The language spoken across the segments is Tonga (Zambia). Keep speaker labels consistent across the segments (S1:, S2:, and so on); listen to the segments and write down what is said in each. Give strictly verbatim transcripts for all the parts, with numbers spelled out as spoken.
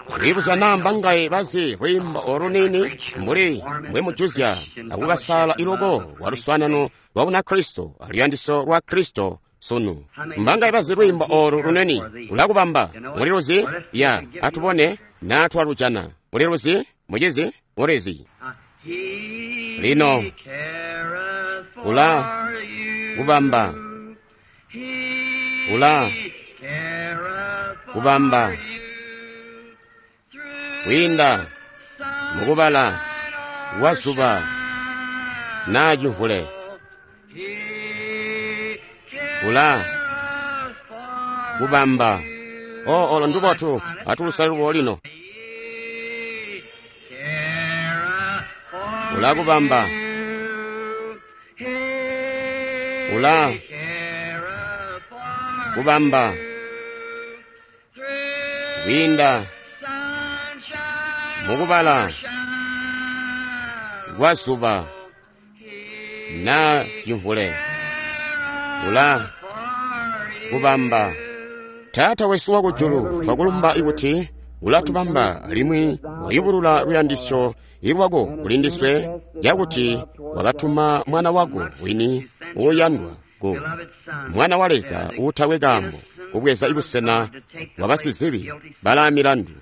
S1: Kulibuzya naa mbangaye bazi lwiimbo olu luniini mbuli mbwemujuzya akukasala iloko kwa luswaanano lwa Bunakristo aluyandisyo lwa Kristo sunu. Mbangaye bazi lwiimbo olu luneni ulakubamba muliluzi? Ya, atubone naa twalujana. Muliluzi, mucizi? Mulizi. Lino ula kubamba, ula kubamba kwiinda mukubala kwa zuba naa cimvule, ula kubamba. O, olo ndubotu, atulusale lubo lino. Ula kubamba, ula kubamba kwiinda mukubala kwa zuba naa cimvule, ula kubamba. Taata wesu wakujulu, twakulumba ikuti ulatubamba alimwi wayubulula luyandisyo lwako kulindiswe, cakuti wakatuma mwana wako wini uuyandwa ku mwana wa Leza uutakwe kaambo kubweza ibusena bwa basizibi balaa milandu.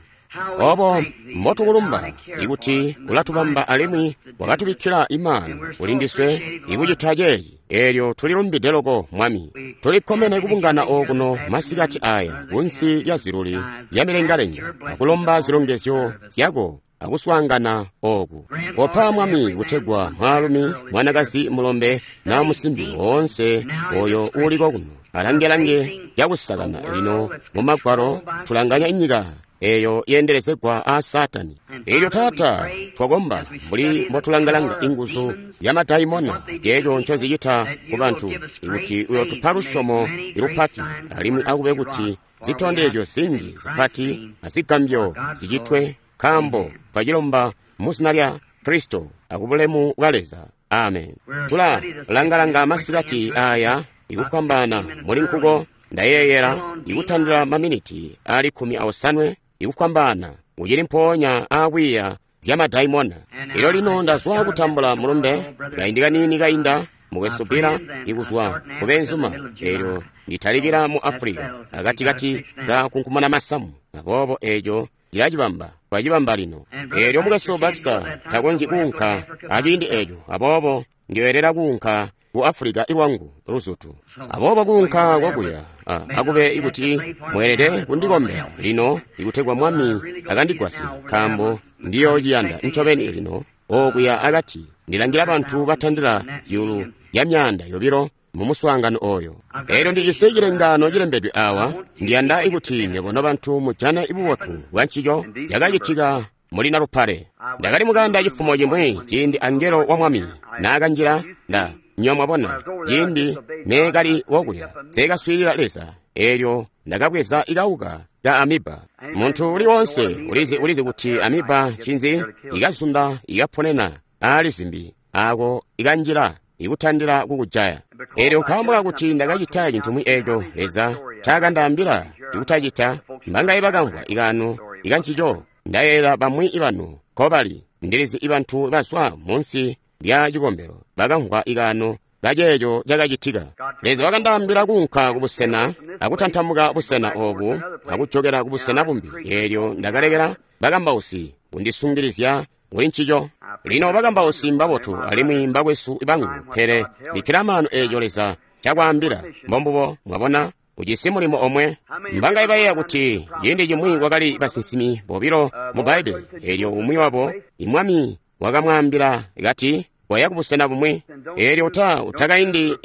S1: Obo mbotukulumba ikuti ulatubamba alimwi wakatubikkila imano kulindiswe ikucita ceeci. Eelyo tulilumbide loko Mwami. Tulikkomene kubungana okuno masikati aya kunsi lya ziluli zya milengalenga akulomba zilongezyo zyako akuswaangana oku. Kopa Mwami kutegwa mwaalumi, mwanakazi, mulombe na musimbi woonse oyo uuliko kuno alange-lange cakusakana lino mu Magwalo tulanganya inyika eyo yeendelezegwa aa Saatani. Elyo Taata, twakomba mbuli mbotulangalanga inguzu ya madaimona ceeco ncozicita ku bantu, ikuti uyotupa lusyomo lupati alimwi akube kuti zitondezyo zinji zipati azigambyo zicitwe, nkaambo twacilomba mu zina lya Kristo akubulemu bwa Leza. Amen. Tula langalanga masikati aya ikufwambaana muli nkuko ndayeeyela ikutandila maminiti ali kkumi aosanwe ikufwambaana ucili mpoonya aakwiiya zya madaimona. Elyo lino ndazwa kutambula mulumbe kaindi kaniini kainda mukwesu Bill ikuzwa kubeenzuma, elyo nditalikila mu Africa akatikati ka kunkumana masamu, aboobo eco cilacibamba twacibamba lino. Elyo mukwesu Baxter takonzyi kuunka aciindi eco, aboobo ndiyoyelera kuunka ku Africa ilwangu luzutu. Aboobo kuunka kwakuya akube ikuti mweelede kundikombela lino ikutegwa Mwami akandigwasye, nkaambo ndiyoociyanda ncobeni lino okuya akati ndilangila bantu batandila zyuulu zya myaanda yobilo mu muswaangano oyo. Elyo ndijisi cilengano cilembedwe awa, ndiyanda ikuti nywebo nobantu mujane bubotu bwa ncico cakacitika muli Nalupale. Ndakali mukanda cifumo cimwi ciindi angelo wa Mwami naakanjila nda nywa mwabona ciindi neekali wokuya nseekaswiilila Leza, eelyo ndakabweza ikauka ka amiba. Muntu uli wonse ulizi ulizi kuti amiba ncinzi, ikazunda ikaponena aali zimbi ako ikanjila ikutandila kukujaya. Eelyo nkaambo kakuti ndakacita cintumwi eeco Leza ncakandaambila ikutacita, mbangaye bakamvwa ikaano ikancico. Ndayeeyela bamwi ibanu nkobali, ndilizi ibantu bazwa munsi lya cikombelo bakamvwa ikaano kaceeco cakacitika. Leza wakandaambila kuunka kubusena akutantamuka busena oobu akujokela kubusena bumbi. Eelyo ndakalekela bakambausi kundisungilizya kuli ncico. Lino bakambausi mbabotu alimwi mbakwesu bangu, pele bikkila maanu eeco Leza cakwaambila. Mbombubo, mwabona, ujisi mulimo omwe. Mbangaye bayeeya kuti ciindi cimwi kwakali basinsimi bobilo mu Bbaibbele, eelyo umwi wabo imwami wakamwaambila kati, koya kubusena bumwi, eelyo uta utakaindi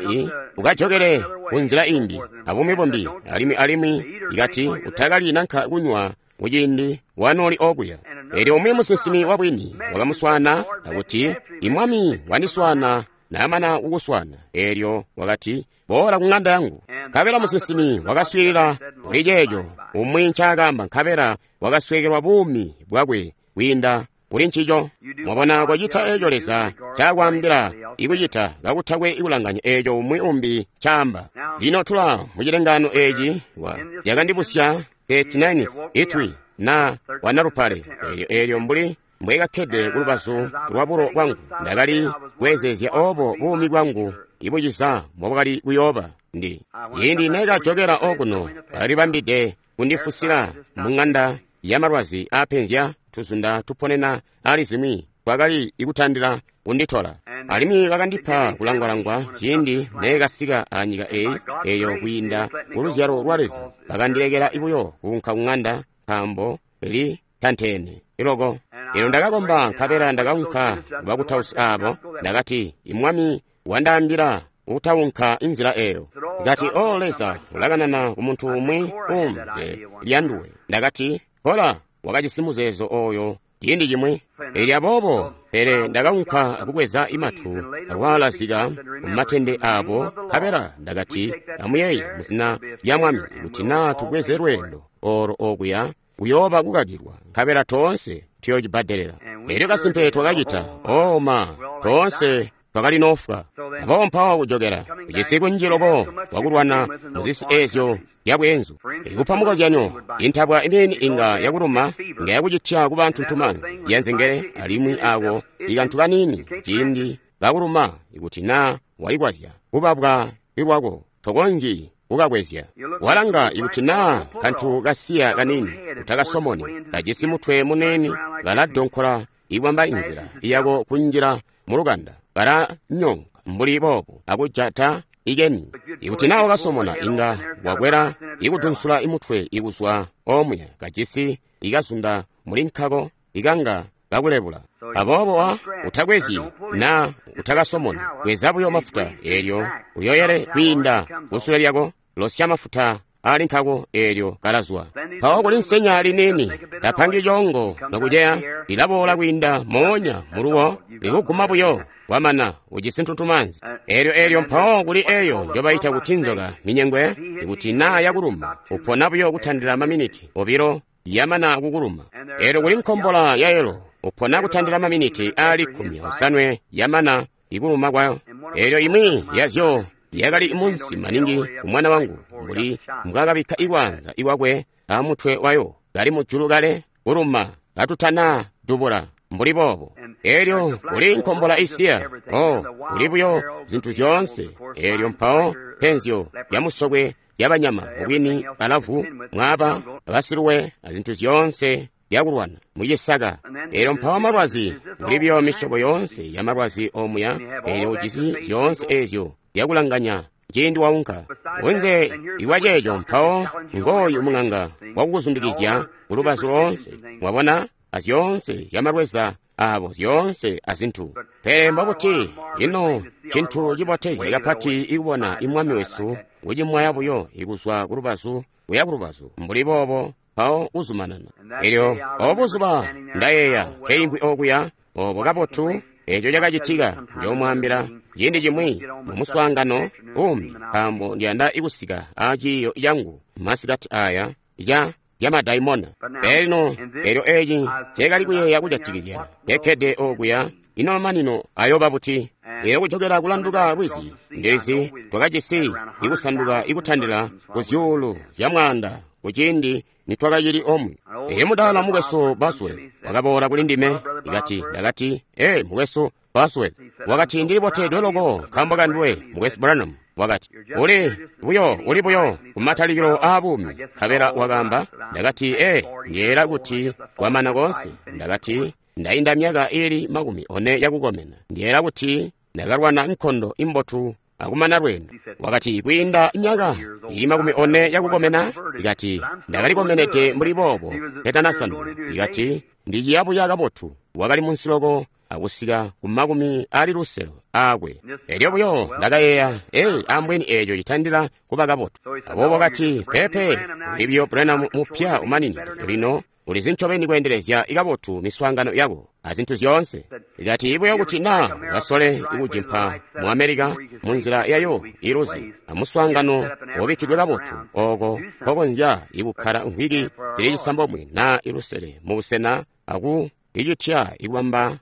S1: ukajokele kunzila imbi abumwi bumbi, alimwi alimwi ikati utakalyi nanka kunywa kuciindi wanooli okuya. Eelyo umwi musinsimi wabwini wakamuswaana akuti, imwami wandiswaana naamana kukuswaana. Eelyo wakati, boola ku ŋanda yangu. Nkabela musinsimi wakaswiilila kuli ceeco umwi ncaakaamba, nkabela wakasweekelwa buumi bwakwe kwiinda kuli ncico. Mwabona, kocita eeco Leza ncaakwaambila ikucita kakutakwe ikulanganya eeco umwi umbi ncaamba. Lino tula mucilengano eeci cakandibusya thirty-ninth itwi na wanalupale. Elyo elyo mbuli mbwekakkede kulubazu lwa bulo bwangu, ndakali kweezeezya obo buumi bwangu ibuciza mbobwakali kuyooba. Ndi ciindi nekajokela okuno, bakalibambide kundifusila mu ng'anda yamalwazi aapenzya tuzunda tuponena ali zimwi, twakali ikutandila kunditola. Alimwi bakandipa kulangwalangwa ciindi nekasika anyika eyi, eyo kwiinda kuluzyalo lwa Leza bakandilekela buyo kuunka kung'anda, nkaambo li tanteene iloko. Elyo ndakakomba, nkabela ndakaunka kubakutausi abo. Ndakati, Imwami wandaambila utaunka inzila eyo. Ndakati, O Leza ulakanana ku muntu umwi umze lyanduwe. Ndakati, Kola wakajisi muzeezo oyo ciindi cimwi. Elyo aboobo, pele ndakaunka akubweza imatu akwaalazika mumatende abo, nkabela ndakati, amuyeeye muzina lya Mwami, kuti naa tubweze lweendo olo okuya kuyooba kukakilwa, nkabela toonse tuyoocibbadelela. Elyo kasimpe twakacita. Oh ma, toonse twakali nofwa. Aboobo mpawo kujokela kujisi kunji loko wakulwana muzisi ezyo zyabweenzu. Ikupa mukozyanyo, intabwa imini inga yakuluma, inga yakucitya kuba ntuntumanzi yanzengele, alimwi ako ikantu kanini ciindi kakuluma, ikuti naa walikwazya kubabwa ilwako, tokonzyi kukakwezya. Walanga, ikuti naa kantu kasiya kanini utakasomoni, kajisi mutwe munene, kaladonkola ikwamba inzila yako kunjila mulukanda, kalanyonka mbuli boobo akujata ikeni. Ikuti naa wakasomona, inga wakwela ikudunsula imutwe ikuzwa omuya, kajisi ikazunda muli nkako ikanga kakulebula. Aboobo wa utakwezyi naa utakasomona, kweza buyo mafuta, elyo uyoyele kwiinda kusule lyako, losya mafuta ali nkako, elyo kalazwa. Mpawo kuli nsenya liniini tapangi coongo nokuceya, lilaboola kwiinda moonya muluwo, likuguma buyo kwamana ujisi ntuntumanzi. Elyo elyo mpawo kuli eyo njobaita kuti nzoka minyengwe, ikuti naa yakuluma upona buyo kutandila maminiti obilo yamana kukuluma. Elyo kuli nkombola yayelo, upona kutandila maminiti aali kkumi osanwe yamana ikuluma kwayo. Elyo imwi yazyo yakali munsi maningi kumwana wangu, mbuli mbwakabikka ikwanza iwakwe amutwe wayo, kali mujulu kale kuluma katutana dubula mbuli boobo. Elyo kuli nkombola isiya, oh, kuli buyo zintu zyoonse. Elyo mpawo penzyo lyamusokwe lyabanyama, mubwini balavu, mwaaba, basiluwe, azintu zyoonse lyakulwana mucisaka. Elyo mpawo malwazi, kuli buyo misyobo yoonse ya malwazi omuya. Elyo ujisi zyoonse ezyo lyakulanganya ciindi waunka kunze iwa ceeco. Mpawo ngooyu mung'anga wakukuzundikizya kulubazu loonse, mwabona, azyoonse zyamalweza abo, zyoonse azintu. Pele mbobuti ino cintu cibotezya kapati ikubona imwami wesu kucimwaya buyo ikuzwa kulubazu kuya kulubazu mbuli boobo, mpawo kuzumanana. Elyo obo buzuba ndayeeya keimvwi okuya obo kabotu eco cakacitika, njoomwaambila ciindi cimwi mu muswaangano umbi, nkaambo ndiyanda ikusika a ciiyo cangu masikati aya ca zyamadaimona. Elino elyo eci nceekali kuyeeya kujatikizya kekkede okuya, ino mamanino ayooba buti? Elyo kujokela kulanduka lwizi, ndilizi twakajisi ikusanduka ikutandila ku zyuulu zya mwaanda kuciindi nitwakacili omwe. Elyo mudaala mukwesu Bosworth wakaboola kuli ndime, ikati, ndakati, ee, mukwesu Bosworth, wakati, ndili botedwe loko nkaambo kanduwe, mukwesu Branham. Wakati, uli buyo, uli buyo kumatalikilo aa buumi. Nkabela wakaamba, ndakati, ee, ndiyeeyela kuti kwamana koonse. Ndakati, ndainda myaka iili makumi one yakukomena, ndiyeeyela kuti ndakalwana nkondo imbotu akumana lweendo. Wakati, kwiinda myaka ili makumi one yakukomena, ikati, ndakalikomenede mbuli boobo tetanasanduka. Ikati, ndiciyabuya kabotu. Wakali munsi loko akusika ku makumi ali lusele aakwe. Elyo buyo ndakayeeya, ee, ambweni eeco citandila kuba kabotu. Aboobo wakati, pepe, uli buyo Branham mupya umaninide lino, ulizi ncobeni kweendelezya kabotu miswaangano yako azintu zyoonse. Ikati buyo kuti naa ukasole ikujimpa mu Amerika munzila yayo iluzi amuswaangano wobikkidwe kabotu, oko nkokonzya ikukkala mvwiki zili cisambomwe naa ilusele mubusena aku icitya ikubamba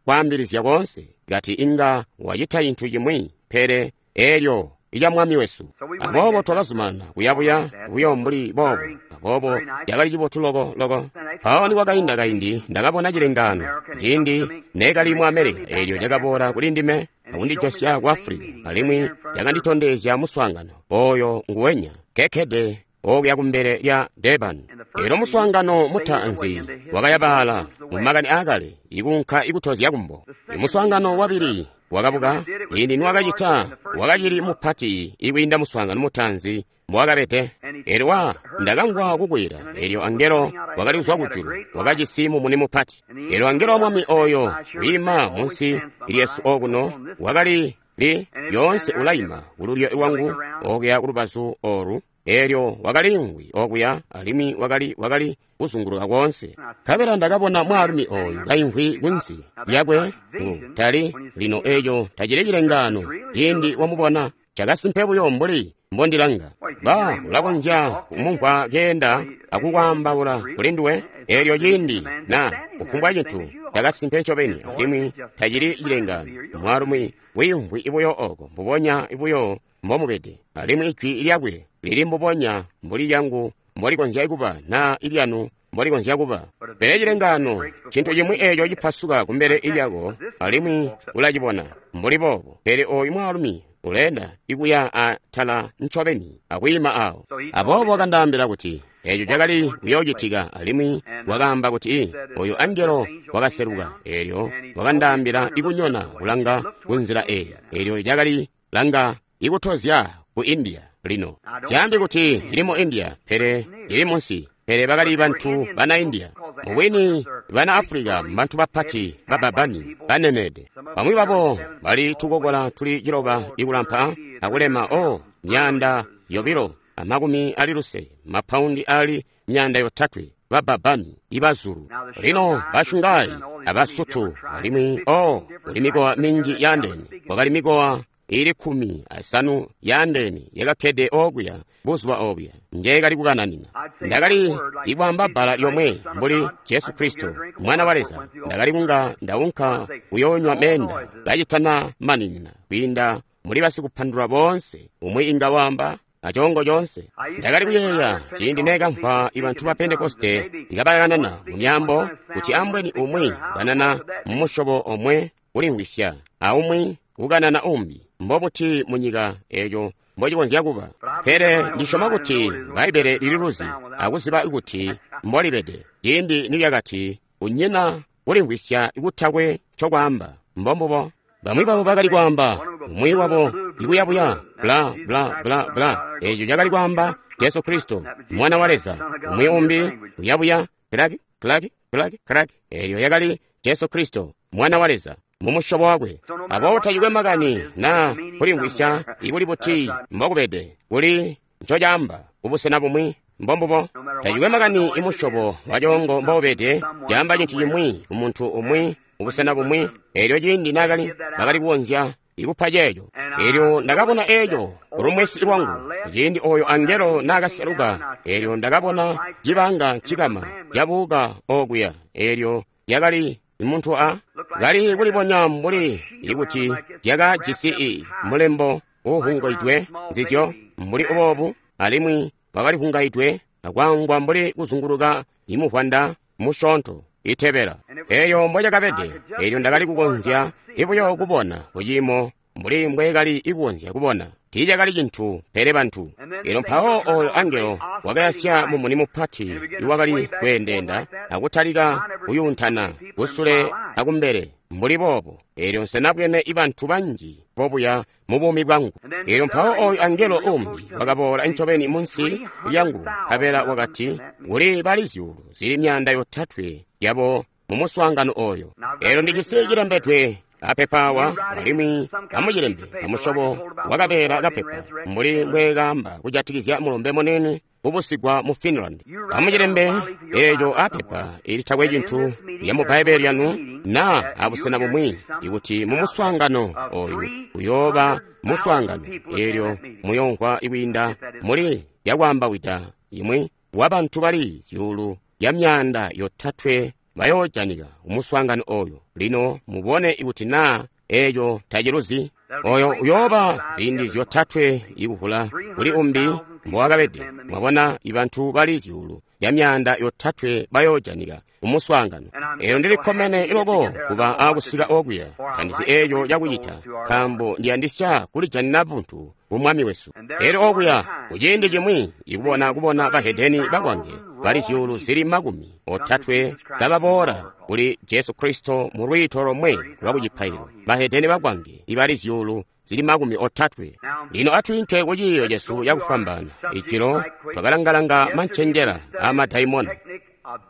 S1: kwaambilizya koonse. Ikati inga wacita cintu cimwi, pele elyo ca Mwami wesu. Aboobo twakazumanana kuyabuya buyo mbuli boobo. Aboobo cakali cibotu loko loko. Mpawo nikwakainda kaindi ndakabona cilengaano ciindi neekali mu America, eelyo cakaboola kuli ndime akundijosya ku Africa, alimwi cakanditondezya muswaangano oyo nguwenya kekkede okuya kumbele lya Durban. Elyo muswaangano mutaanzi wakayabaala mumakani aakale ikunka ikutozya kumbo. Muswaangano wabili wakabuka ciindi niwakacita wakacili mupati ikwiinda muswaangano mutaanzi mbowakabede. Elyo wa ndakamvwa kukwila, elyo angelo wakali kuzwa kujulu wakajisi mumuni mupati. Elyo angelo wa Mwami oyo wiima munsi lyesu okuno wakali li lyoonse ulaima kululyo lwangu okuya kulubazu olu. Elyo wakaliimvwi okuya alimwi wakali wakali kuzunguluka koonse. Nkabela ndakabona mwaalumi oyu kaimvwi kunsi lyakwe ngu tali lino eco tacili cilengaano ciindi wamubona cakasimpe buyo mbuli mbondilanga. Ba ulakonzya kumumvwa keenda akukwaambaula kuli nduwe elyo ciindi na kufumbwa cintu cakasimpe ncobeni alimwi tacili cilengaano. Mwaalumi wiimvwi buyo oko mbubonya buyo mbomubede, alimwi ijwi lyakwe lili mbubonya mbuli lyangu mbolikonzya kuba na ilyanu mbolikonzya kuba. Pele cilengaano cintu cimwi eeco cipasuka kumbele lyako alimwi ulacibona mbuli boobo. Pele oyu mwaalumi uleenda ikuya atala ncobeni akwiima awo. Aboobo wakandaambila kuti eeco cakali kuyoocitika, alimwi wakaamba kuti oyu angelo wakaseluka. Eelyo wakandaambila ikunyona kulanga kunzila eyi. Eelyo cakali langa ikutozya ku India. Lino zyaambi kuti cili mu India, pele cili munsi. Pele bakali bantu bana India. Mubwini bana Africa mbantu bapati bababani banenede. Bamwi babo bali tukokola tuli ciloba ikulampa akulema o myaanda yobilo amakumi ali lusele, mapaundi ali myaanda yotatwe, bababani ibazulu. Lino bashungai abasutu alimwi o kuli mikowa minji yaandeene. Kwakali mikowa ili kkumi asanu yaandeene yakakkede okuya buzuba obuya njeekali kukananina. Ndakali ikwaamba bbala lyomwe mbuli Jesu Kristo Mwana wa Leza. Ndakali kunga ndaunka kuyoonywa meenda kacitana maninina kwiinda muli basikupandula boonse umwi inga waamba acongo conse. Ndakali kuyeeya ciindi neekamvwa ibantu ba Pentekoste ikabakanana mu myaambo kuti ambweni umwi kanana mumusyobo omwe kulimvwisya aumwi kukanana umbi. Mbobuti munyika eeco mbocikonzya kuba? Pele ndisyoma kuti Bbaibbele lililuzi akuziba kuti mbolibede. Ciindi nilyakati kunyina kulimvwisya kutakwe ncokwaamba. Mbombubo. Bamwi babo bakali kwaamba umwi wabo ikuyabuya bla bla bla bla. Eeco cakali kwaamba Jesu Kristo Mwana wa Leza. Umwi umbi kuyabuya klaki klaki klaki klaki. Eelyo yakali Jesu Kristo Mwana wa Leza mumusyobo wakwe. Aboobo tacikwe makani na kulimvwisya ikuli buti mbokubede kuli ncocaamba kubusena bumwi. Mbombubo. Tacikwe makani imusyobo wacoongo mboubede, caamba cintu cimwi ku muntu umwi kubusena bumwi. Eelyo ciindi naakali bakali kukonzya ikupa ceeco. Eelyo ndakabona eeco kulumwesi lwangu ciindi oyo angelo naakaseluka. Eelyo ndakabona cibanga cikama cabuka okuya. Eelyo yakali muntu a kali kulibonya mbuli ikuti yakajisi i mulembo uuhungaidwe nzizyo mbuli boobu, alimwi wakalihungaidwe akwangwa mbuli kuzunguluka imuvwanda musyoonto itebela. Eeyo mbocakabede. Eelyo ndakali kukonzya ibuyo kubona kuciimo mbuli mbweekali ikukonzya kubona. Tiicakali cintu pele bantu. Eelyo mpawo oyo angelo wakayasya mumuni mupati iwakali kweendeenda akutalika kuyuuntana kusule akumbele mbuli boobo. Eelyo nsenabwene ibantu banji bobuya mu buumi bwangu. Eelyo mpawo oyo angelo umbi wakaboola ncobeni munsi lyangu, nkabela wakati kuli bali zyuulu zili myaanda yotatwe yabo mu muswaangano oyo. Eelyo ndijisi cilembedwe apepa awa, alimwi amucilembe amusyobo wakabeela kapepa mbuli mbweekaamba kujatikizya mulumbe munene kubusigwa mu Finland. Amucilembe eeco apepa ilitakwe cintu lya mu Bbaibbele lyanu na abusena bumwi, ikuti mu muswaangano oyu uyooba muswaangano eelyo muyoomvwa ikwiinda muli yakwaambawida imwi wabantu bali zyuulu ya myaanda yotatwe bayoojanika kumuswaangano oyo. Lino mubone ikuti naa eeco taciluzi. Oyo uyooba ziindi zyotatwe ikuvula kuli umbi mbowakabede. Mwabona, ibantu bali zyuulu ya myaanda yotatwe bayoojanika kumuswaangano. Elyo ndili kkomene loko kuba akusika okuya. Tandizi eeco cakucita, nkaambo ndiyandisya kulijanina buntu ku Mwami wesu. Elyo okuya kuciindi cimwi ikubona kubona bahedeni bakwange bali zyuulu zili makumi otatwe kababoola kuli Jesu Kristo mu lwiito lomwe lwa kucipaililo. Bahedeni bakwange ibali zyuulu zili makumi otatwe. Lino atwiinke ku ciiyo cesu cakufwambaana. Ijilo twakalangalanga mancenjela aamadaimona.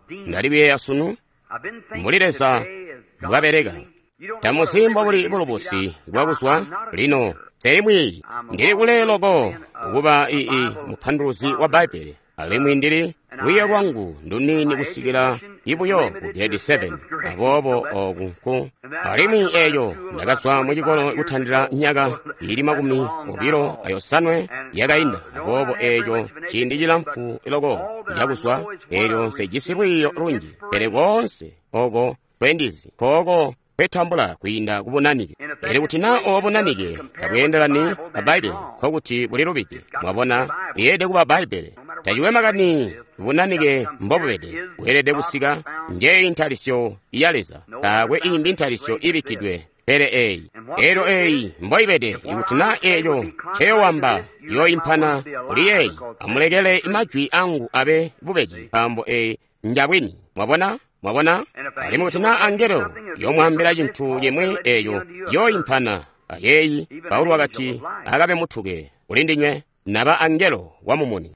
S1: Ndali kuyeeya sunu mbuli Leza mbwabeleka. Tamuzi mbobuli bulubusi bwakuzwa lino nseli mwiiyi. Ndili kule loko kuba ii mupanduluzi wa Bbaibbele, alimwi ndili lwiiyo lwangu nduniini kusikila ibuyo ku grade seven. Aboobo oku nku alimwi eeyo ndakazwa mucikolo kutandila myaka ili makumi obilo ayosanwe yakainda. Aboobo eeco ciindi cilamfu loko cakuzwa, eelyo nsejisi lwiiyo lunji, pele koonse oko kwendizi kooko kwetambula kwiinda kubunanike. Pele kuti naa obo bunanike tabweendelani a Bbaibbele, nkokuti bulilubide. Mwabona, lyeelede kuba Bbaibbele. Tacikwe makani bunanike mbobubede, bweelede kusika njeyi ntalisyo ya Leza. Taakwe imbi ntalisyo ibikkidwe pele eeyi. Eelyo eeyi mboibede, ikuti naa eeco nceyowamba ciyooimpana kuli yeeyi, amulekele majwi angu abe bubeji, nkaambo eeyi njabwini. Mwabona? Mwabona? Alimwi kuti naa angelo yomwaambila cintu cimwi eeco ciyooimpana ayeeyi, Paulo wakati, akabe mutuke kuli ndinywe, naba angelo wa mumuni.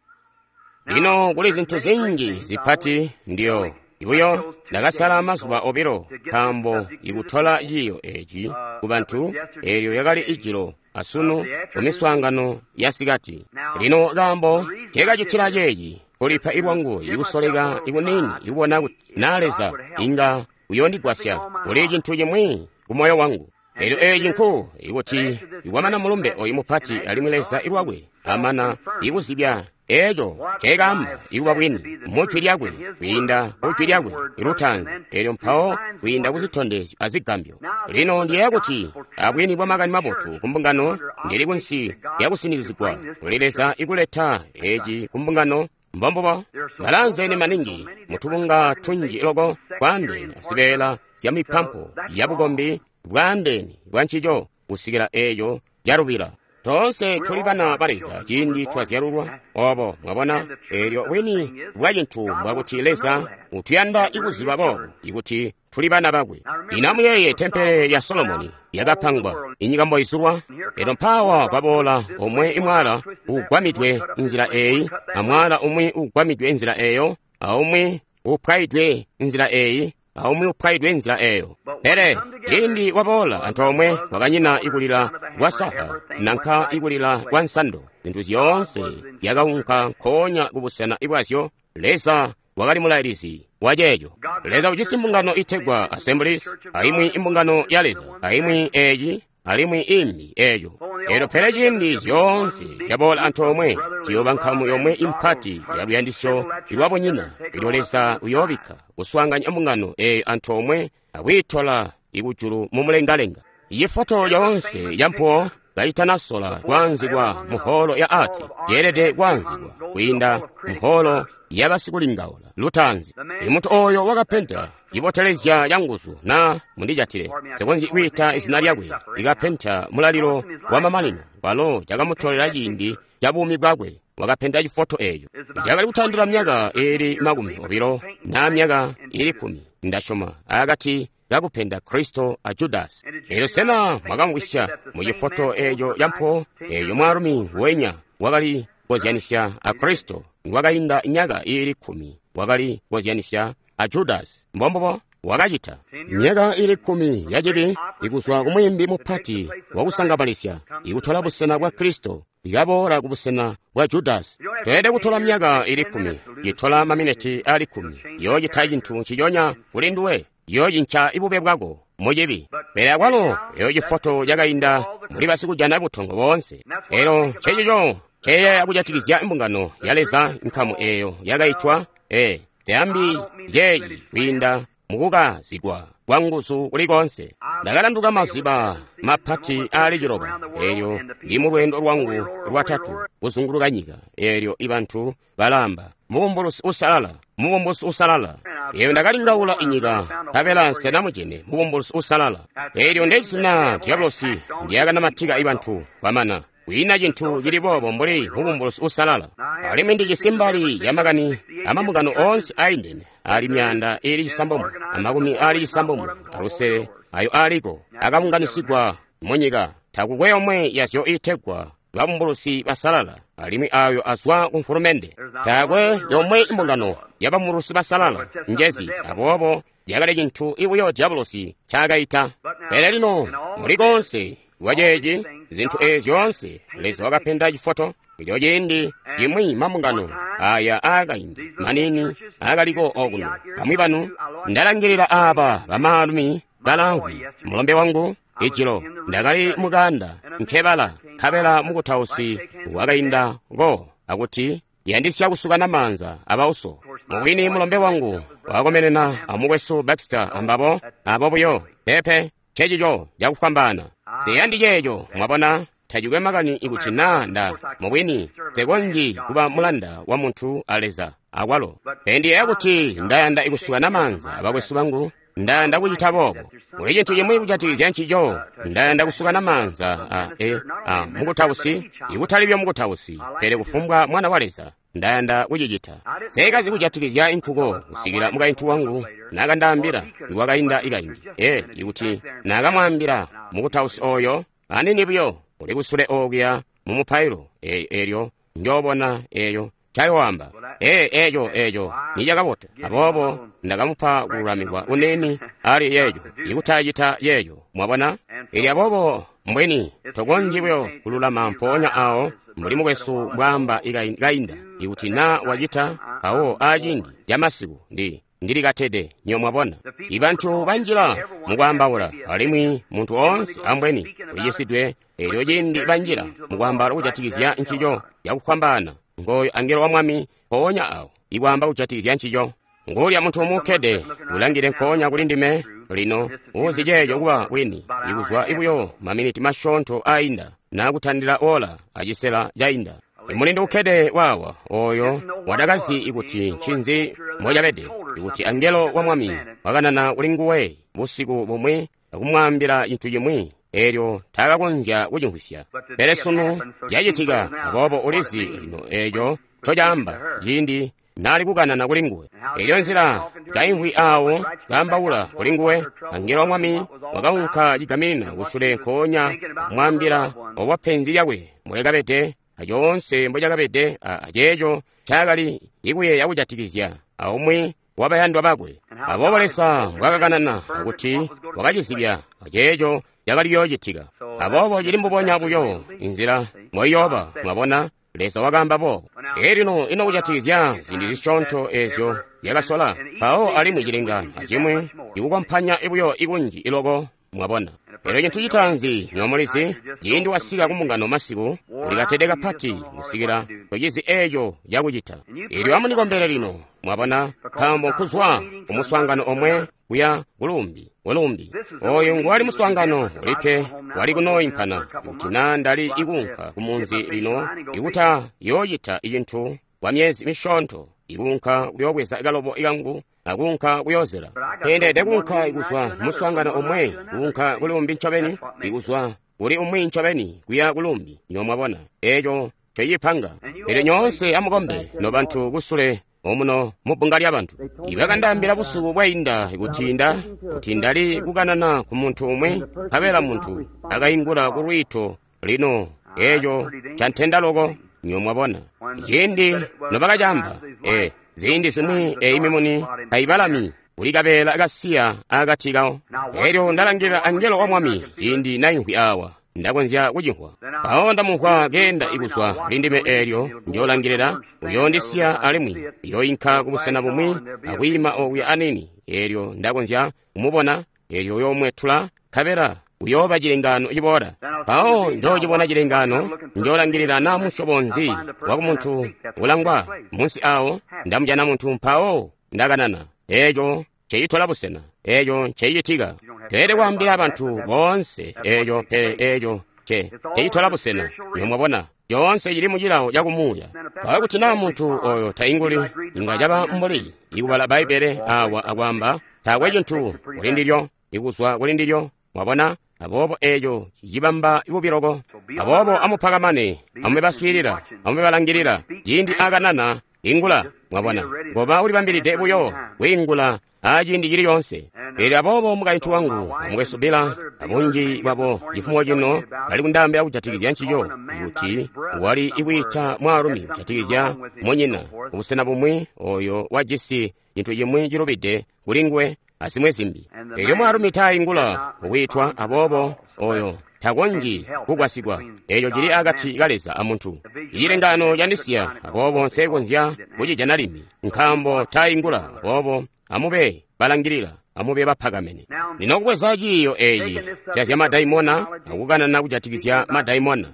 S1: Lino kuli zintu zinji zipati ndiyo ibuyo ndakasala mazuba obilo, nkaambo ikutola ciiyo eeci ku bantu, eelyo yakali ijilo asunu kumiswaangano ya sikati. Lino kaambo teekacitila ceeci kulipa ilwangu ikusoleka ikuniini ikubona kuti naa Leza inga uyoondigwasya kuli cintu cimwi ku moyo wangu. Elyo eeci nku ikuti ikwamana mulumbe oyu mupati, alimwi Leza ilwakwe amana ikuzibya eeco nceekaamba ikuba bwini mujwi lyakwe, kwiinda kujwi lyakwe lutaanzi, elyo mpawo kwiinda kuzitondezyo azigambyo. Lino ndiyeeya kuti abwini bwa makani mabotu ku mbungano, ndili kunsi lyakusinizigwa kuli Leza ikuleta eci ku mbungano. Mbombubo balanzeene maningi mutubunga tunji loko bwaandeene azibeela zya mipampo ya bukombi bwaandeene bwa ncico kusikila eeco calubila. Toonse tuli bana ba Leza ciindi twazyalulwa obo, mwabona. Eelyo bwini bwa cintu mbwakuti Leza utuyanda ikuziba boobo ikuti tuli bana bakwe. Lino amuyeeye tempele lya Solomoni lyakapangwa inyika mboizulwa. Elyo mpaawa kwaboola omwe imwala ugwamidwe nzila eeyi, amwala umwi ugwamidwe nzila eeyo, aumwi upwaidwe nzila eeyi, aumwi upwaidwe nzila eeyo. Pele ciindi waboola antoomwe kwakanyina ikulila kwa saha nanka ikulila kwa nsando. Zintu zyoonse zyakaunka nkoonya kubusena bwazyo. Leza wakali mulailizi wa ceeco. Leza ujisi mbungano itegwa Assemblies, aimwi imbungano ya Leza, aimwi eeci, alimwi imbi eeco. Elyo pele ciindi zyoonse zyaboola antoomwe, ziyooba nkamu yomwe impati ya luyandisyo lwabunyina. Elyo Leza uyoobikka kuswaanganya mbungano eeyo antoomwe akwiitola ikujulu mumulengalenga. Iyi foto yoonse yampuwo kaitanasola kwaanzikwa muholo ya ati, yeelede kwaanzikwa kwiinda muholo yabasikulingaula lutaanzi. Imuntu oyo wakapenta cibotelezya canguzu, na mundijatile nsikonzyi kwiita izina lyakwe, ikapenta mulalilo wa mamanino, walo cakamutolela ciindi ca buumi bwakwe. Wakapenta cifoto eeco cakali kutandila myaka iili makumi obilo na myaka iili kkumi, ndasyoma, akati kakupenda Kristo a Judasi. Elyo sena mwakamvwisya mu cifoto eeco campuwo? Eeco mwaalumi wenya wakali kozyanisya a Kristo nikwakainda myaka iili kkumi wakali kozyanisya a Judasi. Mbombubo wakacita. Myaka iili kkumi ya cibi ikuzwa ku mwiimbi mupati wakusangabalisya ikutola busena bwa Kristo ikaboola ku busena bwa Judasi. Tweelede kutola myaka iili kkumi, citola maminiti aali kkumi, yoocita cintu nciconya kuli nduwe, yoocinca ibube bwako mucibi. Pele akwalo eyo cifoto cakainda muli basikujana butongo boonse. Elo ncecico nceyeeya kujatikizya mbungano ya Leza, nkamu eeyo yakaitwa ee zyaambi ceeci kwiinda mukukazigwa kwa nguzu kuli konse. Ndakalanduka maziba mapati aali ciloba, elyo ndi mu lweendo lwangu lwatatu kuzunguluka nyika, elyo ibantu balamba mubumbulusi usalala, mubumbulusi usalala. Eyo ndakalingaula inyika, nkabela nsenamujene mubumbulusi usalala. Elyo ndezina Diabolosi ndyakanamatika ibantu kwamana. Kwiina cintu cili boobo mbuli mubumbulusi usalala. Alimwi ndijisi mbali ya makani amambungano oonse aindene ali myaanda ili cisambomwe amakumi ali cisambomwe alusele ayo aliko akabunganisigwa munyika. Takukwe yomwe yazyo iitegwa babumbulusi basalala, alimwi ayo azwa ku mfulumende. Taakwe yomwe imbungano ya babumbulusi basalala njezi, aboobo yakali cintu ibuyo Diabolosi ncaakaita. Pele lino muli konse waceeci zintu eezi zyoonse Leza wakapenda cifoto. Elyo ciindi cimwi mambungano aya aakaindi maniini aakaliko okuno. Bamwi banu ndalangilila aaba bamaalumi balamvwi. Mulombe wangu ijilo ndakali mukanda nkebala, nkabela mukutausi wakainda ko akuti yandisya kusukana maanza abauso. Mubwini mulombe wangu wakomenena amukwesu Baxter ambabo abo buyo pepe cecico cakufwambaana. Siyandi ceeco, mwabona, tacikwe makani ikuti naa nda mubwini nsekonzyi kuba mulanda wa muntu a Leza akwalo. Pele ndiyeeya kuti ndayanda ikusukana maanza abakwesu bangu, ndayanda kucita boobo. Kuli cintu cimwi kujatikizya ncico, ndayanda kusukana maanza a, e, a mukutausi, ikutali buyo mukutausi, pele kufumbwa mwana wa Leza. Ndayanda kucicita. Sekazi kujatikizya inkuko kusikila mukaintu wangu nakandaambila ikwakainda ikaindi. E, ikuti nakamwaambila mukutausi oyo anini buyo uli kusule okuya mu mupailo, e, elyo njoobona eyo ncayoamba. E, eco eco nicakabota. Aboobo ndakamupa kululamikwa kunini ali yeeco, ikutacita yeeco, mwabona. Elyo aboobo mbweni tokonzyi buyo kululama mpoonya awo mbuli mukwesu mbwaamba kainda, ikuti naa wacita awo aciindi camasiku ndi ndilikatede nyo mwabona. Ibantu banjila mukwaambaula, alimwi muntu oonse ambweni ulicisidwe. Elyo ciindi banjila mukwaambaula kujatikizya ncico cakufwambaana, ngooyo angelo wa Mwami mpoonya awo ikwaamba kujatikizya ncico. Nguulya muntu umukkede ulangile nkoonya kuli ndime lino uzi ceeco kuba bwini, ikuzwa ibuyo maminiti masyoonto ainda nakutandila ola acisela cainda. Imulindi ukkede waawa oyo wadakazi ikuti ncinzi mbocabede, ikuti angelo wa Mwami wakanana kuli nguwe busiku bumwi akumwaambila cintu cimwi, elyo taakakonzya kucimvwisya. Pele sunu cacitika, aboobo ulizi lino eeco ncocaamba ciindi naali kukanana kuli nguwe. Elyo nzila kaimvwi awo kaambaula kuli nguwe, angelo wa Mwami wakaunka cigaminina kusule nkoonya kumwaambila obo penzi lyakwe mbwekabede, acoonse mbocakabede, aceeco ncaakali ikuyeeya kujatikizya aumwi wabayandwa bakwe. Aboobo Leza mbwakakanana akuti wakacizibya aceeco cakali kuyoocitika. Aboobo cili mbubonya buyo inzila mboiyooba, mwabona, Leza wakaamba boobo. Elino ino kujatikizya ziindi zisyoonto eezyo zyakasola mpawo alimwi cilengano acimwi ikukompanya buyo ikunji iloko, mwabona. Elyo cintu citaanzi nyomulizi, ciindi wasika kumbungano masiku, ulikatede kapati kusikila tocizi eeco cakucita. Elyo amunikombele lino, mwabona, nkaambo nkuzwa kumuswaangano omwe kuya kulumbi kulumbi. Oyo nguwali muswaangano ulikke wali kunooimpana kuti naa ndali ikuunka kumunzi lino ikuta yoocita icintu kwa myezi misyoonto, ikuunka kuyoobweza kalobo kangu akuunka kuyoozela. Pele kuunka ikuzwa muswaangano omwe kuunka kulumbi ncobeni, ikuzwa kuli umwi ncobeni kuya kulumbi, nyo mwabona eeco ncocipanga. Elyo nyoonse amukombe nobantu kusule omuno mubbunga lyabantu. Ibakandaambila busiku bwainda kuti nda kuti ndali kukanana ku muntu umwi, nkabela muntu akaingula ku lwiito lino eeco cantenda loko, nyo mwabona. Ciindi nobakacamba, e ziindi zimwi eyi mimuni kayibalami kuli kabeela kasiya akati kawo. Elyo ndalangilila angelo wa Mwami ciindi naimvwi awa, ndakonzya kucimvwa. Mpawo ndamumvwa keenda ikuzwa kuli ndime eelyo njoolangilila, uyoondisiya alimwi uyooyinka kubusena bumwi akwiima okuya anini. Eelyo ndakonzya kumubona, eelyo uyoomwetula, nkabela uyooba cilengaano ciboola. Mpawo njoocibona cilengaano, njoolangilila naa musyobo nzi wakumuntu ulangwa munsi awo, ndamujana muntu mpawo ndakanana. Eeco ncecitola busena, eco ncecitika. Teelede kwaambila bantu boonse eco, pele eco nce ncecitola busena. Nywebo mwabona, coonse cili mu cilawo ca kumuuya. Mpawo kuti naa muntu oyo tainguli, inga caba mbuli ikubala Bbaibbele awa akwaamba taakwe cintu kuli ndilyo, ikuzwa kuli ndilyo. Mwabona? Aboobo eco cicibamba bubi loko. Aboobo amupakamane, amube baswiilila, amube balangilila. Ciindi akanana, ingula. Mwabona, ngoba ulibambilide buyo kwiingula aciindi cili coonse. Elyo aboobo mukaintu wangu, mukwesu Bila, abunji bwabo cifumo cino bali kundaambila kujatikizya ncico, kuti wali ikwiita mwaalumi kujatikizya munyina kubusena bumwi oyo wajisi cintu cimwi cilubide kuli nguwe azimwe zimbi. Elyo mwaalumi taingula kukwiitwa, aboobo oyo takonzyi kugwasigwa. Eco cili akati ka Leza amuntu. Icilengano candisiya, aboobo nsekonzya kucijana limbi, nkaambo taingula. Aboobo amube balangilila, amube bapakamene. Lino kubweza ciiyo eci ca madaimona akukanana kujatikizya madaimona.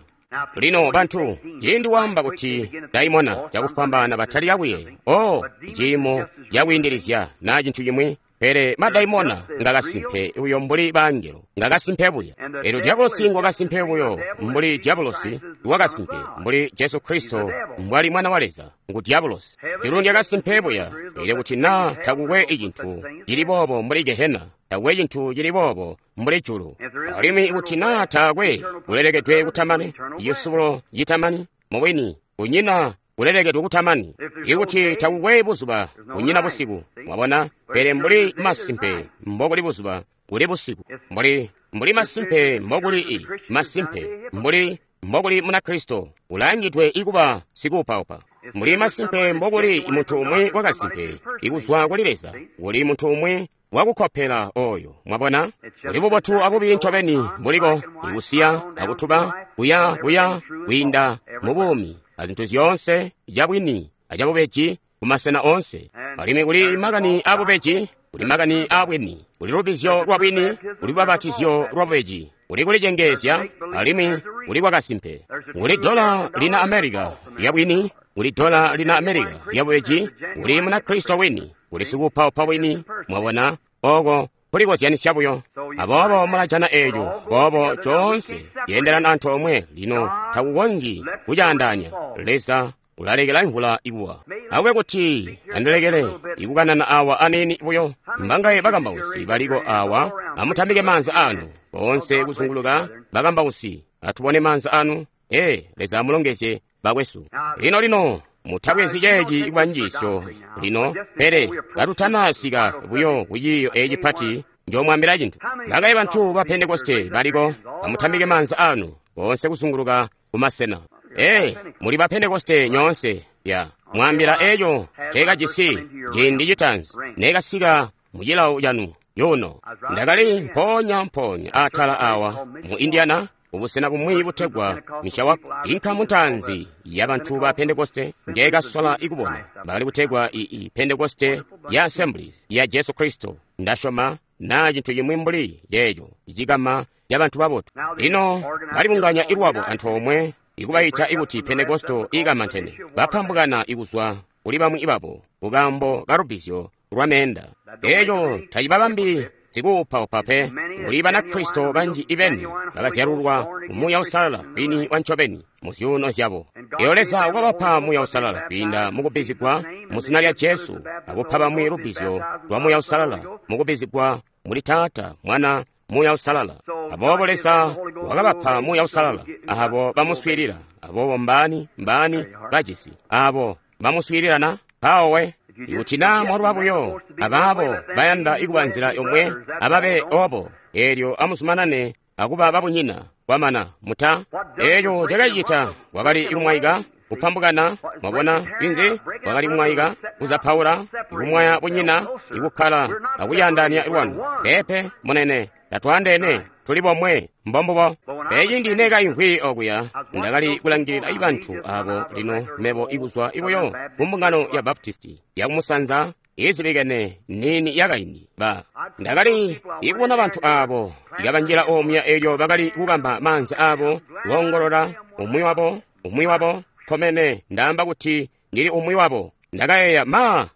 S1: Lino bantu, ciindi waamba kuti daimona cakufwambaana batalika kuyeeya, oh, ciimo cakwiindilizya naa cintu cimwi. Pele madaimona ngakasimpe buyo mbuli bangelo, ngakasimpe buya. Elyo diabolosi ngwakasimpe buyo mbuli diabolosi wakasimpe, mbuli Jesu Kristo mbwali Mwana wa Leza ngu diabolosi. Julu lyakasimpe buya, elyo kuti naa takukwe icintu cili boobo mbuli Gehena, takukwe cintu cili boobo mbuli julu. Alimwi kuti naa taakwe kulelekedwe kutamani, icisubulo citamani, mubwini kunyina kulelekedwe kutamani. Ikuti takukwe buzuba, kunyina busiku. Mwabona? Pele mbuli masimpe mbokuli buzuba, kuli busiku. Mbuli mbuli masimpe mbokuli i masimpe mbuli mbokuli Munakristo ulangidwe ikuba sikuupaupa. Mbuli masimpe mbokuli muntu umwi wakasimpe ikuzwa kuli Leza, kuli muntu umwi wakukopela oyo. Mwabona? Kuli bubotu abubi ncobeni buliko, ikusiya akutuba, kuya kuya kwiinda mu buumi azintu zyoonse cabwini acabubeji kumasena oonse. Alimwi kuli makani abubeji, kuli makani abwini, kuli lubizyo lwa bwini, kuli lubabatizyo lwa bubeji, kuli kulicengeezya, alimwi kuli kwakasimpe. Kuli dola lina America lya bwini, kuli dola lina America lya bubeji, kuli Munakristo wini, kuli sikuupaupa wini. Mwabona? Oko kulikozyanisya buyo. Aboobo mulajana eco, boobo coonse ceendelana antoomwe. Lino takukonzyi kucaandaanya. Leza ulalekela imvula ikuwa. Akube kuti andilekele ikukanana awa aniini buyo. Mbangaye bakambausi baliko awa, amutambike maanza anu boonse kuzunguluka bakambausi, atubone maanza anu. Ee, Leza amulongezye bakwesu. Lino lino mutabwezi ceeci kuba njiisyo lino, pele katutanasika buyo ku ciiyo eci pati, njomwaambila cintu. Bangaye bantu ba Pentekoste baliko, amutambike maanza anu boonse kuzunguluka kumasena. Ee, muli ba Pentekoste nyoonse ya mwambila eco cekajisi ciindi citaanzi nekasika mu cilawo canu yuno. Ndakali mpoonya mpoonya atala awa mu Indiana, ubusena bumwi butegwa Mishawak. Inkamu ntaanzi ya bantu ba Pentekoste njekasola ikubona bakali kutegwa ii Pentekoste ya Assemblies ya Jesu Kristo, ndasyoma naa cintu cimwi mbuli ceeco, icikama ca bantu babotu. Lino balibunganya ilwabo antoomwe ikubaita ikuti Pentekoste ikamantene, bapambukana ikuzwa kuli bamwi babo kukambo ka lubizyo lwa meenda. Eco tacibabambi sikuupaupa pe. Kuli Banakristo banji ibeni bakazyalulwa mu Muuya Uusalala bwini wa ncobeni mu zyuuno zyabo. Eyo Leza wakabapa Muuya Uusalala kwiinda mukubbizigwa mu zina lya Jesu, akupa bamwi lubbizyo lwa Muuya Uusalala mukubbizigwa muli Taata, Mwana, Muuya Uusalala. Aboobo Leza wakabapa Muuya Uusalala abo bamuswiilila. Aboobo mbaani mbaani bajisi abo bamuswiilila na? Mpawo ikuti naa mwalwa buyo abaabo bayanda ikuba nzila yomwe, ababe obo, eelyo amuzumanane akuba babunyina kwamana muta. Eeco cakacita kwakali ikumwaika kupambukana. Mwabona inzi? Kwakali kumwaika, kuzapaula, ikumwaya bunyina, ikukkala akuyandaanya lwanu. Peepe munene, tatwaandeene, tuli bomwe, mbombubo. Pele nekaimvwi okuya, ndakali kulangilila ibantu abo lino mebo ikuzwa ibuyo ku mbungano ya Baptisti yakumusanza izibikene nini yakaindi ba. Ndakali ikubona bantu abo ikabanjila omuya elyo bakali kukamba maanza abo kuongolola umwi wabo umwi wabo komene ndaamba kuti ndili umwi wabo. Ndakayeeya, ma,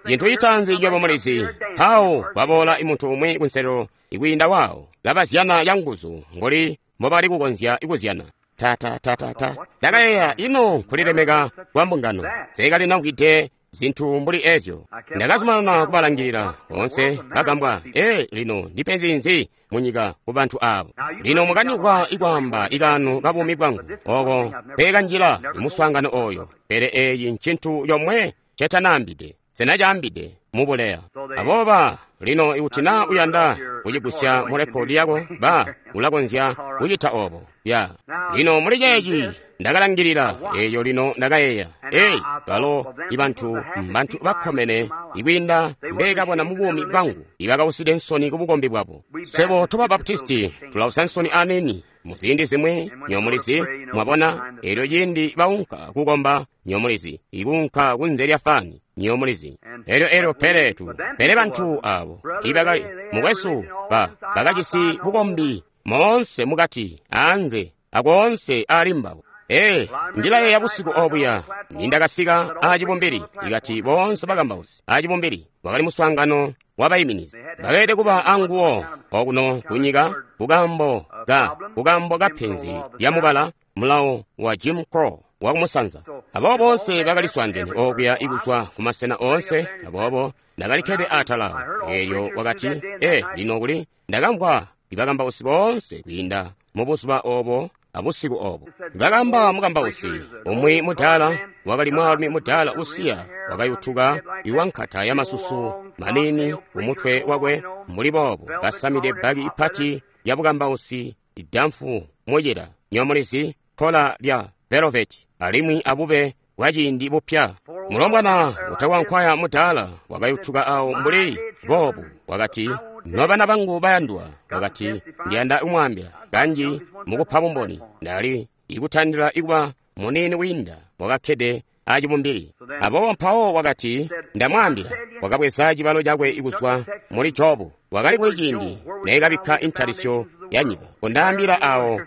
S1: Cintu citaanzi nywebo mulizi, mpawo kwaboola muntu umwi kunselelo ikwiinda waawo, kabazyana canguzu mbuli mbobali kukonzya kuzyana. Ta ta ta ta ta. Ndakayeeya, ino nkulilemeka kwa mbungano. Nseekalinamvwide zintu mbuli ezyo. Ndakazumanana kubalangilila boonse bagambwa. Ee, lino ndipenzi nzi munyika ku bantu abo? Lino mukanikwa ikwaamba ikaano ka buumi bwangu oko mpeekanjila muswaangano oyo. Pele eyi ncintu comwe ncetanaambide, senacaambide mubuleya. Abooba lino ikuti na uyanda kucigusya mu rekodi yako, ba ulakonzya kucita obo. Ya. Lino muli ceeci ndakalangilila eyo lino ndakayeeya, ei, balo ibantu mbantu bakkomene ikwiinda mbeekabona mu buumi bwangu, ibakauside nsoni ku bukombi bwabo. Swebo toba Baptisti tulausa nsoni aniini mu ziindi zimwi, nyomulizi, mwabona, elyo ciindi baunka kukomba, nyomulizi, ikuunka kunze lya fani, nyomulizi. Elyo elyo pele tu, pele bantu abo tiibakali, mukwesu, ba bakajisi bukombi moonse mukati, anze, akoonse ali mbabo. Ee, ndilayeeya busiku obuya nindakasika aacibumbili, ikati boonse bakambausi aacibumbili wakali muswaangano wabaiminizi. Bakeelede kuba anguwo okuno kunyika kukambo ka kukambo ka penzi lya mubala mulawo wa Jim Crow wa kumusanza. Aboobo boonse bakaliswaangene okuya ikuzwa kumasena oonse. Aboobo ndakalikkede atala eelyo wakati, ee, lino kuli ndakamvwa ibakambausi boonse kwiinda mu buzuba obo abusiku obo. Bakamba mukambausi umwi mudaala, wakali mwaalumi mudaala usiya, wakayutuka iwankata ya masusu maniini kumutwe wakwe mbuli boobo, kasamide bbaki ipati ya bukambausi idamfu mucila, nyomulizi, kkola lya velvet, alimwi abube bwa ciindi bupya. Mulombwana utakwankwaya mudaala wakayutuka awo mbuli boobu, wakati, nobana bangu bayandwa, wakati, ndiyanda kumwaambila kanji mukupa bumboni, ndali ikutandila ikuba muniini wiinda wakakkede acibumbili. Aboobo mpawo wakati, ndamwaambila, wakabweza cibalo cakwe ikuzwa muli Jobu, wakali kuli ciindi neekabikka intalisyo ya nyika, kundaambila awo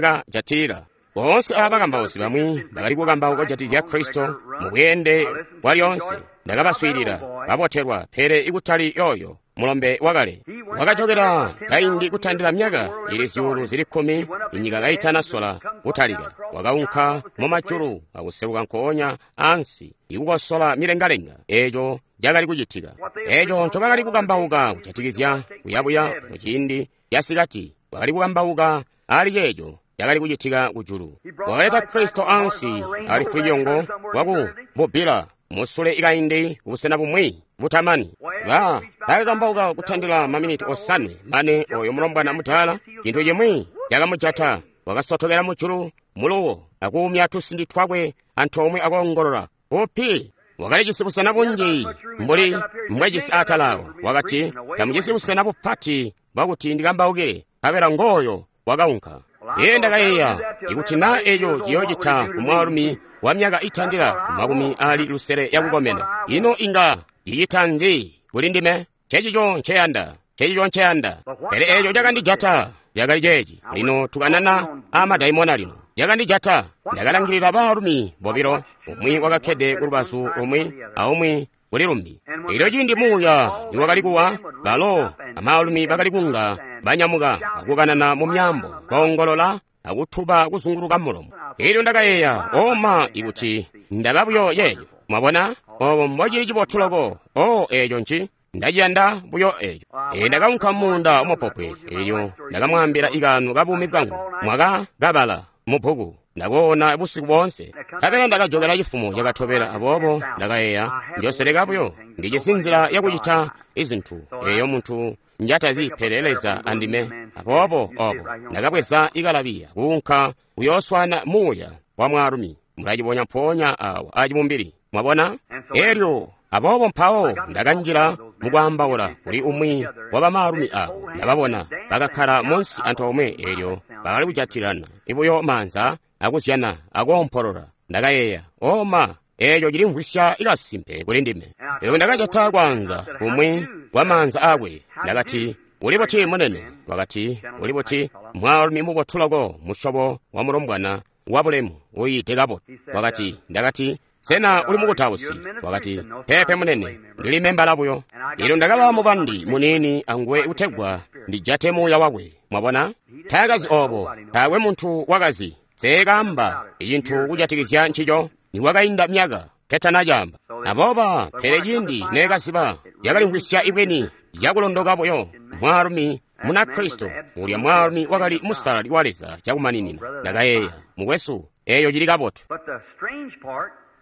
S1: mpozyakajatilila. Boonse aba bakambausi bamwi bakali kukambauka kujatikizya Kristo mu bweende bwa lyoonse. Ndakabaswiilila babotelwa, pele ikutali yoyo mulombe wakale. Wakajokera kaindi kutandila myaka ili zyuulu zili kkumi inyika kaitanasola kutalika. Wakaunka mu majulu akuseluka nkoonya ansi ikukosola milengalenga eeco cakali kucitika. Eeco ncobakali kukambauka kujatikizya kuyabuya muciindi casikati, bakali kukambauka ali ceeco cakali kucitika kujulu. Wakaleta Kristo ansi ali fulicoongo waku bubbila musule ikaindi kubusena bumwi butamani. Ba bakakambauka kutandila maminiti osanwe mane oyo mulombwana mudaala cintu cimwi cakamujata, wakasotokela mujulu muluwo akuumya tusindi twakwe antoomwe akoongolola upi. Wakalijisi busena bunji mbuli mbwejisi atalawo. Wakati, tamujisi busena bupati bwakuti ndikambaukile, nkabela ngooyo wakaunka. Iye ndakayeeya, ikuti na eco ciyoocita ku mwaalumi wa myaka itandila ku makumi ali lusele yakukomena, ino inga cicita nzi kuli ndime? Ncecico nceyanda, ncecico nceyanda. Pele eco cakandijata cakali ceeci. Lino tukanana aamadaimona lino. Cakandijata, ndakalangilila baalumi bobilo, umwi wakakkede ku lubazu lumwi aumwi kuli lumbi. Elyo ciindi muuya niwakali kuwa, balo amaalumi bakali kunga banyamuka akukanana mu myaambo, koongolola akutuba kuzunguluka mulomo. Elyo ndakayeeya, oma, ikuti ndaba buyo yeeyo. Mwabona obo mbocili cibotu loko. O eeco nci ndaciyanda buyo eeco. E ndakaunka muunda wamapopwe, elyo ndakamwaambila ikaano ka buumi bwangu, mwakakabala mu bbuku. Ndakoona busiku boonse, nkabela ndakajokela cifumo cakatobela. Aboobo ndakayeeya, njoseleka buyo, ndijisi nzila yakucita izintu eyo muntu njatazi pele Leza andime. Aboobo obo ndakabweza ikalabiya kuunka kuyooswana muuya wa mwaalumi. Mulacibonya mpoonya awa acibumbili, mwabona. Elyo aboobo mpawo ndakanjila mukwaambaula kuli umwi wa bamaalumi abo. Ndababona bakakkala munsi antoomwe, elyo bakali kujatilana ibuyo maanza akuzyana akoompolola. Ndakayeeya, oma, eeco cilimvwisya ikasimpe kuli ndime. Elyo ndakajata kwaanza kumwi kwa maanza akwe. Ndakati, uli buti munene? Wakati, uli buti mwaalumi mubotu loko, musyobo wa mulombwana wa bulemu uyiide kabotu. Wakati, ndakati, Sena uli mukutausi? Wakati, peepe munene, ndili membala buyo. Elyo ndakaba mubandi muniini anguwe kutegwa ndijate muuya wakwe. Mwabona? Taakazi obo, taakwe muntu wakazi. Seekaamba icintu kujatikizya ncico, nikwakainda myaka ketanacaamba. Abooba, pele ciindi neekaziba, yakalimvwisya ibweni cakulondoka buyo. Mwaalumi Munakristo, ulya mwaalumi wakali musalali wa Leza cakumaninina. Ndakayeeya, mukwesu, eeyo cili kabotu.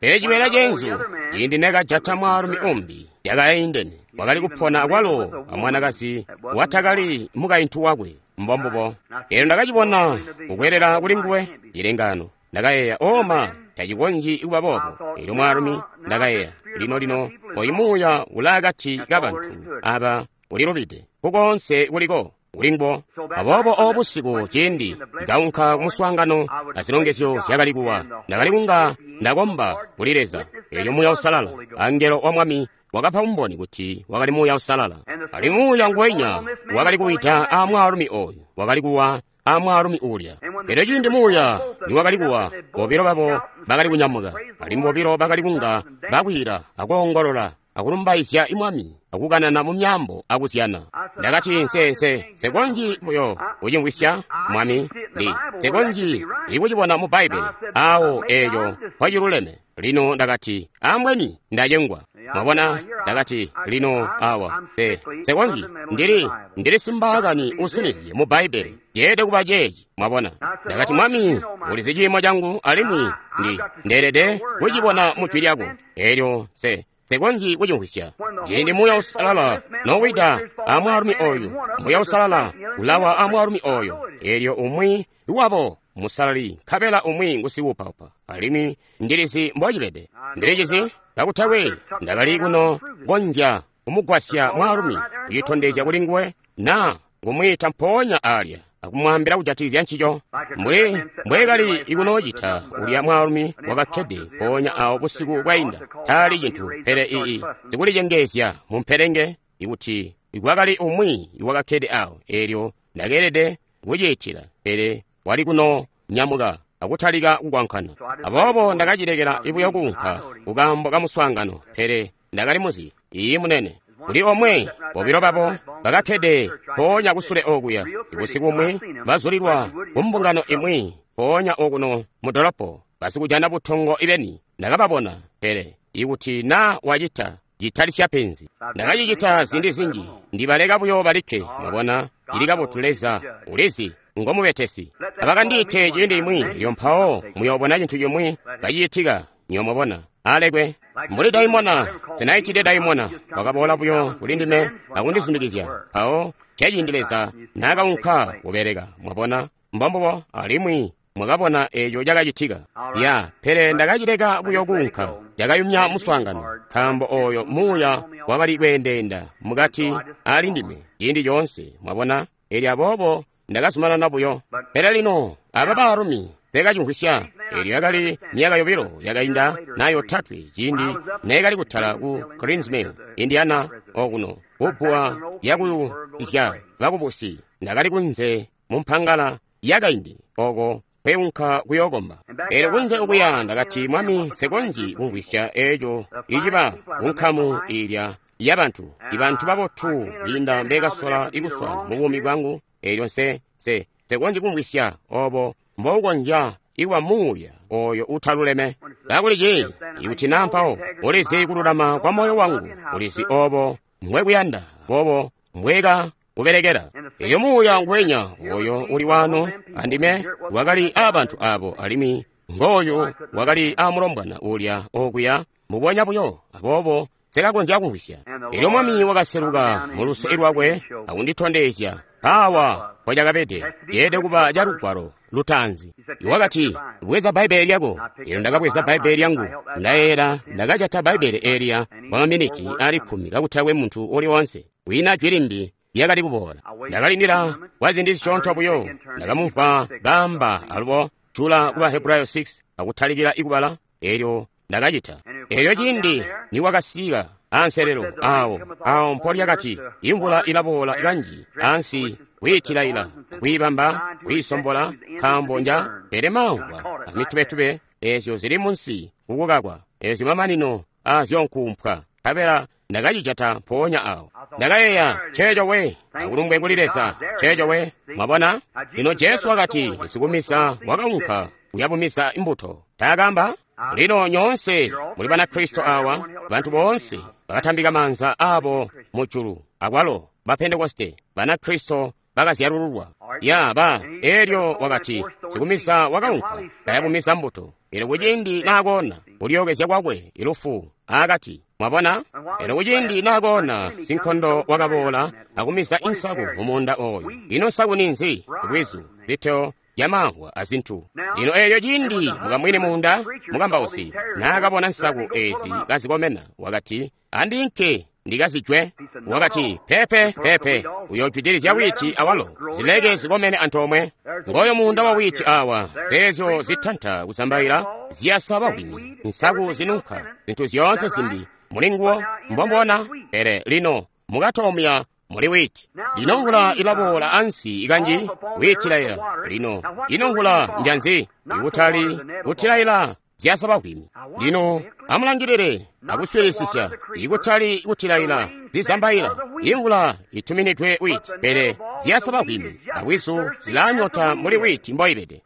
S1: Pele cibeela ceenzu, ciindi neekajata mwaalumi umbi, yakaindene. Wakali kupona akwalo amwanakazi watakali mukaintu wakwe. Mbombubo. Elyo ndakacibona kukwelela kuli nguwe cilengano. Ndakayeeya, oma, tacikonzyi kuba boobo. Elyo mwaalumi, ndakayeeya, lino lino, oyu muuya ulaakati kabantu aba ulilubide. Kukoonse kuliko kulinguwo. Aboobo obo busiku ciindi kaunka kumuswaangano azilongezyo zyakali kuwa, ndakali kunga ndakomba kuli Leza. Elyo Muuya Uusalala, angelo wa Mwami, wakapa umboni kuti wakali Muuya Uusalala. Ali Muuya ngwenya wakali kuwita a mwaalumi oyu, wakali kuwa a mwaalumi ulya. Elyo ciindi Muuya niwakali kuwa, bobilo babo bakali kunyamuka, alimwi bobilo bakali kunga bakwiila akoongolola akulumbaizya Mwami, akukanana mu myaambo akuzyana. Ndakati, nse nse nsekonzyi buyo kucimvwisya, Mwami, ndi nsekonzyi ikucibona mu Bbaibbele awo eeco mpociluleme. Lino ndakati, ambweni ndacengwa. Mwabona, ndakati, lino awa, nse nsekonzyi, ndili ndili simbaakani usinizye mu Bbaibbele, ceelede kuba ceeci. Mwabona, ndakati, Mwami, ulizi ciimo cangu, alimwi ndi ndeelede kucibona mu jwi lyako. Elyo nse nsekonzyi kucimvwisya. Ciindi Muuya Uusalala nowida a mwaalumi oyu, Muuya Uusalala ulawa a mwaalumi oyo. Elyo umwi wabo musalali, nkabela umwi ngusikuupaupa. Alimwi ndilizi mbocibede. Ndilicizi kakutakwe ndakali kuno konzya kumugwasya mwaalumi kucitondezya kuli nguwe, na kumwiita mpoonya alya akumwaambila kujatikizya ncico, mbuli mbwekali ikunoocita ulya mwaalumi wakakkede mpoonya awo busiku bwainda. Taali cintu pele ii sikulicengeezya mumpelenge, ikuti kwakali umwi iwakakkede awo. Elyo ndakeelede kuciitila, pele wali kuno nyamuka akutalika kukwankana. Aboobo ndakacilekela buyo kuunka kukaambo kamuswaangano, pele ndakali muzi. Iyi munene. Kuli omwe, bobilo babo bakakkede mpoonya kusule okuya. Busiku bumwi bazulilwa kumbungano imwi mpoonya okuno mu dolopo, basikujana butongo ibeni. Ndakababona, pele ikuti na wacita citalisya penzi. Ndakacicita ziindi zinji, ndibaleka buyo balikke. Mwabona, ili kabotu. Leza ulizi ngomubetesi. Abakandiite ciindi imwi, elyo mpawo muyoobona cintu cimwi kacicitika. Nyomubona alekwe mbuli daimona. Sinaitide daimona wakaboola buyo kuli ndime akundizundikizya. Mpawo ceciindi Leza naakaunka kubeleka. Mwabona, mbombubo. Alimwi mwakabona eeco cakacitika. Ya, pele ndakacileka buyo kuunka. Cakayumya muswaangano, nkaambo oyo muuya wakali kweendeenda mukati ali ndime ciindi coonse. Mwabona, elyo aboobo ndakazumanana buyo. Pele lino aba baalumi nsekacimvwisya. Elyo yakali myaka yobilo yakainda na yotatwe ciindi neekali kutala ku Greens Mill, Indiana, okuno kubbuwa lyakuyuzya bakubusi. Ndakali kunze mu mpangala yakaindi oko kweunka kuyokomba. Elyo kunze okuya ndakati, Mwami, nsekonzyi kumvwisya eeco iciba kunkamu ilya yabantu, ibantu babotu biinda mbekasola ikuswana mu buumi bwangu. Elyo nse nse nsekonzyi kumvwisya obo mboukonzya ikuba muuya oyo utaluleme. Kakuli ci ikuti na mpawo ulizi kululama kwa moyo wangu, ulizi obo mbwekuyanda, bobo mbweka kubelekela. Elyo muuya ngwenya oyo uli wano andime wakali aabantu abo, alimwi ngooyu wakali aamulombwana ulya okuya mubonya buyo. Aboobo sekakonzya kumvwisya. Elyo Mwami wakaseluka mu luse lwakwe akunditondezya awa mpocakabede. Yeelede kuba ca lugwalo lutaanzi. Wakati, bweza Bbaibbele lyako. Elyo ndakabweza Bbaibbele lyangu. Ndayeera ndakajata Bbaibbele eliya kwa maminiti ali kkumi kakutakwe muntu uli wonse. Wina jwi limbi lyakali kuboola. Ndakalindila kwa ziindi zisyoonto buyo. Ndakamumvwa kaamba alubo jula kuba Hebrayo six akutalikila ikubala. Elyo ndakacita. Elyo ciindi niwakasika anselelo awo awo mpolyakati imvula ilaboola kanji ansi kwiitilaila kwiibamba kwiisombola nkaambo nja pele maamvwa amitubetube ezyo zili munsi kukukakwa Ezyo mamanino aazyo nkuumpwa. Nkabela ndakacijata mpoonya awo. Ndakayeeya, ceeco we, akulumbwe kuli Leza, ceeco we. Mwabona? Lino Jesu wakati, sikumisa wakaunka kuyabumiza imbuto. Taakamba? Lino nyoonse muli Banakristo awa, bantu boonse bakatambika maanza abo mujulu, akwalo ba Pentekoste, Banakristo bakazyalululwa. Ya ba, elyo wakati, sikumisa wakaunka kayabumiza mbuto. Elyo kuciindi naakoona, kulyookezya kwakwe ilufu akati. Mwabona? Elyo kuciindi naakoona, sinkondo wakaboola akumiza insaku mumuunda oyo. Ino nsaku ninzi? Bwizu, ziteo zyamamvwa azintu. Lino elyo ciindi mukamwini muunda mukambausi naakabona nsaku ezi kazikomena, wakati, andinke ndikazijwe. Wakati, pepe pepe, uyojwidilizya witi awalo, zileke zikomene antoomwe. Ngoyo muunda wa witi awa, zeezyo zitanta kuzambaila ziyasa bwini, nsaku zinunka, zintu zyoonse zimbi mulinguwo mbombona. Pele lino mukatomya muli witi. Lino mvula ilaboola ansi ikanji witilaila. Lino ino mvula njanzi ikutali kutilaila zyasaba bwimi. Lino amulangilile akuswilisisya, ikutali kutilaila zizambaila. Imvula ituminidwe witi, pele zyasaba bwimi abwizu zilanyota muli witi mboibede.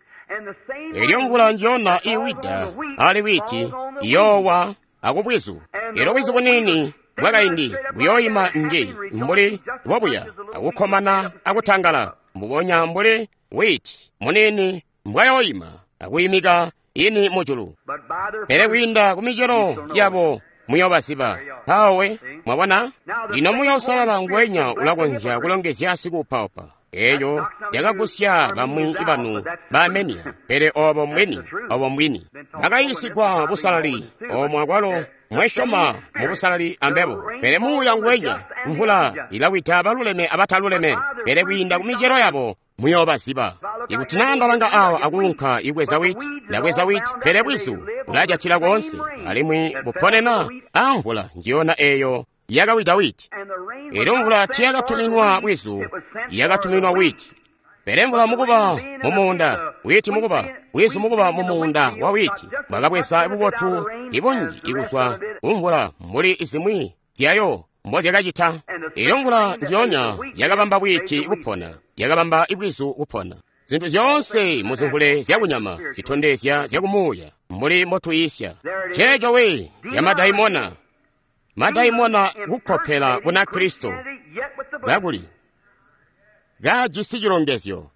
S1: Elyo mvula njona iwida ali witi iyowa akubwizu. Elyo bwizu bunini bwakaindi buyoyima nji mbuli bobuya akukomana akutangala, mbubonya mbuli witi munini mbwayoyima akuyimika ini mujulu. Pele kwiinda kumicelo yabo muyobaziba. Mpawe mwabona? Lino muyosalala ngwenya ulakonzya kulongezya sikuupaupa. Eyo yakagusya bamwi banu baamenia, pele obo mbwini, obo mbwini. Bakayiisigwa busalali, omwe akwalo mwesyoma mu busalali ambebo. Pele muuya ngwenya, mvula ilawida baluleme abataluleme, pele kwiinda kumicelo yabo muyobaziba. Ikuti naa ndalanga awa akulunka ibweza witi, ndabweza witi, pele bwizu bulajatila koonse, alimwi buponena amvula njiyona eyo yakawida witi. Elyo mvula tiyakatuminwa bwizu, yakatuminwa witi. Pele mvula mukuba mumuunda, witi mukuba, bwizu mukuba mumuunda wa witi, bwakabweza bubotu ibunji ikuzwa kumvula mbuli zimwi zyayo mbozyakacita. Elyo mvula njiyonya yakabamba witi kupona, yakabamba ibwizu kupona. Zintu zyoonse muzimvule zyakunyama zitondezya zyakumuuya mbuli mbotuyisya. Ceeco we zyamadayimona. Madaimona kukkopela Bunakristo kakuli kajisi cilongezyo.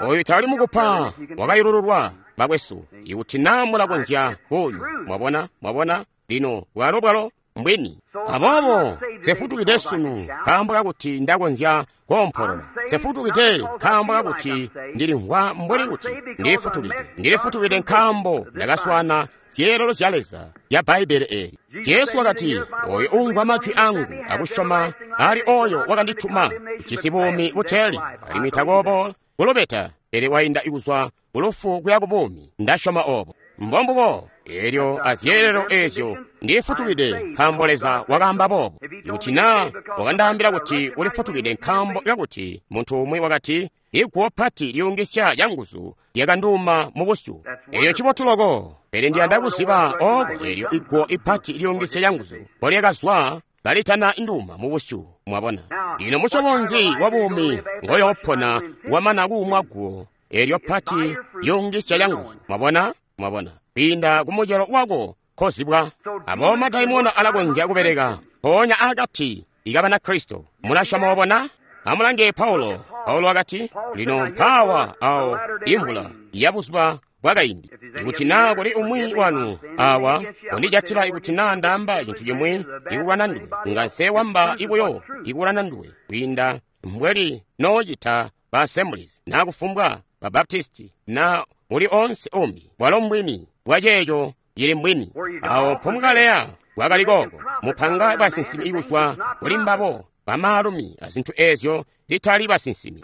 S1: Oyu tali mukupa wakayulululwa bakwesu, ikuti naa mulakonzya kunywa. Mwabona, mwabona, lino bwalo bwalo mbwini. Aboobo nsefutukide sunu nkaambo kakuti ndakonzya koompolola. Nsefutukide nkaambo kakuti ndilimvwa mbuli kuti ndilifutukide. Ndilifutukide nkaambo ndakaswana zyeelelo zya Leza zya Bbaibbele eli. Jesu wakati, oyo uumvwa majwi angu akusyoma ali oyo wakandituma ujisi buumi buteeli, alimwi takoobola kulubeta, pele wainda kuzwa kulufu kuya kubuumi. Ndasyoma obo. Mbombubo. Elyo azyeelelo ezyo ndifutukide nkaambo Leza wakaamba boobo. Ikuti naa wakandaambila kuti ulifutukide nkaambo kakuti muntu umwi wakati, iguwo pati liyungisya lyanguzu lyakanduuma mu busyu. Eyo ncibotu loko, pele ndiyanda kuziba oko elyo iguwo ipati liyungisya lyanguzu mbolyakazwa kalitana nduuma mu busyu. Mwabona? Lino musyobo nzi wa buumi ngoyoopona wamana kuumwa guwo elyo pati liyungisya lyanguzu? Mwabona? Mwabona? Kwiinda kumucelo wako kozibwa. Abo madaimona alakonzya kubeleka mpoonya akati ika Banakristo. Mulasyoma obona? Amulange Paulo. Paulo wakati, lino mpaawa awo imvula ya buzuba bwakaindi. Ikuti naa kuli umwi wanu awa undijatila ikuti naa ndaamba cintu cimwi ikulwana nduwe, nga nsewamba ibuyo ikulwana nduwe kwiinda mbweli noocita ba Assemblies naa kufumbwa ba Baptisti na uli onse umbi. Bwalo mbwini bwaceeco cili mbwini. Awo mpomukaleya bwakali kooko mupanga basinsimi ikuzwa kuli mbabo bamaalumi azintu ezyo zitali basinsimi.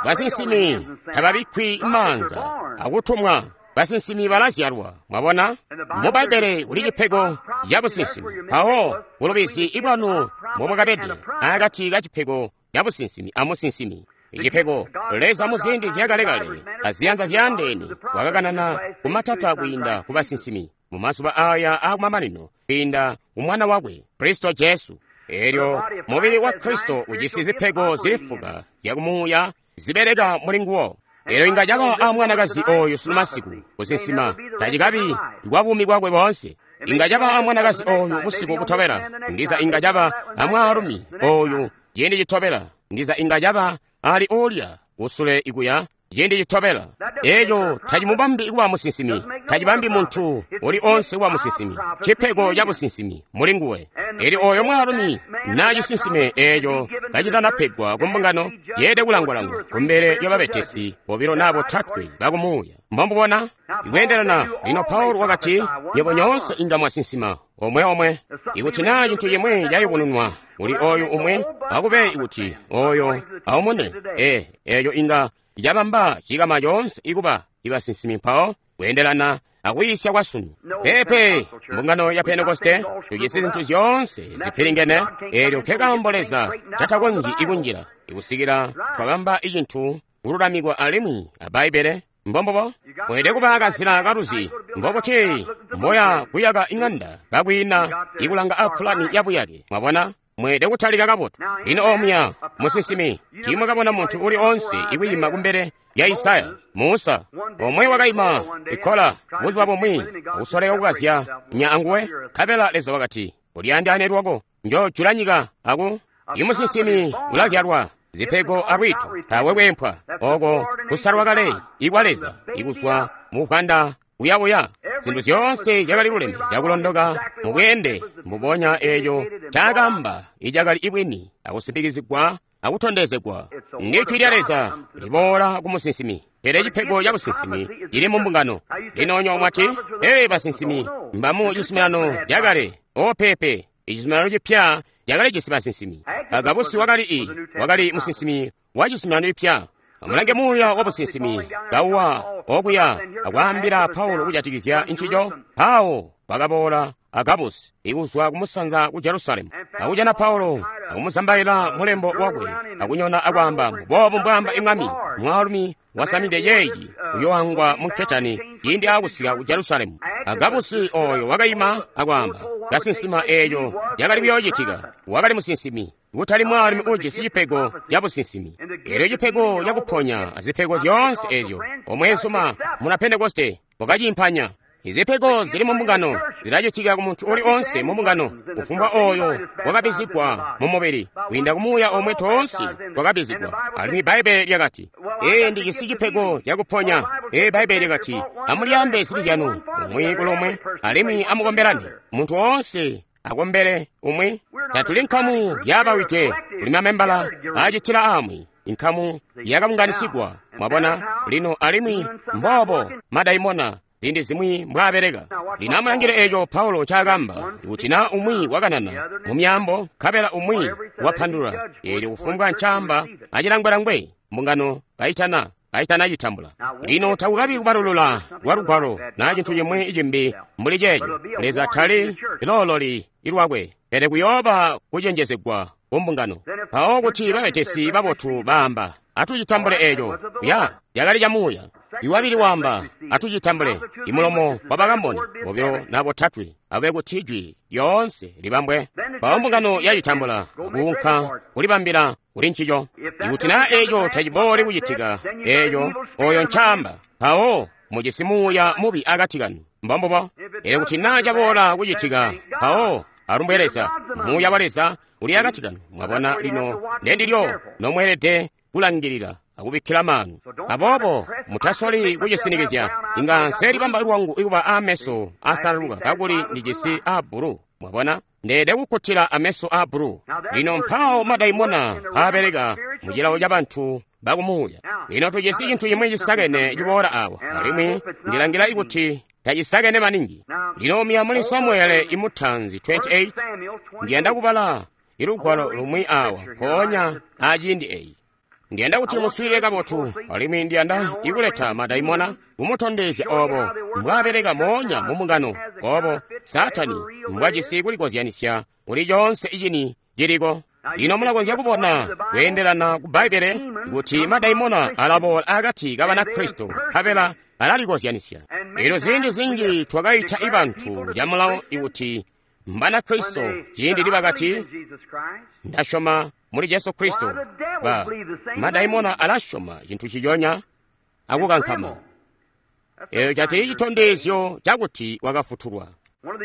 S1: Basinsimi tababikkwi maanza akutumwa. Basinsimi balazyalwa. Mwabona? Mu Bbaibbele kuli cipego ca businsimi. Mpawo bulubizi ibwanu mbomwakabede akati ka cipego ca businsimi amusinsimi. Icipego Leza muziindi zyakalekale aziyanza zyaandeene wakakanana kumatata kwiinda ku basinsimi. mu mazuba aya akumamanino kwiinda mu Mwana wakwe Kristo Jesu. Elyo mubili wa Kristo ujisi zipego zili fuka zyakumuuya zibeleka muli nguwo. Elyo inga caba a mwanakazi oyu sunu masiku kusinsima tacikabi kwa buumi bwakwe boonse. Inga caba a mwanakazi oyu busiku butobela, ndiza inga caba a mwaalumi oyu ciindi citobela, ndiza inga caba ali ulya kusule ikuya ciindi citobela. Eco tacimubambi kuba musinsimi, tacibambi muntu uli onse kuba musinsimi. Cipego ca businsimi muli nguwe. Eli oyo mwaalumi na cisinsime eco kacitanapegwa ku mbungano, yeede kulangwalangwa kumbele lya babetesi bobilo na botatwe bakumuuya. Mbomubona ikweendelana. Lino Paulo wakati, nywebo nyoonse inga mwasinsima omwe omwe. Ikuti naa cintu cimwi cayubununwa kuli oyu umwe, akube ikuti oyo aumune. E, eco inga cabamba cikama coonse ikuba ibasinsimi mpawo kweendelana akuyisya kwa sunu. Pepe mbungano ya Pentekoste tujisi zintu zyoonse zipilingene. Elyo nkekaambo Leza catakonzyi ikunjila ikusikila twabamba icintu kululamikwa alimwi a Bbaibbele. Mbombubo mweelede kuba kazila kaluzi mbokuti mboya kuyaka ing'anda kakwiina ikulanga a pulani ya buyake. Mwabona, mweelede kutalika kabotu. Lino omuya musinsimi tiimwakabona muntu uli onse ikwiima kumbele ya Isaya, Musa omwe wakaima ikola buzuba bumwi akusoleka kukazya nya anguwe, nkabela Leza wakati, ulyandaane lwako, njojula nyika aku. Imusinsimi ulazyalwa zipego alwiito tawe kweempwa oko kusalwa kale ikwa Leza ikuzwa mu bwanda kuyabuya. Zintu zyoonse zyakali luleme cakulondoka mu bweende mbubonya eeco caakamba icakali ibwini akusimpikizigwa akutondezegwa. Ndi jwi lya Leza liboola ku musinsimi, pele cipego ca businsimi cili mu mbungano. Lino nywebo mwati, ee, basinsimi mbamu cizuminano cakale. O pepe, icizuminano cipya cakali jisi basinsimi. Agabusi wakali i wakali musinsimi wa cizuminano cipya. Amulange muuya wa businsimi kauwa okuya akwaambila Paulo kujatikizya ncico. Pawo bakaboola Agabusi ikuzwa kumusanza ku Jerusalemu, akujana Paulo akumuzambaila mulembo wakwe, akunyona akwaamba, mboobu mbwaamba imwami, mwaalumi wasamide yeeyi uyoangwa mu nketani ciindi aakusika ku Jerusalemu. Agabusi oyo wakaima akwaamba, kasinsima eeco cakali kuyoocitika. Wakali musinsimi, kutali mwaalumi ujisi cipego ca businsimi. Elyo cipego cakuponya azipego zyoonse ezyo, omweenzuma muna Pentekoste wakaciimpanya. Izipego zili mu mbungano zilacitika ku muntu uli onse mu mbungano, kufumbwa oyo wakabizigwa mu mubili kwiinda ku muuya omwe toonse twakabizigwa. Alimwi Bbaibbele lyakati, ee, ndijisi cipego cakuponya. Ee, Bbaibbele lyakati, amulyaambe zibi zyanu umwi kulomwe alimwi amukombelane, muntu oonse akombele umwi. Tatuli nkamu yabawidwe, kuli mamembala acitila amwi, inkamu yakabunganisigwa. Mwabona lino, alimwi mboobo madaimona ziindi zimwi mbwaabeleka. Lino amulangile eco Paulo ncaakamba, kuti na umwi wakanana mu myaambo nkabela umwi wapandulula, eelyo kufumbwa ncaamba acilangwelangwe mbungano kaitana kaitana citambula. Lino takukabi kubalulula kwa lugwalo na cintu cimwi cimbi mbuli ceeco. Leza tali loololi ilwakwe, pele kuyooba kucenjezegwa ku mbungano. Mpawo kuti babetesi babotu baamba, atucitambule eco. Ya, cakali ca muuya. Iwabili waamba, atucitambule. Imulomo wa bakamboni bobilo na botatwe abe kuti jwi lyoonse libambwe. Mpawo mbungano yacitambula kuunka kulibambila kuli ncico. Ikuti na eco tacibooli kucitika, eco oyo ncaamba, mpawo mujisi muuya mubi akati kanu. Mbombubo. Elyo kuti na caboola kucitika, mpawo alumbwe Leza, muuya wa Leza uli akati kanu. Mwabona lino ndendilyo nomweelede kulangilila akubikkila maanu. Aboobo mutasoli kucisinikizya. Inga nselibamba lwangu ikuba ameso asalaluka kakuli ndijisi a bbulu. Mwabona, ndeede kukkutila ameso a bbulu. Lino mpawo madaimona aabeleka mu cilawo ca bantu bakumuuya. Lino tujisi cintu cimwi cisakene ciboola awa, alimwi ndilangila ikuti tacisakene maningi. Lino miya muli Samuele imutanzi twenty-eight, ndiyanda kubala ilugwalo lumwi awa mpoonya aciindi eyi. Ndiyanda kuti muswiilile kabotu, alimwi ndiyanda ikuleta madaimona kumutondezya obo mbwaabeleka moonya mu mbungano, obo Saatani mbwajisi kulikozyanisya kuli coonse icini ciliko. Lino mulakonzya kubona kweendelana ku Bbaibbele kuti madaimona alaboola akati ka Banakristo nkabela alalikozyanisya. Elyo ziindi zinji twakaita ibantu camulao ikuti Mbanakristo ciindi libakati ndasyoma muli Jesu Kristo, ba madaimona alasyoma cintu ciconya akukankama. Eyo catili citondezyo cakuti wakafutulwa.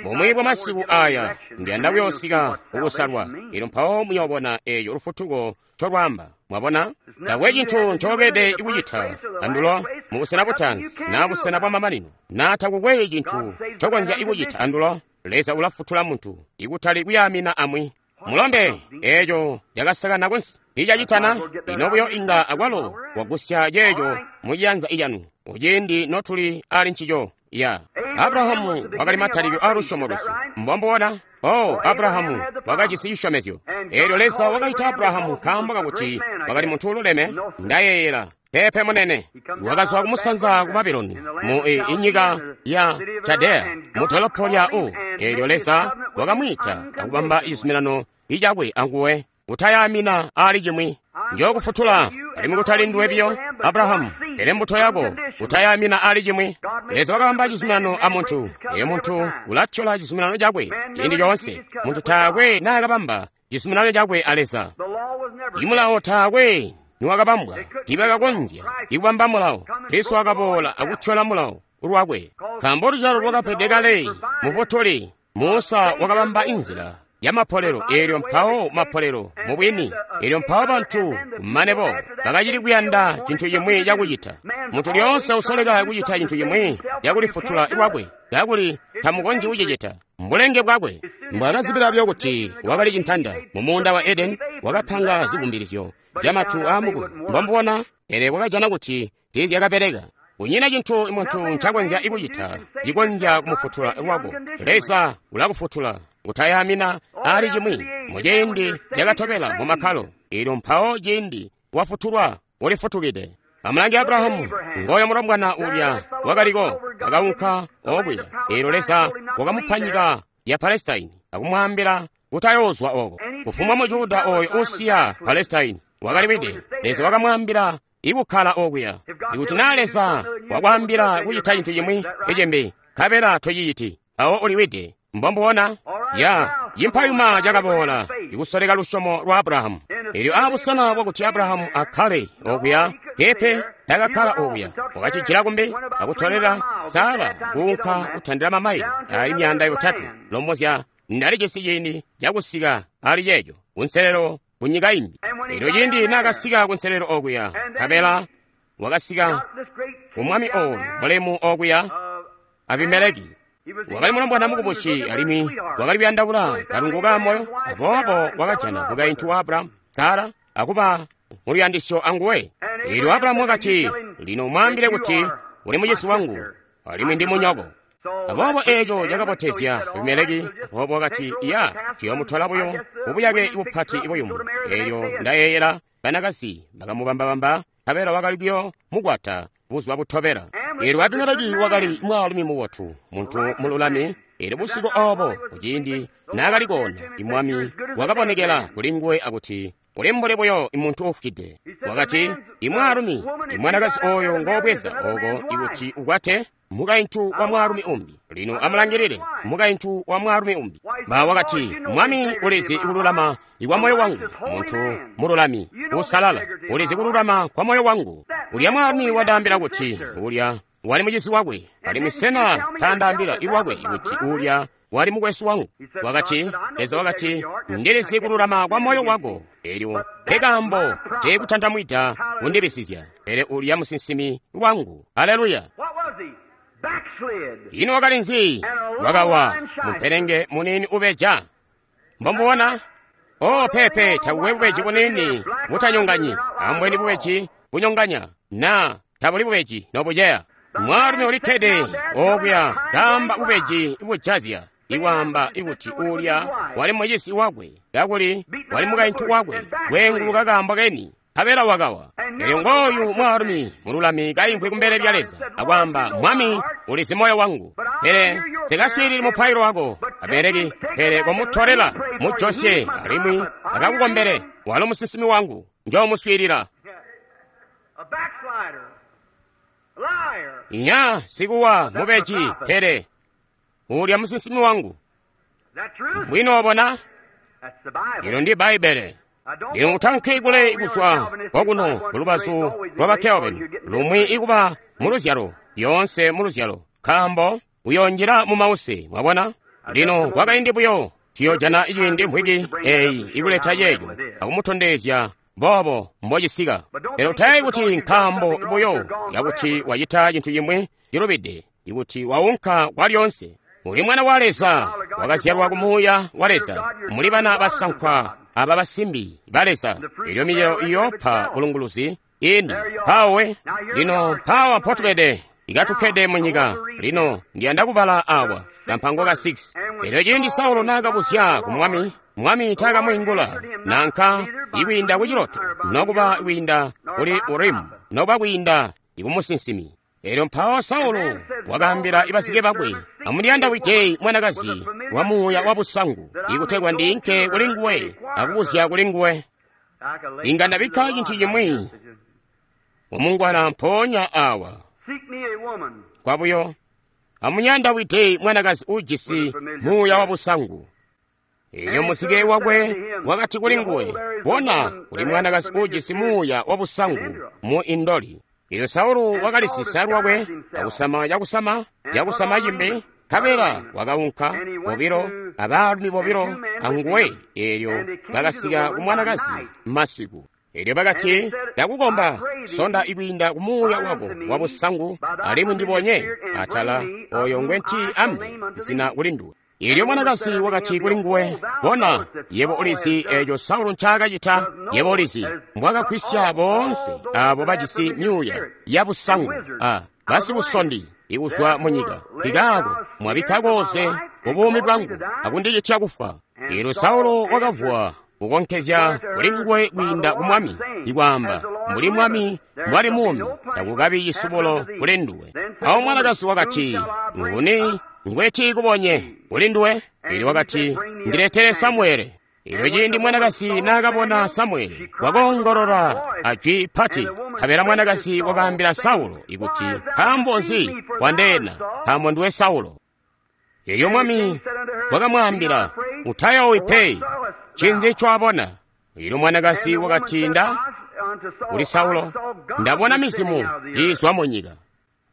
S1: Bumwi bwa masiku aya ndiyanda kuyoosika kukusalwa, elyo mpawo muyoobona eyo lufutuko ncolwaamba. Mwabona, takwe cintu ncookede kucita andulo mu busena butaanzi na busena bwa mamanino, na takukwe cintu ncokonzya kucita andulo. Leza ulafutula muntu ikutali kuyaamina amwi. Mulombe, eeco cakasakana kunsi icacitana ino buyo inga akwalo wagusya ceeco muciyanza icanu kuciindi notuli ali ncico. Ya Abrahamu wakali matalikilo a lusyomo lwesu. Mbombuona? Oh, Abrahamu wakajisi cisyomezyo. Eelyo Leza wakaita Abrahamu nkaambo kakuti wakali muntu ululeme. Ndayeeyela pepe munene wakazwa kumusanza ku Babuloni mu inyika ya Chaldea mu dolopo lya U. Eelyo Leza wakamwiita akubamba cizuminano icakwe anguwe kutayamina ali cimwi. Njookufutula alimwi kutali nduwe biyo Abrahamu, pele mbuto yako kutayamina ali cimwi. Leza wakabamba cizuminano a muntu, eyo muntu ulatyola cizuminano cakwe ciindi coonse. Muntu taakwe naakabamba cizuminano cakwe a Leza. Imulawo taakwe niwakabambwa, tiibakakonzya ikubamba mulawo. Kristo wakaboola akutyola mulawo lwakwe, nkaambo luzyalo lwakapedwe kale mufutuli. Musa wakabamba inzila ya mapolelo, eelyo mpawo mapolelo mubwini, eelyo mpawo bantu kumanebo bakacili kuyanda cintu cimwi cakucita. Muntu lyoonse usoleka kucita cintu cimwi cakulifutula lwakwe, kakuli tamukonzyi kucicita mbulenge bwakwe. Mbwaakazibila buyo kuti wakali cintanda mu muunda wa Edeni, wakapanga zikumbilizyo zyamatu aamukuyu. Mbombuona, pele wakajana kuti tiizyakabeleka. Kunyina cintu muntu ncakonzya kucita cikonzya kumufutula lwako. Leza ulakufutula kutayamina ali cimwi muciindi cakatobela mu makkalo. Eelyo mpawo ciindi wafutulwa ulifutukide. Amulange Abrahamu, ngoyo mulombwana ulya wakaliko, wakaunka okuya. Eelyo Leza wakamupa nyika ya Palestine akumwaambila kutayoozwa oko. Kufumbwa Mujuda oyo usiya Palestine wakaliwide. Leza wakamwaambila ikukkala okuya. Ikuti naa Leza wakwaambila kucita cintu cimwi icimbi, nkabela tociciti, awo uliwide. Mbombuona? Ya cimpayuma cakaboola ikusoleka lusyomo lwa Abrahamu. Eelyo aabusena bwakuti Abrahamu akkale okuya, pepe takakkala okuya. Wakacijila kumbi akutolela Sara kuunka kutandila mamaile ali myaanda yotatwe. Lombozya ndalijisi ciindi cakusika ali ceeco kunselelo kunyika imbi. Eelyo ciindi naakasika kunselelo okuya, nkabela wakasika kumwami oyu mulemu okuya, Abimeleki. Wakali mulombwana mukubusi alimwi wakali kuyandaula kalungu ka moyo, aboobo wakajana mukaintu wa Abrahamu, Sara, akuba muluyandisyo anguwe. Eelyo Abrahamu wakati, lino umwaambile kuti uli mucisi wangu alimwi ndi munyoko. Aboobo eeco cakabotezya Abimeleki, aboobo wakati, ya tuyoomutola buyo mubuyake bupati buyumu. Eelyo ndayeeyela banakazi bakamubambabamba, nkabela wakali kuyo mukwata buzuba butobela. Eelyo Abimeleki wakali mwaalumi mubotu, muntu mululami. Eelyo busiku oobo kuciindi naakali koona, imwami wakabonekela kulinguwe akuti, uli mbuli buyo muntu uufwide. Wakati, imwaalumi imwanakazi oyo ngoobweza oko ikuti ukwate mukaintu wa mwaalumi umbi. Lino amulangilile mukaintu wa mwaalumi umbi. Ba wakati, mwami ulizi kululama ikwa moyo wangu, muntu mululami usalala ulizi kululama kwa moyo wangu. Ulya mwaalumi wadaambila kuti ulya wali mucizi wakwe, alimwi sena taandaambila ilwakwe kuti ulya wali mukwesu wangu. Wakati, Leza wakati, ndilizi kululama kwa moyo wako. Eelyo nkekaambo teekutandamwida kundibisizya, pele ulya musinsimi wangu. Haleluya! Ino wakali nzi? Wakawa mupelenge munini ubeja. Mbombuona? Oh, pepe takukwe bubeji bunini butanyonganyi, ambweni bubeji bunyonganya, na tabuli bubeji nobuceya. Mwaalumi ulikkede okuya kaamba bubeji bujazya, iwaamba ikuti ulya wali mucisi wakwe, kakuli wali mukaintu wakwe, kweenguluka kaambo keni. Nkabela wakawa. Elyo ngooyu mwaalumi mululami kaimvwi kumbele lya Leza akwaamba, Mwami ulizi moyo wangu, pele nsikaswiilili mupailo wako Abimeleki, pele komutolela mujosye alimwi akakukombele, walo musinsimi wangu, njoomuswiilila. Nya sikuwa mubeji, pele ulya musinsimi wangu. Bwino obona? Ilo ndi Bbaibele. Lino utanke kule kuzwa kwakuno kulubazu lwa ba Kelvin, lumwi ikuba mu luzyalo, yonse mu luzyalo, nkaambo uyonjila mu mause, mwabona? Lino kwakaindi buyo tuyojana ciindi mvwiki eyi ikuleta ceeco akumutondezya boobo mbocisika. Pele utayeeyi kuti nkaambo buyo yakuti wacita cintu cimwi cilubide, ikuti waunka kwalyonse. Uli mwana wa Leza, wakazyalwa ku Muuya wa Leza, muli bana basankwa aba basimbi ba Leza. Elyo micelo iyoopa bulunguluzi ini mpawe. Lino mpawa mpotubede, ikatukkede mu nyika. Lino ndiyanda kubala awa kampango ka six. Elyo ciindi Saulo naakabuzya ku Mwami, Mwami taakamwiingula, nanka ikwiinda ku ciloto, nokuba kwiinda kuli Urimu, nokuba kwiinda ikumusinsimi. Elyo mpawo Saulo wakaambila ibazike bakwe, amundiyandawide mwanakazi wa muuya wa busangu, ikutegwa ndiinke kuli nguwe akubuzya kuli nguwe. Inga ndabikka cintu cimwi mumungwana mpoonya awa. Kwabuyo, amunyandawide mwanakazi ujisi muuya wa busangu. Elyo muzike wakwe wakati kuli nguwe, bona, kuli mwanakazi ujisi muuya wa busangu mu Indoli. Elyo Saulo wakalisisa lwakwe akusama cakusama cakusama cimbi, nkabela wakaunka bobilo abaalumi bobilo anguwe. Elyo bakasika ku mwanakazi masiku. Elyo bakati, ndakukomba, sonda ikwiinda ku muuya wako wa busangu, alimwi ndibonye atala oyo ngwenti ambe zina kuli nduwe. Elyo mwanakazi wakati kuli nguwe, bona, yebo ulizi eco Saulo ncaakacita, yebo ulizi mbwakagwisya boonse abo bajisi myuuya ya busangu a basibusondi ikuzwa mu nyika. Nkikaako mwabikka koze ku buumi bwangu akundicitya kufwa. Elyo Saulo wakavuwa kukonkezya kuli nguwe kwiinda ku Mwami, ikwaamba, mbuli Mwami mbwali muumi, takukabi cisubulo kuli nduwe. Awo mwanakazi wakati, nguni ngweti kubonye kuli nduwe? Elyo wakati, ndiletere Samuele. Elyo ciindi mwanakazi naakabona Samuele, wakoongolola ajwi pati. Nkabela mwanakazi wakaambila Saulo ikuti, nkaambo nzi wandeena, nkaambo nduwe Saulo? Elyo Mwami wakamwaambila, utayoowi pe, ncinzi ncowabona? Elyo mwanakazi wakati, nda kuli Saulo, ndabona mizimu iizwa mu nyika.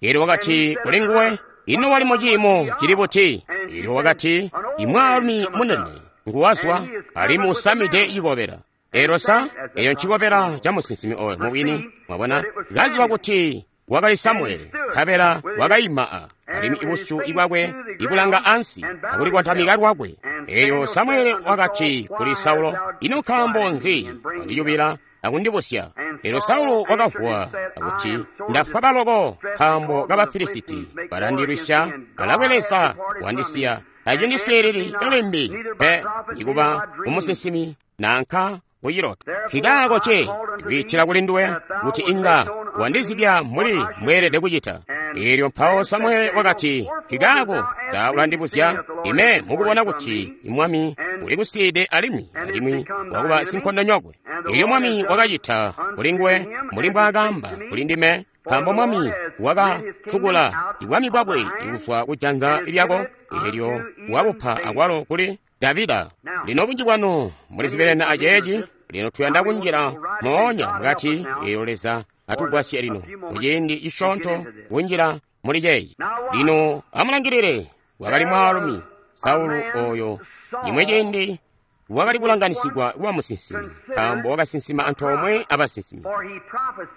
S1: Elyo wakati kuli nguwe, ino wali mu ciimo cili buti? Elyo wakati, imwaalumi munene nguwazwa, alimwi usamide cikobela. Elyo sa eyo ncikobela ca musinsimi oyo mubwini, mwabona, kaziba kuti wakali Samuele, nkabela wakaima a alimwi ibusyu bwakwe ikulanga ansi akulikontamika lwakwe. Elyo Samuele wakati kuli Saulo, ino nkaambo nzi wandiyubila akundibusya? Elyo Saulo wakavuwa akuti, ndafwa baloko nkaambo ka Bafilisiti balandilwisya, balabwelesa wandisiya, tacindiswiilili limbi pe nikuba umusinsimi nanka kuciloto. Nkikaako ce ndikwiitila kuli nduwe kuti inga wandizibya mbuli mbweelede kucita. Elyo mpawo Samuele wakati, nkikaako ta ulandibuzya ime mukubona kuti Mwami ulikusiide alimwi alimwi wakuba sinkondonyokwe. Elyo Mwami wakacita kuli nguwe mbuli mbwaakaamba kuli ndime, nkaambo Mwami wakatsukula ibwami bwakwe kuzwa ku janza lyako, elyo wabupa akwalo kuli Davida. Lino bunji bwanu mulizibelene aceeci. Lino tuyanda kunjila moonya mukati. Elyo Leza atugwasye lino muciindi cisyoonto kunjila muli ceeci. Lino amulangilile, wakali mwaalumi Saulo oyo imwe ciindi wakali kulanganisigwa kuba musinsimi, nkaambo wakasinsima antoomwe abasinsimi.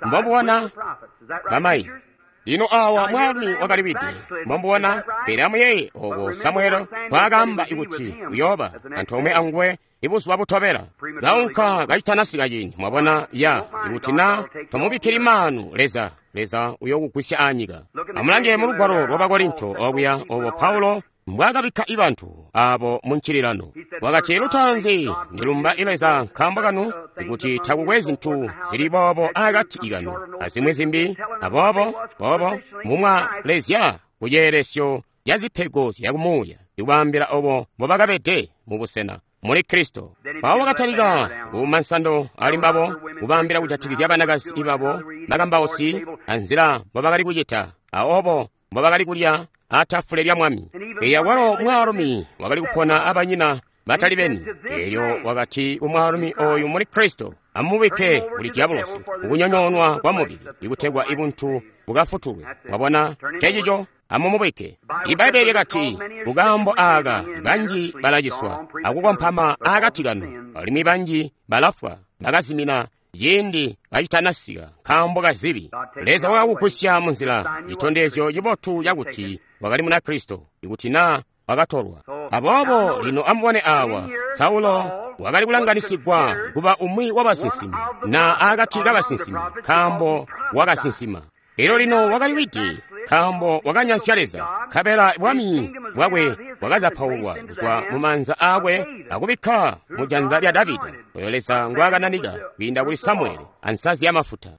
S1: Mbomubona bamayi. Lino awa mwaalumi wakaliwide, mbomubona. Pele amuyeeye oko Samuele kwaakaamba ikuti uyooba antoomwe anguwe ibuzuba butobela. Kaunka kacitanasika ciindi, mwabona, ya ikuti na tomubikkili maanu Leza, Leza uyookugwisya anyika. Amulange mu lugwalo lwa Bakorinto okuya obo Paulo mbwaakabikka ibantu abo mu ncililano. Wakati, lutaanzi ndilumba Leza nkaambo kanu ikuti takukwe zintu zili boobo akati kanu azimwi zimbi, aboobo boobo mumwalezya ku ceelesyo ca zipego zyakumuuya, ikubaambila obo mbobakabede mu busena muli Kristo. Mpawo wakatalika kuuma nsando ali mbabo, kubaambila kujatikizya banakazi babo, bakambausi, anzila mbobakali kucita, aobo mbobakali kulya atafule lya mwami. Eya walo mwaalumi wakali kupona abanyina batali beni. Elyo wakati kumwaalumi oyu muli Kristo, amubike kuli diabolosi kukunyonyoonwa kwa mubili, ikutegwa ibuntu bukafutulwe. Mwabona cecico? Amumubike. Ibbaibbele lyakati, kukaambo aaka banji balaciswa akukompama akati kanu, alimwi banji balafwa bakazimina ciindi kacitanasika nkaambo kazibi. Leza wakakugusya munzila citondezyo cibotu cakuti wakali muna Kristo, ikuti naa wakatolwa. Aboobo lino amubone awa, Saulo wakali kulanganisigwa kuba umwi wabasinsimi, na akati kabasinsimi, nkaambo wakasinsima. Elyo lino wakali widi, nkaambo wakanyansya Leza, nkabela bwami bwakwe bwakazapaulwa kuzwa mu maanza aakwe akubikka mu janza lya Davida, oyo Leza ngwaakananika kwiinda kuli Samuele ansazi y'amafuta.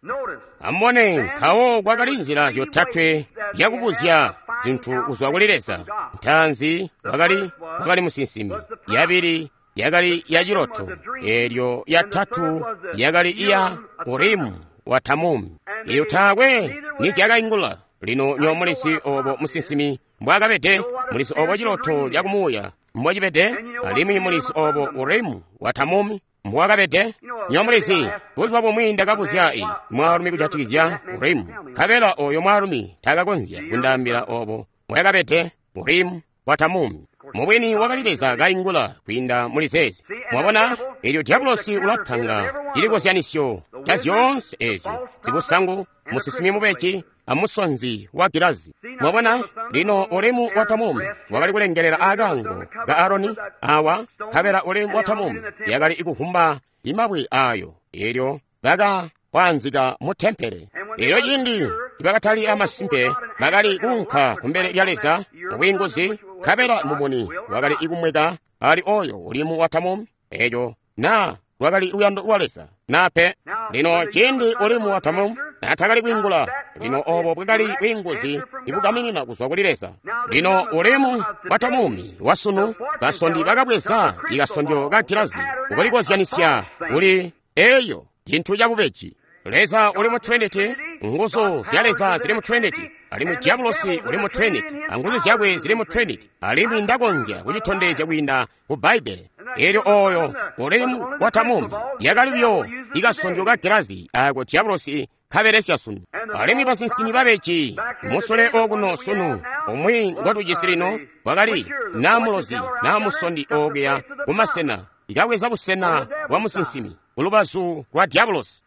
S1: Amubone, mpawo kwakali nzila zyotatwe zyakubuzya zintu kuzwa kuli Leza. Ntaanzi wakali wakali musinsimi, yabili yakali ya ciloto, elyo yatatu yakali iya Urimu wa Tamumi. Elyo taakwe nizyakaingula. Lino nyo mulisi obo musinsimi mbwakabede, mulisi obo ciloto cakumuuya mbwacibede, alimwi mulisi obo Urimu wa Tamumi mbwakabede. Nyo mulisi, buzuba bumwi ndakabuzya i mwaalumi kujatikizya Urimu, nkabela oyo mwaalumi takakonzya kundaambila obo mbwakabede Urimu wa Tamumi. Mubwini wakali Leza kaingula kwiinda muli zeezi. Mwabona, elyo diabolosi ulapanga cilikozyanisyo ca zyoonse ezyo, sikusangu, musinsimi mubeji, amusonzi wa gilazi. Mwabona, lino Urimu wa Tamumi wakali kulengelela akaango ka Aroni awa, nkabela Urimu wa Tamumi yakali ikuvumba imabwe ayo, elyo baka kwaanzika mu tempele. Elyo ciindi nibakatali amasimpe, bakali kuunka kumbele lya Leza mubwiinguzi, nkabela mumuni wakali ikumweka ali oyo Urimu wa Tamumi, eco naa lwakali luyando lwa Leza naa pe. Lino ciindi Urimu wa Tamumi naatakali kwiingula, lino obo bwakali bwiinguzi ibugaminina kuzwa kuli Leza. Lino Urimu wa Tamumi wasunu, basondi bakabweza ikasondyo ka gilazi kulikozyanisya kuli eyo cintu cabubeji. Leza uli mu Trinity, nguzu zya Leza zili mu Trinity, alimwi diabolosi uli mu Trinity, anguzu zyakwe zili mu Trinity, alimwi ndakonzya kucitondezya kwiinda ku Bbaibbele. Elyo oyo Urimu wa Tamumi yakali buyo ikasondyo ka gilazi ako diabolosi kabelesya sunu. Alimwi basinsimi babeji musule okuno sunu, umwi ngotujisi lino wakali naa mulozi naa musondi okuya kumasena, ikabweza busena bwa musinsimi kulubazu lwa diabolosi.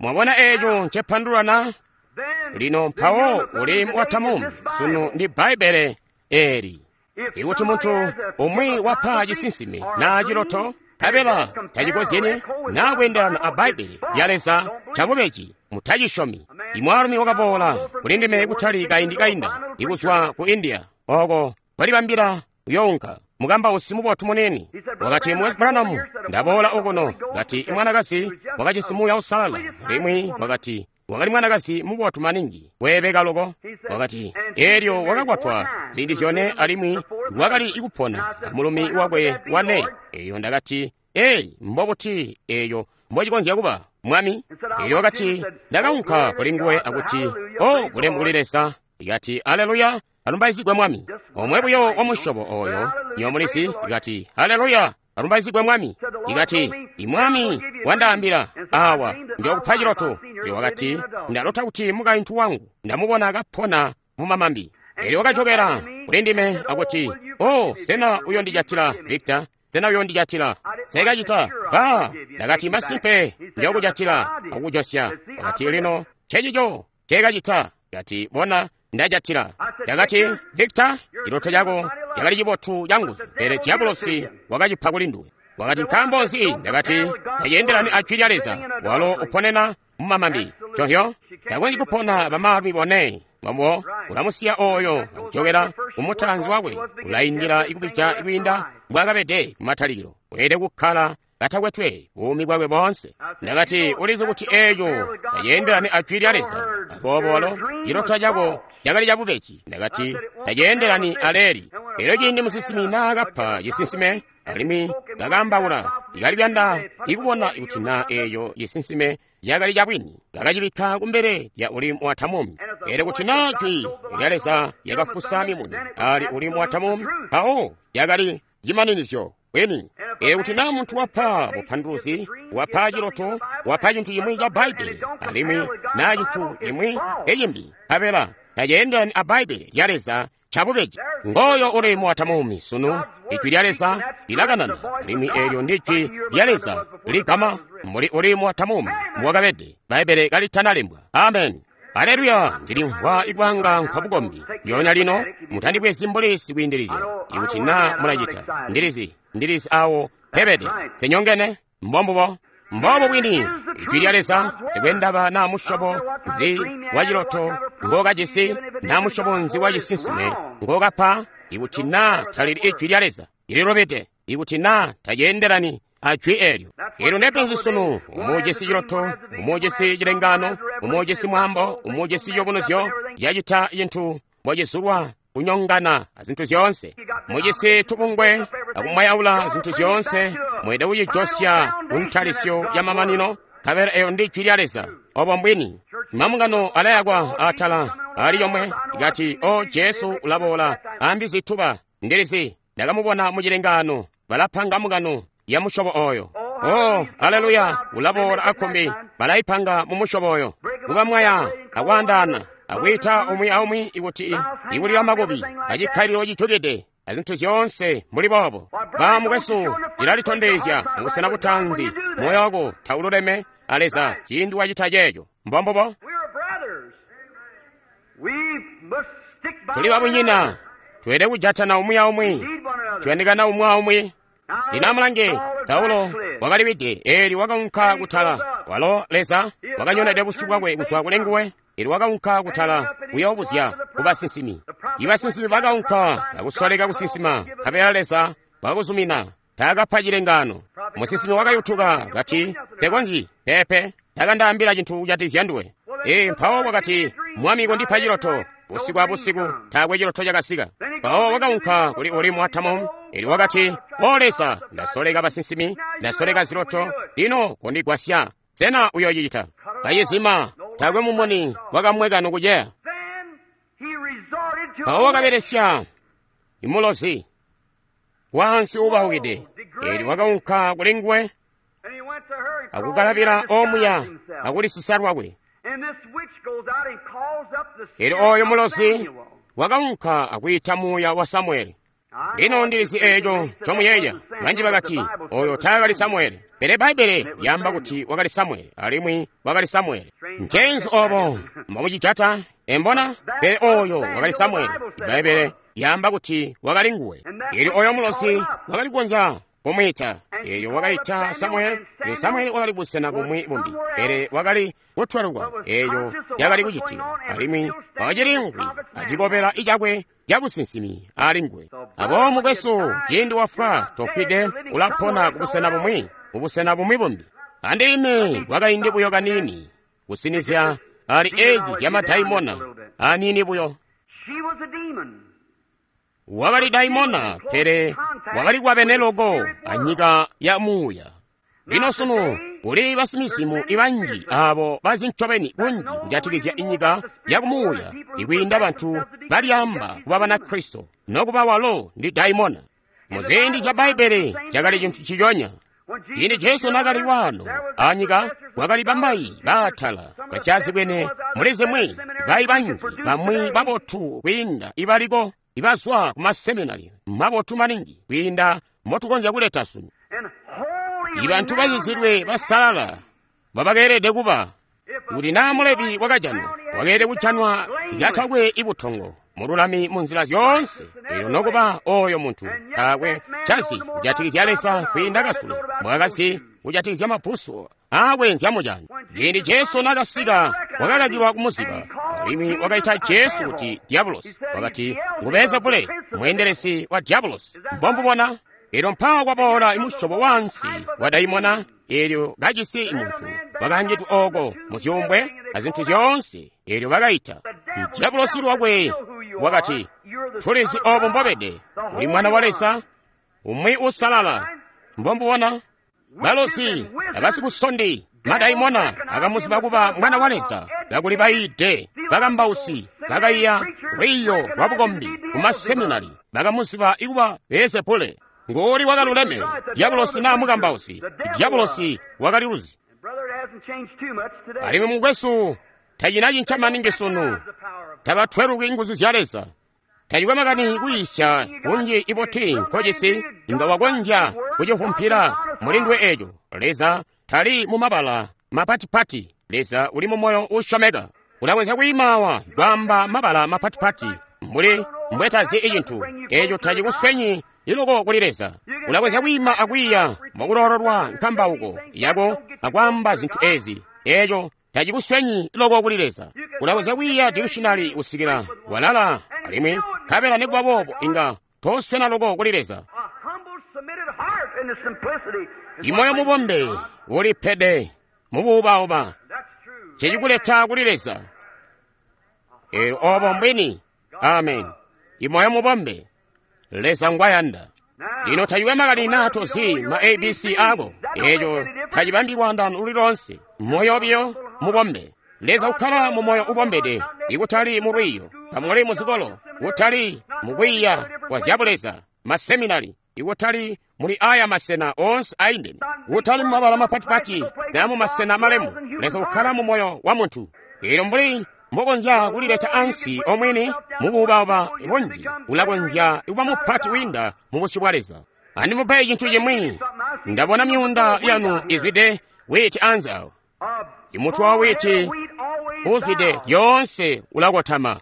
S1: Mwabona eco ncepandulana? Lino mpawo Urimu wa Tamumi sunu ndi Bbaibbele eli. Ikuti muntu umwi wapa cisinsimi naa ciloto, nkabela tacikozyene naa kweendelana a Bbaibbele lya Leza, cabubeji, mutacisyomi. Imwaalumi wakaboola kuli ndime kutali kaindi kainda, ikuzwa ku India, oko kwalibambila kuyounka, mukambausi mubotu munene. Wakati, Mukwesu Branham, ndaboola okuno. Kati, imwanakazi wakajisi Muuya Uusalala, alimwi wakati wakali mwanakazi mubotu maningi, weebeka loko. Wakati, elyo wakakwatwa ziindi zyone alimwi wakali ikupona mulumi wakwe wane. Eyo ndakati, eyi mbobuti eyo mbocikonzya kuba, mwami? Elyo wakati, ndakaunka kuli nguwe akuti, o bulemu kuli Leza. Ikati, aleluya, alumbaizigwe mwami. Omwe buyo wa musyobo oyo, nyo mulisi. Ikati, aleluya, alumbaizigwe mwami. Ikati, imwami wandaambila awa njokupa ciloto. Elyo wakati, ndalota kuti mukaintu wangu ndamubona kapona mu mamambi. Elyo wakajokera kuli ndime akuti, o sena uyondijatila Victor? Sena uyondijatila? Sekacita ba. Ndakati, masimpe njokujatila akukujosya. Wakati, lino cecico cekacita. Kati, bona, ndajatila. Ndakati, Victor, ciloto cako cakali cibotu canguzu, pele diabolosi wakacipa kuli nduwe. Wakati, nkaambo nzi? Ndakati, taceendelani a jwi lya Leza, walo uponena mu mamambi. Conhyo, takonzyi kupona bamaalumi bone. Mwambo ulamusiya oyo akujokera kumutaanzi wakwe, ulaindila ikubija kwiinda mbwaakabede kumatalikilo. Weelede kukkala katakwetwe buumi bwakwe boonse. Ndakati, ulizi kuti eeco taceendelani a Jwi lya Leza. Aboobo walo ciloto cako cakali cabubeji. Ndakati, taceendelani aleeli. Elyo ciindi musinsimi naakapa cisinsime, alimwi bakaambaula, ikaliyanda ikubona kuti naa eeco cisinsime cakali cabwini, bakacibikka kumbele lya Urimu wa Tamumi. Elyo kuti naa Jwi lya Leza lyakafusa mimuni ali Urimu wa Tamumi, mpawo lyakali cimaninizyo bwini. Elyo kuti naa muntu wapa bupanduluzi, wapa ciloto, wapa cintu cimwi ca Bbaibbele, alimwi naa cintu cimwi ecimbi, nkabela taceendelani a Bbaibbele lya Leza, cabubeji. Ngoyo Urimu wa Tamumi sunu. Ijwi lya Leza lilakanana, alimwi eelyo ndi Jwi lya Leza ligama mbuli Urimu wa Tamumi mbwakabede Bbaibbele kalitanalembwa. Amen. Aleluya! Ndilimvwa ikwanga nkwabukombi lyona lino. Mutandibwezi mbuli sikwiindilizya. Ikuti naa mulacita, ndilizi ndilizi awo pebede senyongene. Mbombubo, mbobo bwini Ijwi lya Leza. Sikwendaba naa musyobo nzi wa ciloto ngokajisi, naa musyobo nzi wa cisinsime ngokapa, ikuti naa talili Ijwi lya Leza, lililobede. Ikuti naa taceendelani a jwi eelyo. Eelyo ndepenzi sunu. Umujisi ciloto, umujisi cilengano, umujisi mwambo, umujisi ciyubunuzyo, cacita cintu mbocizulwa kunyongana azintu zyoonse. Mujisi tubungwe akumwayaula zintu zyoonse. Mwede kucijosya kuntalisyo ya mamanino, nkabela eyo ndi Jwi lya Leza. Obo mbwini. Mambungano alayakwa atala ali yomwe ikati, o Jesu ulaboola ambi zituba. Ndilizi ndakamubona mu cilengano. Balapanga mbungano ya musyobo oyo. Oh, aleluya, ulaboola akumbi. Balaipanga mu musyobo oyo, kubamwaya akwaandaana, akwiita umwi aumwi ikuti ikulila makubi acikkalilo cicukide azintu zyoonse mbuli boobo. Ba mukwesu, ilalitondezya mubusena butanzi moyo wako taululeme a Leza ciindi wacita ceeco. Mbombubo. Tuli babunyina, tweelede kujatana umwi aumwi, tuyandikana umwi aumwi. Lino amulange, Saulo wakaliwide, eelyo wakaunka kutala. Walo Leza wakanyonede busyu bwakwe kuzwa kuli nguwe. Eelyo wakaunka kutala kuyoobuzya kubasinsimi. Ibasinsimi bakaunka akusoleka kusinsima, nkabela Leza wakuzumina, taakapa cilengaano. Musinsimi wakayutuka kati, tekonzyi, peepe, takandaambila cintu kujatikizya nduwe. Ee, mpawo wakati, Mwami kondipa ciloto. Busiku abusiku taakwe ciloto cakasika. Mpawo wakaunka kuli Urimu wa Tamumi. Eelyo wakati, O Leza, ndasoleka basinsimi, ndasoleka ziloto, lino kondigwasya. Sena uyoocicita? Kayizima, taakwe mumuni wakamweka nokuceya. Mpawo wakabelesya imulozi waansi uubahukide. Eelyo wakaunka kuli nguwe akukalabila omuya akulisisa lwakwe. Eelyo oyo mulozi wakaunka akwiita muuya wa Samueli. Lino ndilizi eeco ncomuyeeya. Banji bakati, oyo taakali Samueli. Pele Bbaibbele lyaamba kuti wakali Samueli, alimwi wakali Samueli. Ncenzi obo mbomucijata? Embona? Pele oyo wakali Samueli. Bbaibbele lyaamba kuti wakali nguwe. Eelyo oyo mulozi wakali kukonzya kumwiita. Eelyo wakaita Samueli. Eelyo Samueli wakali busena bumwi bumbi, pele wakali kutwelukwa. Eeyo yakali kucitika, alimwi wakaciliimvwi acikobela icakwe cabusinsimi ali nguwe. Aboobo mukwesu, ciindi wafwa tofwide, ulapona kubusena bumwi, kubusena bumwi bumbi. Andime kwakaindi buyo kaniini kusinizya ali ezi zyamadaimona aniini buyo. Wakali daimona, pele wakali kwabene loko anyika ya muuya. Lino sunu kuli basimizimu ibanji abo bazi ncobeni kunji kujatikizya inyika ya kumuuya ikwiinda bantu balyaamba kuba Banakristo, nokuba walo ndi daimona. Muziindi zya Bbaibbele cakali cintu ciconya. Ciindi Jesu naakali waano anyika, kwakali bamayi baatala basyazibwene muli zimwi, bayi banji bamwi babotu kwiinda ibaliko ibazwa ku maseminari mabotu maningi kwiinda motukonzya kuleta sunu. Ibantu bazizilwe basalala mbabakeelede kuba. Kuti naa Mulevi wakajanwa, wakeelede kujanwa katakwe ibutongo, mululami mu nzila zyoonse. Eelyo nokuba oyo muntu taakwe cazi kujatikizya Leza kwiinda kasule mbwaakazi kujatikizya mapuso aakwenzya mujana. Ciindi Jesu naakasika, wakakakilwa kumuziba, alimwi wakaita Jesu kuti Diabulosi. Wakati ngu Beelzebule, mweendelezi wa Diabulosi. Mbombubona? Elyo mpaawa kwaboola imusyobo wansi wa daimona, elyo kajisi muntu wakaangidwe oko mu zyuumbwe a zintu zyoonse. Elyo bakaita dyabulosi lwakwe, wakati, tulizi obo mbobede, uli mwana wa Leza, umwi uusalala. Mbombubona balosi abasikusondi madaimona akamuziba kuba mwana wa Leza, kakuli bayiide bakambausi bakaiya lwiiyo lwa bukombi kumaseminari bakamuziba ikuba Beelzebule. Ngoli wakaluleme, dyabulosi naa mukambausi? Dyabulosi wakali luzi. Alimwi mukwesu, tacina cinca maningi sunu. Tabatweluki nguzu zya Leza. Tacikwe makani kwiisya kunji ibuti nkojisi, inga wakonzya kucivumpila mulindwe eco. Leza tali mu mabala mapatipati. Leza uli mu moyo uusyomeka. Ulakonzya kwiimawa kwaamba mabala mapatipati mbuli mbwetazi icintu eco tacikuswenyi iloko kuli Leza. Ulakonzya kwiima akwiiya mwakulololwa nkambauko yako akwaamba zintu ezi, eco tacikuswenyi loko kuli Leza. Ulakonzya kwiiya dictionary kusikila walala, alimwi nkabela nikuba boobo inga toswena loko kuli Leza. Imoyo mubombe ulipede mubuubauba cecikuleta kuli Leza. Elyo obo mbwini. Amen. Imoyo mubombe Leza ngwayanda. Lino tacikwe makani naa tozi ma A B C ako, eco tacibambi lwaandano luli lonse. Moyo biyo mubombe. Leza ukkala mu moyo ubombede, ikutali mu lwiiyo, tamuli mu zikolo, kutali mu kwiiya kwa zyabuleza, maseminari, ikutali muli aya masena onse aindene, kutali mu mabala mapatipati na mu masena malemu. Leza ukkala mu moyo wa muntu. Elyo mbuli mbokonzya kulileta ansi omwini mubuubauba bunji, ulakonzya kuba mupati wiinda mu busyu bwa Leza. Andimupe cintu cimwi. Ndabona myuunda yanu izwide witi anze awo. Imutwe wa witi uzwide yoonse ulakotama.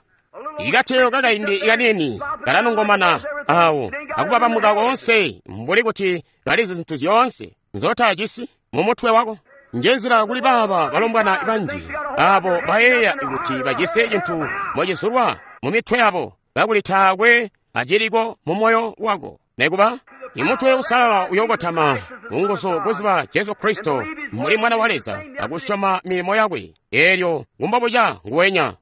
S1: Ikateyo kakaindi kanini kalanongomana awo akubabamuka konse mbuli kuti kalizi zintu zyoonse nzotajisi mu mutwe wako. Njenzila kuli baaba balombwana banji abo bayeeya kuti bajisi cintu mocizulwa mu mitwe yabo, kakuli taakwe aciliko mu moyo wako. Nekuba imutwe usalala uyokotama munguzu kuziba Jesu Kristo muli mwana wa Leza akusyoma milimo yakwe, elyo ngumbobuca nguwenya.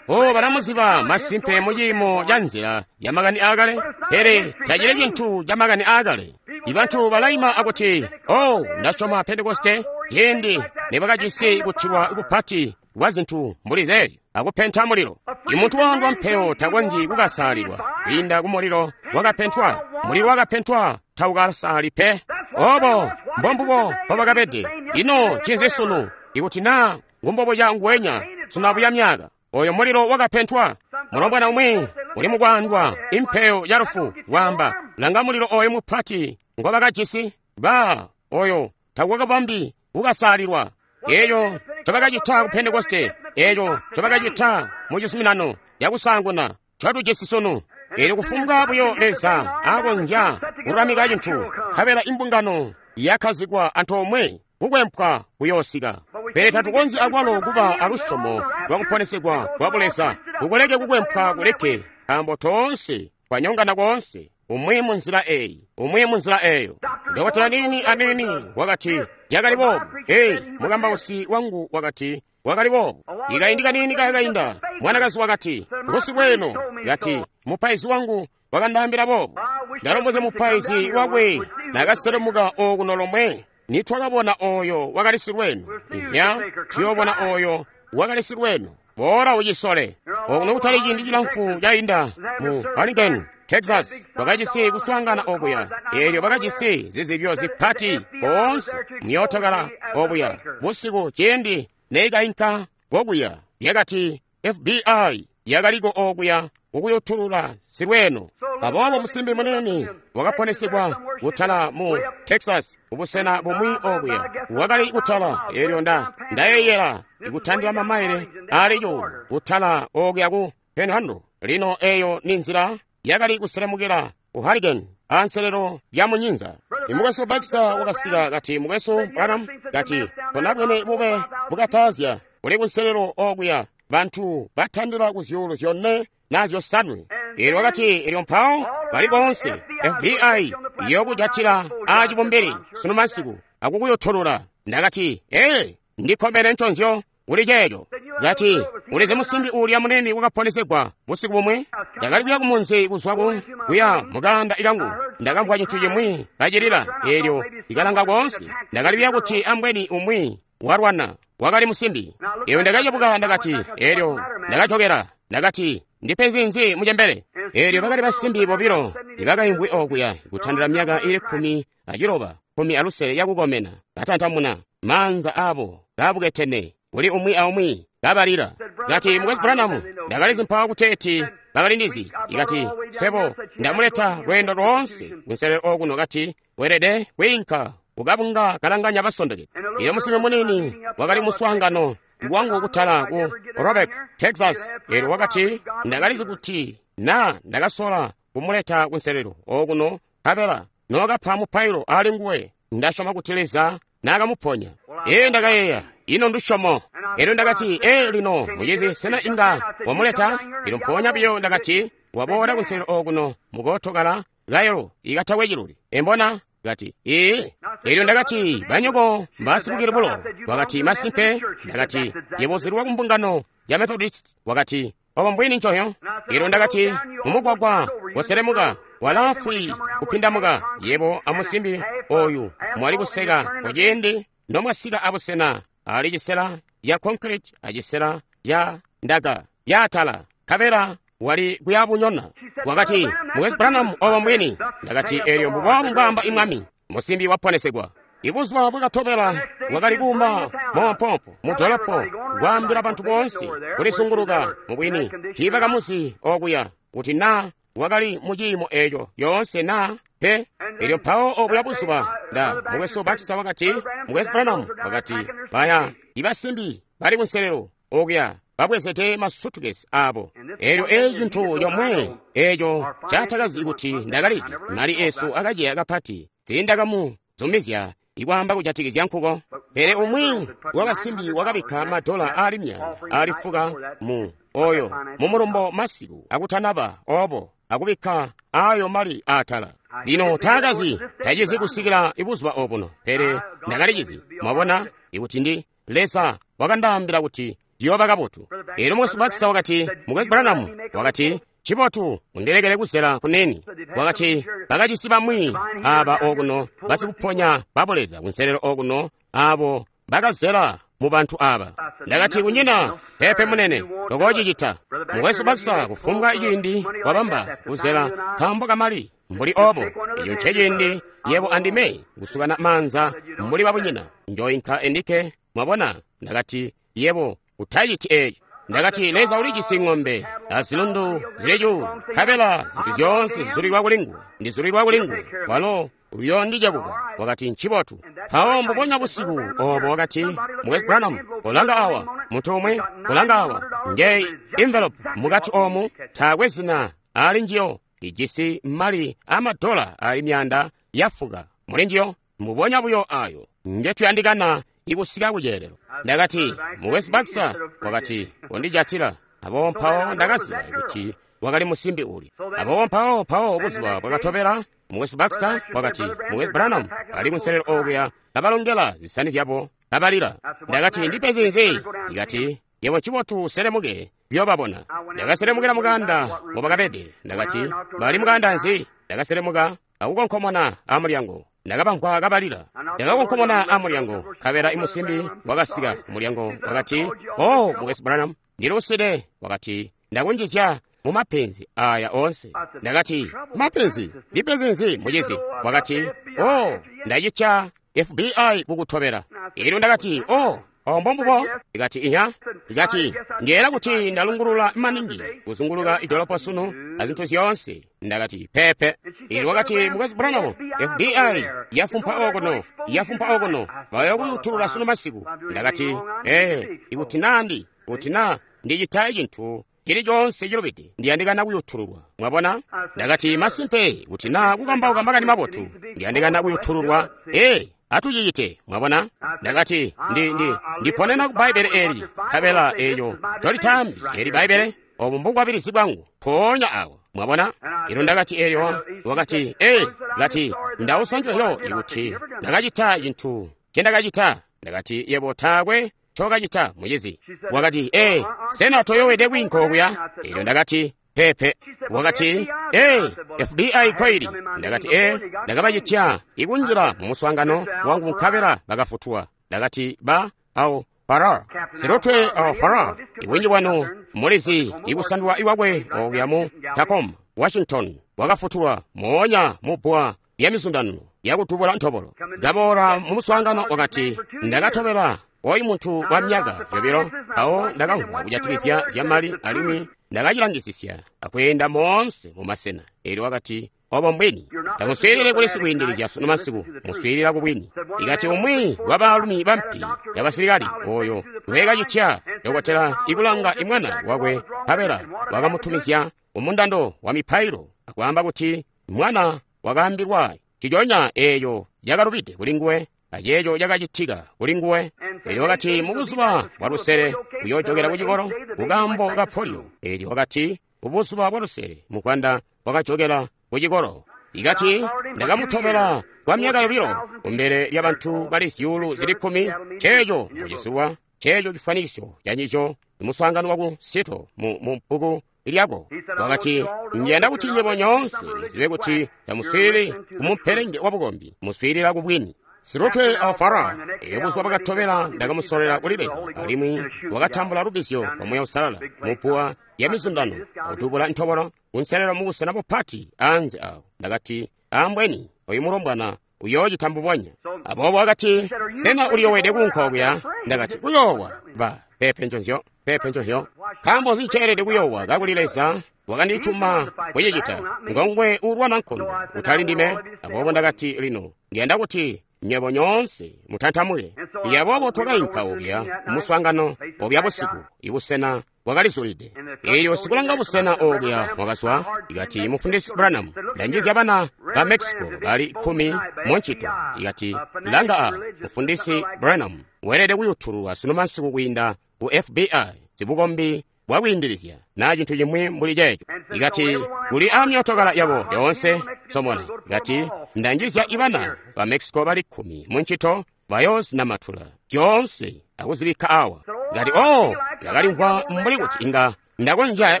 S1: O balamuziba masimpe mu ciimo ca nzila ya makani aakale, pele tacili cintu ca makani aakale. Ibantu balaima akuti, oh, ndasyoma Pentekoste ciindi nibakajisi kutilwa kupati kwa zintu mbuli zeezyo akupenta mulilo. Imuntu waandwa mpeo takonzyi kukasalilwa kwiinda ku mulilo wakapentwa. Mulilo wakapentwa taukasaali pe. Obo mbombubo mbobakabede. Ino ncinzi sunu? Ikuti naa ngumbobuca nguwenya sunu abuya myaka, oyo mulilo wakapentwa. Mulombwana umwi uli mukwaandwa impeyo ya lufu waamba, langa mulilo oyo mupati ngobakajisi. Ba oyo takwakabambi kukasalilwa. Eyo ncobakacita ku Pentekoste, eyo ncobakacita mu cizuminano cakusaanguna ncotujisi sunu. Elyo kufumbwa buyo Leza akonzya kulamika cintu, nkabela imbungano yakhazikwa antoomwe kukwempwa kuyoosika. Pele tatukonzyi akwalo kuba alusyomo lwa kuponesegwa kwa Buleza, kukuleke kukwempwa kuleke, nkaambo toonse twanyongana koonse, umwi mu nzila eyi, umwi mu nzila eyo. Dokotela nini anini wakati yakali boobu. Ei, mukambausi wangu wakati wakali boobu. Ikaindi kanini kakainda, mwanakazi wakati ngusilweno, kati mupaizi wangu wakandaambila boobu. Ndalombozya mupaizi wakwe nakaselemuka okuno lomwe, nitwakabona oyo wakali silweno. Inya tuyobona oyo wakali silweno. Bora ucisole. Okuno kutali ciindi cilamfu cainda mu Harlingen, Texas, bakajisi kuswaangana okuya. Elyo bakajisi zizibyo zipati koonse myootokala okuya. Busiku ciindi neikainka kokuya, yakati F B I yakaliko okuya kukuyutulula silweno. Aboobo musimbi munene wakaponesegwa kutala mu Texas, kubusena bumwi okuya. Wakali kutala, elyo nda ndayeyela ikutandila mamaile ali cuulu kutala okuya ku Panhandle. Lino eyo ni nzila yakali kuselemukila ku Harrigan anselelo ya munyinza. Imukwesu Baxter wakasika kati, mukwesu Branham, kati tonabwene bube bukatazya uli kunselelo okuya, bantu batandila ku zyuulu zyone na zyosanwe. Elyo wakati, elyo mpawo Bali koonse F B I iyokujatila aacibumbili sunu masiku akukuyotolola. Ndakati, ee, ndikkomene nconzyo kuli ceeco. Kati, ulizi musimbi uulya munene wakaponesegwa busiku bumwe? Ndakali kuya kumunzi kuzwa ku kuya mukanda ikangu. Ndakamvwa cintu cimwi kacilila, eelyo ndikalanga koonse. Ndakali kuya kuti ambweni umwi walwana wakali musimbi. Eyo ndakacebuka ndakati, eelyo ndakajokera. Ndakati, ndipenzi nzi mucembele? Eelyo bakali basimbi bobilo ibakaimvwi okuya kutandila myaka ili kkumi aciloba, kkumi alusele yakukomena, katantamuna maanza abo kabuketene kuli umwi aumwi kabalila. Kati, Mukwesu Branham, ndakalizi mpawo kuteeti bakalindizi. Ikati, sebo ndamuleta lweendo lwoonse kunselelo okuno. Kati, weelede kwiinka kukabunga kalanganya basondokede. Iyo musimbi munini wakali muswaangano wangu kutala ku Robeck, Texas. Eelyo wakati, ndakalizi kuti na ndakasola kumuleta kunselelo okuno, nkabela nookapa mupailo ali nguwe, ndasyoma kuti Leza naakamuponya. Ee, ndakayeeya, ino ndusyomo. Eelyo ndakati, ee, lino mucizi, sena inga wamuleta? Eelyo mpoonya biyo ndakati, waboola kunselelo okuno mukootokala kayelo ikatakwe ciluli. Embona? Kati, ee. Eelyo ndakati, banyoko mbasibukile bulo. Wakati, masimpe. Ndakati, yebo uzilwa kumbungano ya Methodist. Wakati, obo mbwini ncoyo. Eelyo ndakati, mumugwagwa woselemuka walaafwi kupindamuka, yebo amusimbi oyu mwali kuseka kuciindi nomwasika abusena ali cisela ya concrete acisela ya ndaka yaatala, nkabela wali kuyabunyona. Wakati, Mukwesu Branham, obo mbwini. Ndakati, eelyo mbuboobu mbwaamba imwami, musimbi waponesegwa. Ibuzuba bwakatobela wakali kuuma moompoompo mu dolopo, kwaambila bantu boonse kulisunguluka. Mubwini tiibakamuzi okuya kuti na wakali mu ciimo eeco yoonse na pe. Eelyo mpawo obuya buzuba nda Mukwesu Baxter wakati, Mukwesu Branham, wakati, baya ibasimbi bali kunselelo okuya babwezede masutukesi abo. Eelyo eeci cintu comwe eeco catakazi kuti ndakalizi, mali eesu akaceya kapati, sindakamuzumizya ikwaamba kujatikizya nkuko. Pele umwi wabasimbi wakabikka madola aali myaanda aali fuka mu oyo mumulumbo masiku akutanaba obo, akubikka ayo mali aatala. Lino taakazi, tacizi kusikila ibuzuba obuno, pele ndakalicizi. Mwabona, ikuti ndi Leza wakandaambila kuti ndiyooba kabotu. Eelyo Mukwesu Baxter wakati, Mukwesu Branham, wakati, cibotu undilekele kuzela kuneni. Wakati, bakacisi bamwi aba okuno basikuponya babuleza kunselelo okuno abo bakazela mu bantu aba. Ndakati, kunyina pepe munene tokocicita. Mukwesu Baxter, kufumbwa ciindi wabamba kuzela nkaambo kamali mbuli obo, eco nceciindi yebo andime kusukana maanza mbuli babunyina. Njoinka endike. Mwabona? Ndakati, yebo utaciti eeci. Ndakati, Leza ulijisi ng'ombe azilundu zili cuulu, nkabela zintu zyoonse zizulilwa kuli nguwe, ndizulilwa kuli nguwe, walo uyoondicebuka. Wakati, ncibotu. Mpawo mbubonya busiku obo wakati, Mukwesu Branham, kolanga awa, muntu umwi, kolanga awa, ngeyi envelope mukati omu, taakwe zina ali njiyo, ijisi mali amadola ali myaanda yafuka muli njiyo, mbubonya buyo ayo ngetuyandikana ikusika kuceelelo. Ndakati, Mukwesu Baxter, wakati, kondijatila. Aboobo mpawo ndakaziba kuti wakali musimbi uli. Aboobo mpawo mpawo buzuba bwakatobela, Mukwesu Baxter wakati, Mukwesu Branham ali kunselelo okuya kabalongela zisani zyabo kabalila. Ndakati, ndipenzi nzi? Ikati, yebo cibotu uselemuke kuyobabona. Ndakaselemukila mukanda mobakabede. Ndakati, bali mukanda nzi? Ndakaselemuka akukonkomona amulyango. Ndakabamvwa kabalila. Ndakakonkomona amulyango, nkabela imusimbi wakasika kumulyango. Wakati, oh, Mukwesu Branham, ndiluside. Wakati, ndakunjizya mu mapenzi aya oonse. Ndakati, mapenzi? Ndipenzi nzi, mucizi? Wakati, oh, ndacitya F B I kukutobela. Eelyo ndakati, oh, obo mbombubo. Ikati, inya. Ikati, ngeela kuti ndalungulula maningi kuzunguluka idolopo sunu azintu zyoonse. Ndakati, pepe. Eelyo wakati, Mukwesu Branham, F B I yafumpa okuno, yafumpa okuno, bayokuyutulula sunu masiku. Ndakati, ee, ikuti nandi, kuti na ndicita cintu cili coonse cilubide, ndiyandikana kuyutululwa. Mwabona? Ndakati, masimpe, kuti na kukambauka makani mabotu, ndiyandikana kuyutululwa. Ee, atucicite. Mwabona? Ndakati, ndi, ndi, ndiponena ku Bbaibbele eli, nkabela eeco tolitambi eli Bbaibbele, obu mbukwabilizi bwangu, mpoonya awo. Mwabona? Elyo ndakati elyo, wakati, ee, kati, ndausa njoyo ikuti ndakacita cintu ncendakacita. Ndakati, yebo taakwe ncokacita, mucizi. Wakati, ee, sena toyowede kwiinka okuya? Elyo ndakati, pepe. Wakati, ee, F B I koili. Ndakati, ee, ndakabacitya ikunjila mu muswaangano wangu nkabela bakafutulwa. Ndakati, ba, au, Farrar, silutwe au Farrar, ibwinji bwanu mulizi ikusandulwa iwakwe okuya mu Tacoma, Washington, wakafutulwa moonya mu bbwa lya mizundano yakutubula ntobolo. Kaboola mu muswaangano wakati, ndakatobela oyu muntu kwa myaka yobilo, awo ndakamvwa kujatikizya zyamali alimwi ndakacilangisisya akweenda moonse mu masena. Elyo wakati, obo mbwini. Tamuswiilile kuli sikwiindilizya sunu masiku, muswiilila ku bwini. Ikati umwi wa baalumi bampi yabasilikali oyo ngwekacitya dokotela ikulanga imwana wakwe nkabela wakamutumizya umundando wa mipailo akwaamba kuti mwana wakaambilwa ciconya eeyo yakalubide kuli nguwe aceeco cakacitika kuli nguwe. Elyo wakati mu buzuba bwa lusele uyoojokela ku cikolo kukaambo ka polio. Elyo wakati ubuzuba bwa lusele mukwanda wakajokela ku cikolo. Ikati ndakamutobela kwa myaka yobilo kumbele lya bantu bali zyuulu zili kkumi. Ceeco mucizuwa, ceeco cifwanisyo cancico muswaangano waku Seattle mu, mu bbuku lyako. Wakati, ndiyanda kuti nywebo nyoonse muzibe kuti tamuswiilili kumumpelenge wa bukombi, muswiilila ku bwini. Silutwe a Farrar, elyo buzuba bwakatobela ndakamusolela kuli Leza, alimwi wakatambula lubbizyo lwa Muuya Uusalala mu bbuwa lya mizundano akutubula ntobolo kunselelo mu busena bupati anze awo. Ndakati, ambweni oyu mulombwana uyoocita mbubonya. Aboobo wakati, sena uliyowede kuunka okuya? Ndakati, kuyoowa ba pepe nconzyo, pepe nconzyo. Nkaambo nzi nceelede kuyoowa kakuli Leza wakandituma kucicita? Ngongwe uulwana nkondo, utali ndime. Aboobo ndakati, lino ndiyanda kuti nywebo nyoonse mutantamuke. Aboobo twakainka okuya muswaangano obya busiku, ibusena bwakalizulide. Elyo sikulanga busena okuya wakazwa, ikati, Mufundisi Branham, ndanjizya bana ba Mexico bali kkumi mu ncito. Ikati, langa a Mufundisi Branham weelede kuyutululwa sunu masiku kwiinda ku F B I, zibukombi bwakwiindilizya na cintu cimwi mbuli ceeco. Ikati, kuli amyootokala yabo yoonse somona. Ikati, ndanjizya ibana ba Mexico bali kkumi mu ncito bayoozinamatula zyoonse akuzibikka awa. Ikati, oh, ndakalimvwa mbuli kuti inga ndakonzya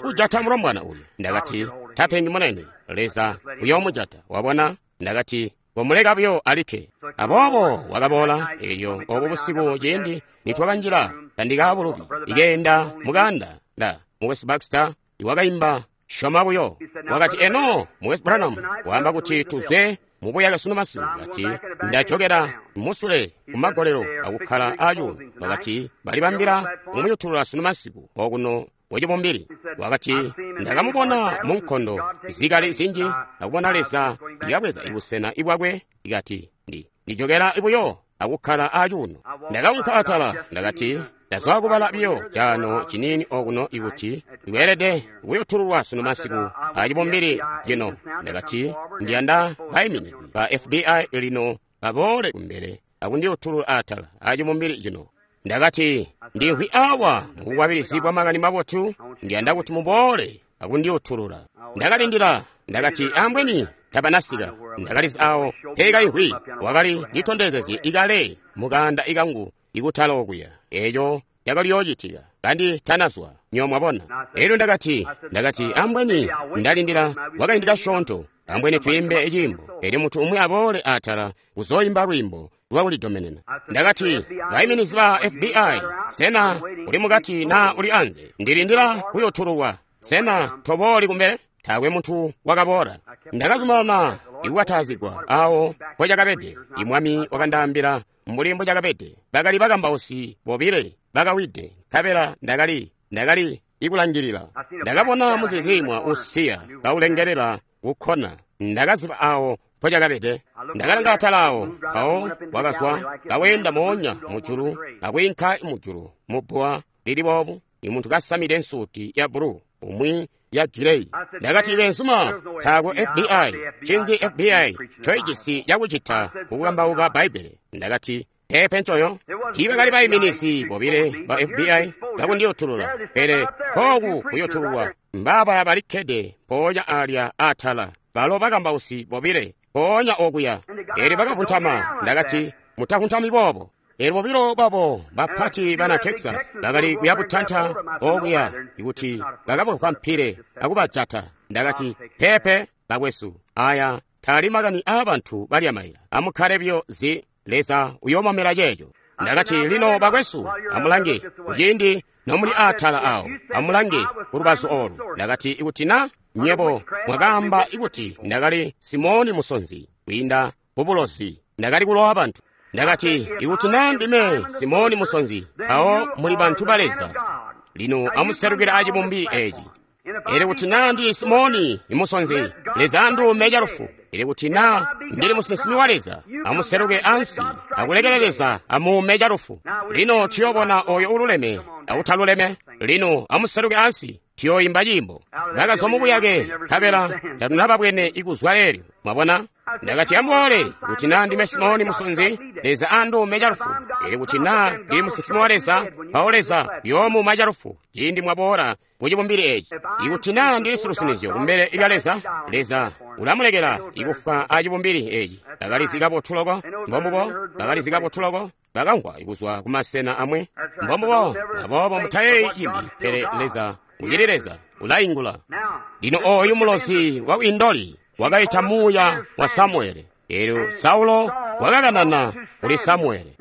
S1: kujata mulombwana uyu. Ndakati, tapengi munene, Leza uyoomujata. Wabona? Ndakati, komuleka buyo alikke. Aboobo wakaboola elyo obo busiku ciindi nitwakanjila tandikaabulubi ikeenda mukanda nda Mukwesu Baxter iwakaimba Shoma buyo. Wakati, eno Mukwesu Branham waamba kuti tuzwe mubuyake sunu masiku. Wakati, ndajokela musule kumagolelo akukkala acuuno. Wakati, balibambila kumuyutulula sunu masiku okuno wacibumbili. Wakati, ndakamubona mu nkondo zikali zinji akubona Leza ikabweza ibusena ibwakwe. Ikati, ndi ndijokela buyo akukkala acuuno. Ndakaunka atala, ndakati, ndazwa kubala biyo cano ciniini okuno ikuti iweelede kuyutululwa sunu masiku acibumbili cino. Ndakati, ndiyanda baiminizi ba F B I lino baboole kumbele akundiyutulula atala acibumbili cino. Ndakati, ndimvwi awa mubukwabilizi bwa makani mabotu, ndiyanda kuti muboole akundiyutulula. Ndakalindila, ndakati, ambweni tabanasika. Ndakalizi awo peekaimvwi wakali nditondezezye ikale mukanda ikangu ikutala okuya. Eco cakaliyoocitika kandi tanazwa, nyo mwabona. Elyo ndakati, ndakati, ambweni ndalindila kwakaindi kasyoonto, ambweni twiimbe ciimbo, elyo muntu umwi aboole atala kuzoimba lwiimbo lwakulidomenena. Ndakati, baiminizi ba F B I, sena uli mukati na uli anze? Ndilindila kuyutululwa. Sena tobooli kumbele? Taakwe muntu wakaboola. Ndakazumanana ikukataazigwa awo mpocakabede. Imwami wakandaambila mbuli mbocakabede. Bakali bakambausi bobile bakawide, nkabela ndakali ndakali ikulangilila. Ndakabona muziziimwa usiya kaulengelela kukkona. Ndakaziba awo mpocakabede. Ndakalanga atala awo, mpawo wakazwa kaweenda moonya mujulu akwiinka mujulu mubbuwa lili boobu, imuntu kasamide nsuti ya bulu, umwi ya gireyi. Ndakati, benzuma, taakwe F B I, ncinzi F B I ncoijisi cakucita kukukambauka Bbaibbele? Ndakati, pepe ncoyo. Tiibakali baiminizi bobile ba F B I bakundiyutulula, pele kooku kuyutululwa Mbaaba balikkede mpoonya alya atala, balo bakambausi bobile mpoonya okuya. Elyo bakavuntama. Ndakati, mutavuntami boobo. Elyo bobilo babo bapati bana Texas bakali kuyabutanta okuya kuti bakabakwampile akubajata. Ndakati, pepe bakwesu, aya taali makani aabantu balya maila. Amukkale buyo zi, Leza uyoomamela ceeco. Ndakati, lino bakwesu, amulange kuciindi nomuli atala awo, amulange kulubazu olu. Ndakati, ikuti na nyebo mwakaamba ikuti ndakali Simoni musonzi kwiinda kubulozi, ndakali kulowa bantu. Ndakati, ikuti na ndime Simoni musonzi, mpawo muli bantu ba Leza. Lino amuselukile acibumbili eci. Elyo kuti na ndili Simoni musonzi, Leza anduume calufu. Elyo kuti na ndili musinsimi wa Leza, amuseluke ansi, akulekele Leza amuume calufu. Lino tuyobona oyo ululeme awutaluleme. Lino amuseluke ansi, tuyoyimba ciimbo. Bakazwa mubuyake, nkabela tatunababwene ikuzwa leelyo. Mwabona? Ndakati, amuboole, kuti na ndime Simoni musonzi, Leza anduume calufu. Elyo kuti na ndili musinsimi wa Leza, mpawo Leza uyoomuuma calufu ciindi mwaboola kucibumbili eci. Ikuti na ndili silusinizyo kumbele lya Leza, Leza ulamulekela ikufwa acibumbili eci. Bakalizi kabotu loko, mbombubo, bakalizi kabotu loko, bakamvwa kuzwa kumasena amwe, mbombubo. Aboobo mutayeeyi cimbi, pele Leza ucili Leza, ulaingula. Lino oyu mulozi wa Indoli wakaita muuya wa Samuele. Elyo Saulo wakakanana kuli Samuele.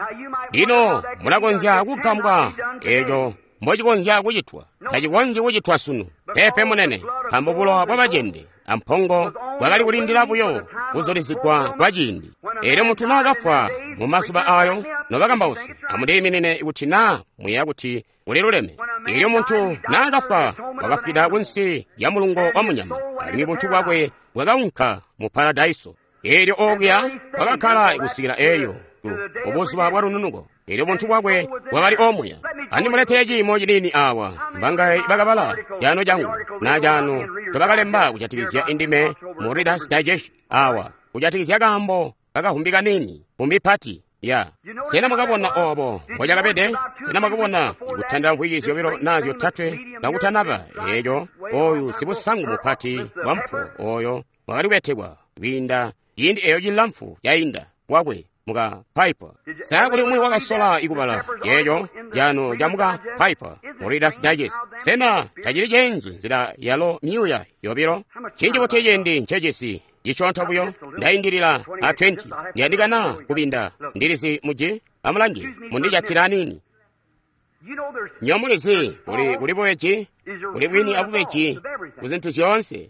S1: Lino mulakonzya kugambwa eco mbocikonzya kucitwa. Tacikonzyi kucitwa sunu, pepe munene, nkaambo bulowa bwabacende ampongo bwakali kulindila buyo kuzulizigwa kwa ciindi. Elyo muntu naakafwa mu mazuba ayo, nobakambausi, amundiiminine kuti naa muyeeya kuti uliluleme. Elyo muntu naakafwa wakafwida kunsi lya mulungo wa munyama, alimwi buntu bwakwe bwakaunka mu paradaiso. Elyo okuya bwakakkala kusikila elyo kubuzuba bwa lununuko. Elyo buntu bwakwe bwakali omuya. Andimuletele ciimo ciniini awa, mbangaye bakabala caano cangu na caano ncobakalemba kujatikizya indime mu Reader's Digest awa, kujatikizya kaambo kakahumbi kaniini, humbi pati ya. Sena mwakabona obo mbocakabede? Sena mwakabona kutanda mvwiki zyobilo na zyotatwe kakutanaba eco oyu sibusangu mupati wa mpo oyo wakali kubetekwa kwiinda ciindi eyo cilamfu cainda wakwe muka Piper. Sa kuli umwi wakasola ikubala yeeco caano ca muka Piper mu Reader's Digest? Sena tacili ceenzu nzila yalo myuuya yobilo? Cinji kuti ciindi ncecisi cisyonto buyo, ndaindilila a twenty. Ndiyandikana kubinda ndilizi muji. Amulange, mundijatila aniini. Nyomulizi kuli kuli bubeji, kuli bwini abubeji kuzintu zyoonse.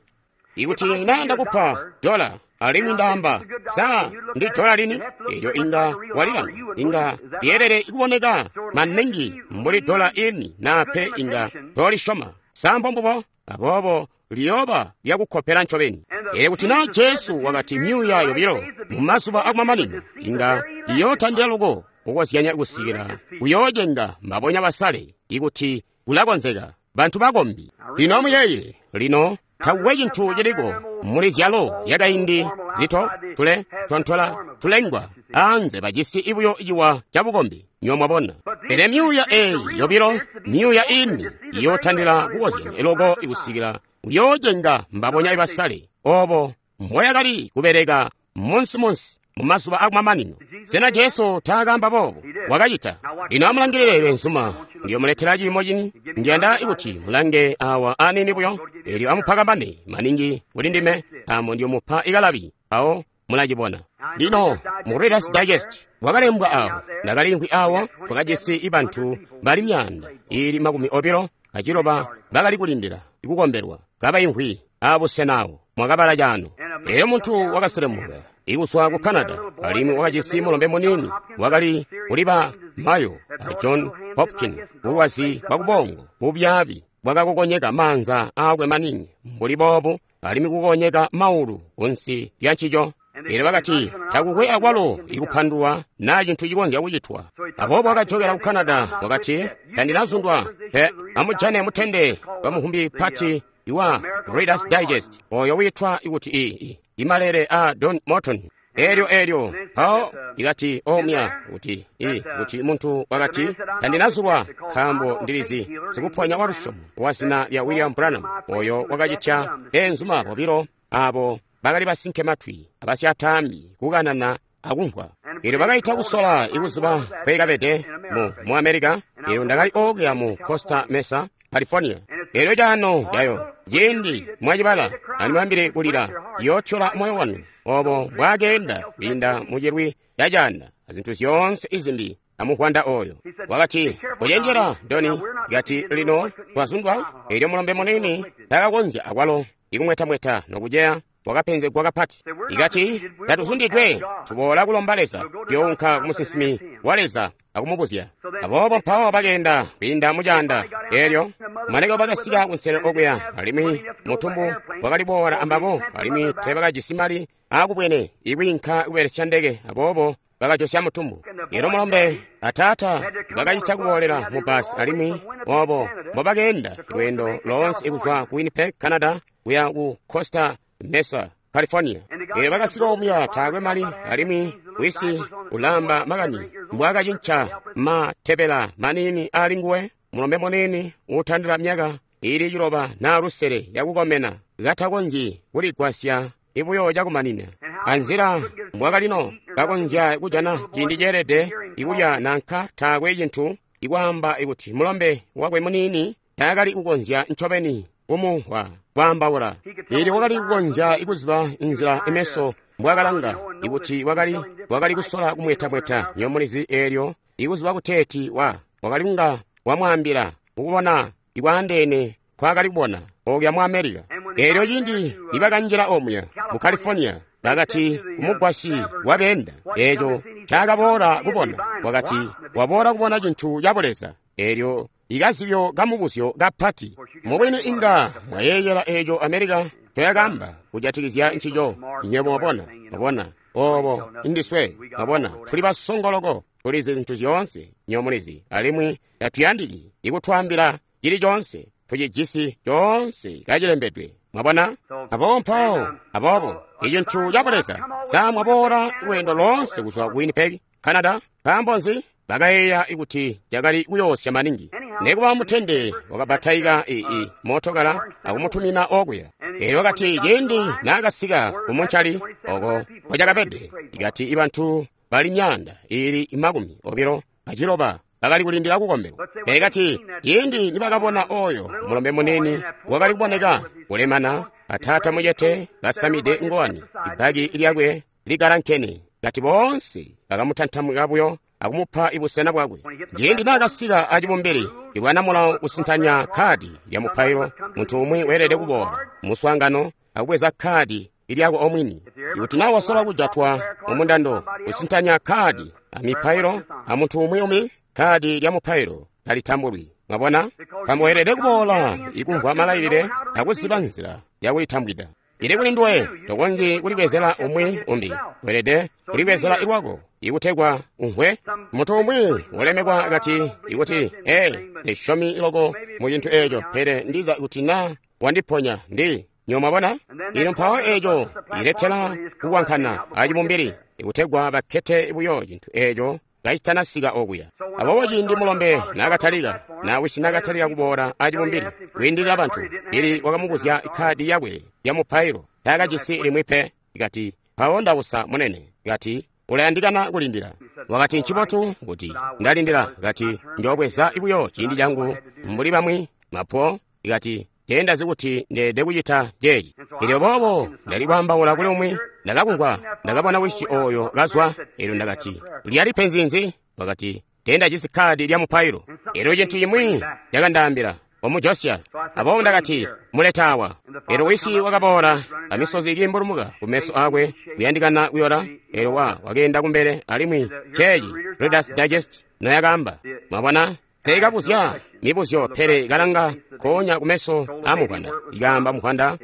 S1: Ikuti na ndakupa dola alimwi ndaamba sa ndi dola lini, elyo inga walilanga, inga lyelele kuboneka maningi mbuli dola ini na pe inga tolisyoma. Sa mbombubo? Aboobo liyooba lyakukkopela ncobeni. Elyo kuti na Jesu wakati myuuya yobilo mu mazuba akumamanino inga iyootandila loko kukozyanya kusikila kuyoocenga mbabonya basale, ikuti kulakonzeka bantu bakombi. Lino amuyeeye, lino takukwe cintu ciliko muli zyalo zyakaindi zito tule tontola tulengwa anze bajisi ibuyo ciwa cabukombi, nyo mwabona. Pele myuuya eyi yobilo, myuuya ini iyootandila kukozyanya loko ikusikila kuyoocenga mbabonya ibasale. Obo mboyakali kubeleka munsi-munsi mu mazuba akumamanino. Sena Jesu taakaamba boobo? Wakacita. Lino amulangilile benzuma, ndiyomuletela ciimo cini. Ndiyanda kuti mulange awa aniini buyo, elyo amupakambane maningi kuli ndime, nkaambo ndiyomupa ikalabi, mpawo mulacibona. Lino mu Reader's Digest wakalembwa awo, ndakaliimvwi awo, twakajisi ibantu bali myaanda ili makumi obilo aciloba bakali kulindila ikukombelwa, kabaimvwi abusena awo. Mwakabala caano. Elyo muntu wakaselemuka ikuzwa ku Canada, alimwi wakajisi mulombe muniini wakali kuliba Mayo a John Hopkins, bulwazi bwakubongo bubyaabi bwakakokonyeka maanza aakwe maningi mbuli boobu, alimwi kukonyeka maulu kunsi lya ncico. Elyo bakati takukwe akwalo ikupandulwa na cintu cikonzya kucitwa. Aboobo wakajokela ku Canada, wakati tandinazundwa pe. Amujane mutende wa muhumbi pati iwa Reader's Digest oyo witwa ikuti i imalele a Don Morton. Elyo elyo mpawo ikati omya kuti i kuti muntu wakati tandinazulwa nkaambo ndilizi sikuponya wa lusyomo wa zina lya William Branham oyo wakacitya beenzuma bobilo abo bakali basinke matwi abasyataambi kukanana akumvwa. Elyo bakaita kusola ikuziba kwekabede mu, mu America. Elyo ndakali okuya mu Costa Mesa, California. Elyo cano cayo ciindi mwacibala andimwambile kulila yootyola moyo wanu obo bwakeenda kwiinda mucilwi ca caanda azintu zyoonse izimbi amuvwanda oyo. Wakati, kucenjera Doni, kati lino twazundwa. Elyo mulombe munini takakonzya akwalo ikumwetamweta nokuceya wakapenzegwa kapati. Ikati tatuzundidwe, tuboola kulomba Leza, younka kumusinsimi wa Leza akumubuzya. Aboobo mpawo bakeenda kwiinda mucaanda. Elyo maneko bakasika kunselelo okuya, alimwi mutumbu wakali boola ambabo, alimwi teebakajisi mali aakubwene ikwiinka kubelesya ndeke, aboobo bakajosya mutumbu. Elyo mulombe ataata bakacita kuboolela mu basi, alimwi obo mbobakeenda lweendo loonse kuzwa ku Winnipeg, Canada, kuya ku Costa Mesa, California. Elyo bakasika omuya taakwe mali, alimwi wisi ulamba makani mbwaakacinca matebela maniini ali nguwe, mulombe muniini uutandila myaka iili ciloba naa lusele yakukomena, katakonzyi kuligwasya ibuyo cakumanina. Anzila mbwakalino kakonzya kujana ciindi ceelede ikulya nanka taakwe cintu, ikwaamba ikuti mulombe wakwe muniini taakali kukonzya ncobeni kumumvwa kwaambaula. Elyo wakali kukonzya ikuziba inzila imeso mbwakalanga ikuti wakali wakali kusola kumwetamweta nyomulizi. Elyo ikuziba kuteeti wa wakali kunga wamwaambila ukubona ikwaandeene kwakali kubona okuya mu America. Elyo ciindi nibakanjila omuya mu California, bakati kumugwasyi wabeenda eeco ncaakaboola kubona, wakati waboola kubona cintu ca Buleza. Elyo ikazibyo kamubuzyo kapati mubwini inga mwayeeyela eeco America ncoyakaamba kujatikizya ncico. Nywebo mwabona, mwabona obo indiswe, mwabona tuli basongoloko, tulizi zintu zyoonse nyomulizi, alimwi tatuyandiki ikutwaambila cili coonse, tucijisi coonse kacilembedwe. Mwabona? Aboobo mpawo, aboobo icintu ca Buleza sa mwaboola lweendo loonse kuzwa ku Winnipeg, Canada. Nkaambo nzi? Bakayeeya kuti cakali kuyoosya maningi. Nekuba mutende wakabataika ii mootokala akumutumina okuya. Elyo wakati ciindi naakasika kumuncali oko kwacakabede, ikati ibantu bali myaanda iili makumi obilo aciloba bakali kulindila kukombelwa. Pele kati ciindi nibakabona oyo mulombe munini wakali kuboneka kulemana, ataata mucete kasamide ngowani, ibbaki lyakwe ligalankene, kati boonse bakamutantamuka buyo akumupa ibusena bwakwe. Ciindi naakasika acibumbili, ilwana mulawo kusintanya kkaadi lya mupailo, muntu umwi weelede kuboola muswaangano akubweza kkaadi lyako omwini. Ikuti naa wasola kujatwa mumundando kusintanya kkaadi amipailo amuntu umwi umwi, kkaadi lya mupailo talitambulwi. Mwabona? Nkaambo weelede kuboola ikumvwa malailile akuziba nzila yakulitambwida. Ili kuli nduwe, tokonzyi kulibwezela umwi umbi, weelede kulibwezela lwako ikutegwa umvwe. Muntu umwi ulemekwa kati ikuti, ee, ndisyomi loko mu cintu eeco, pele ndiza kuti naa wandiponya ndi nyo. Mwabona? Ino mpawo eeco iletela kukwankana acibumbili ikutegwa bakkete buyo cintu eeco kacitanasika okuya. Aboobo ciindi mulombe naakatalika, naa wisi naakatalika kuboola acibumbili kwiindilila bantu, ili wakamubuzya kkaadi yakwe ya mupailo, taakajisi limwi pe. Ikati, mpawo ndawusa munene. Kati, ulayandikana kulindila. Wakati, ncibotu kuti ndalindila. Kati, njoobweza buyo ciindi changu mbuli bamwi mapo. Ikati, teendazi kuti ndeede kucita ceeci. Elyo boobo ndali kwaambaula kuli umwi, ndakakumvwa, ndakabona wisi oyo kazwa. Elyo ndakati, lyali penzi nzi? Wakati, teendajisi kkaadi lya mupailo. Elyo cintu cimwi cakandaambila, omujosya. Aboobo ndakati, muleta awa. Elyo wisi wakaboola amisozi ikiimbulumuka kumeso akwe, kuyandikana kuyola. Elyo wa wakeenda kumbele, alimwi ceeci Reader's Digest noyakaamba. Mwabona? Seekabuzya mibuzyo, pele kalanga konya kumeso amuvwanda. Ikaamba muvwanda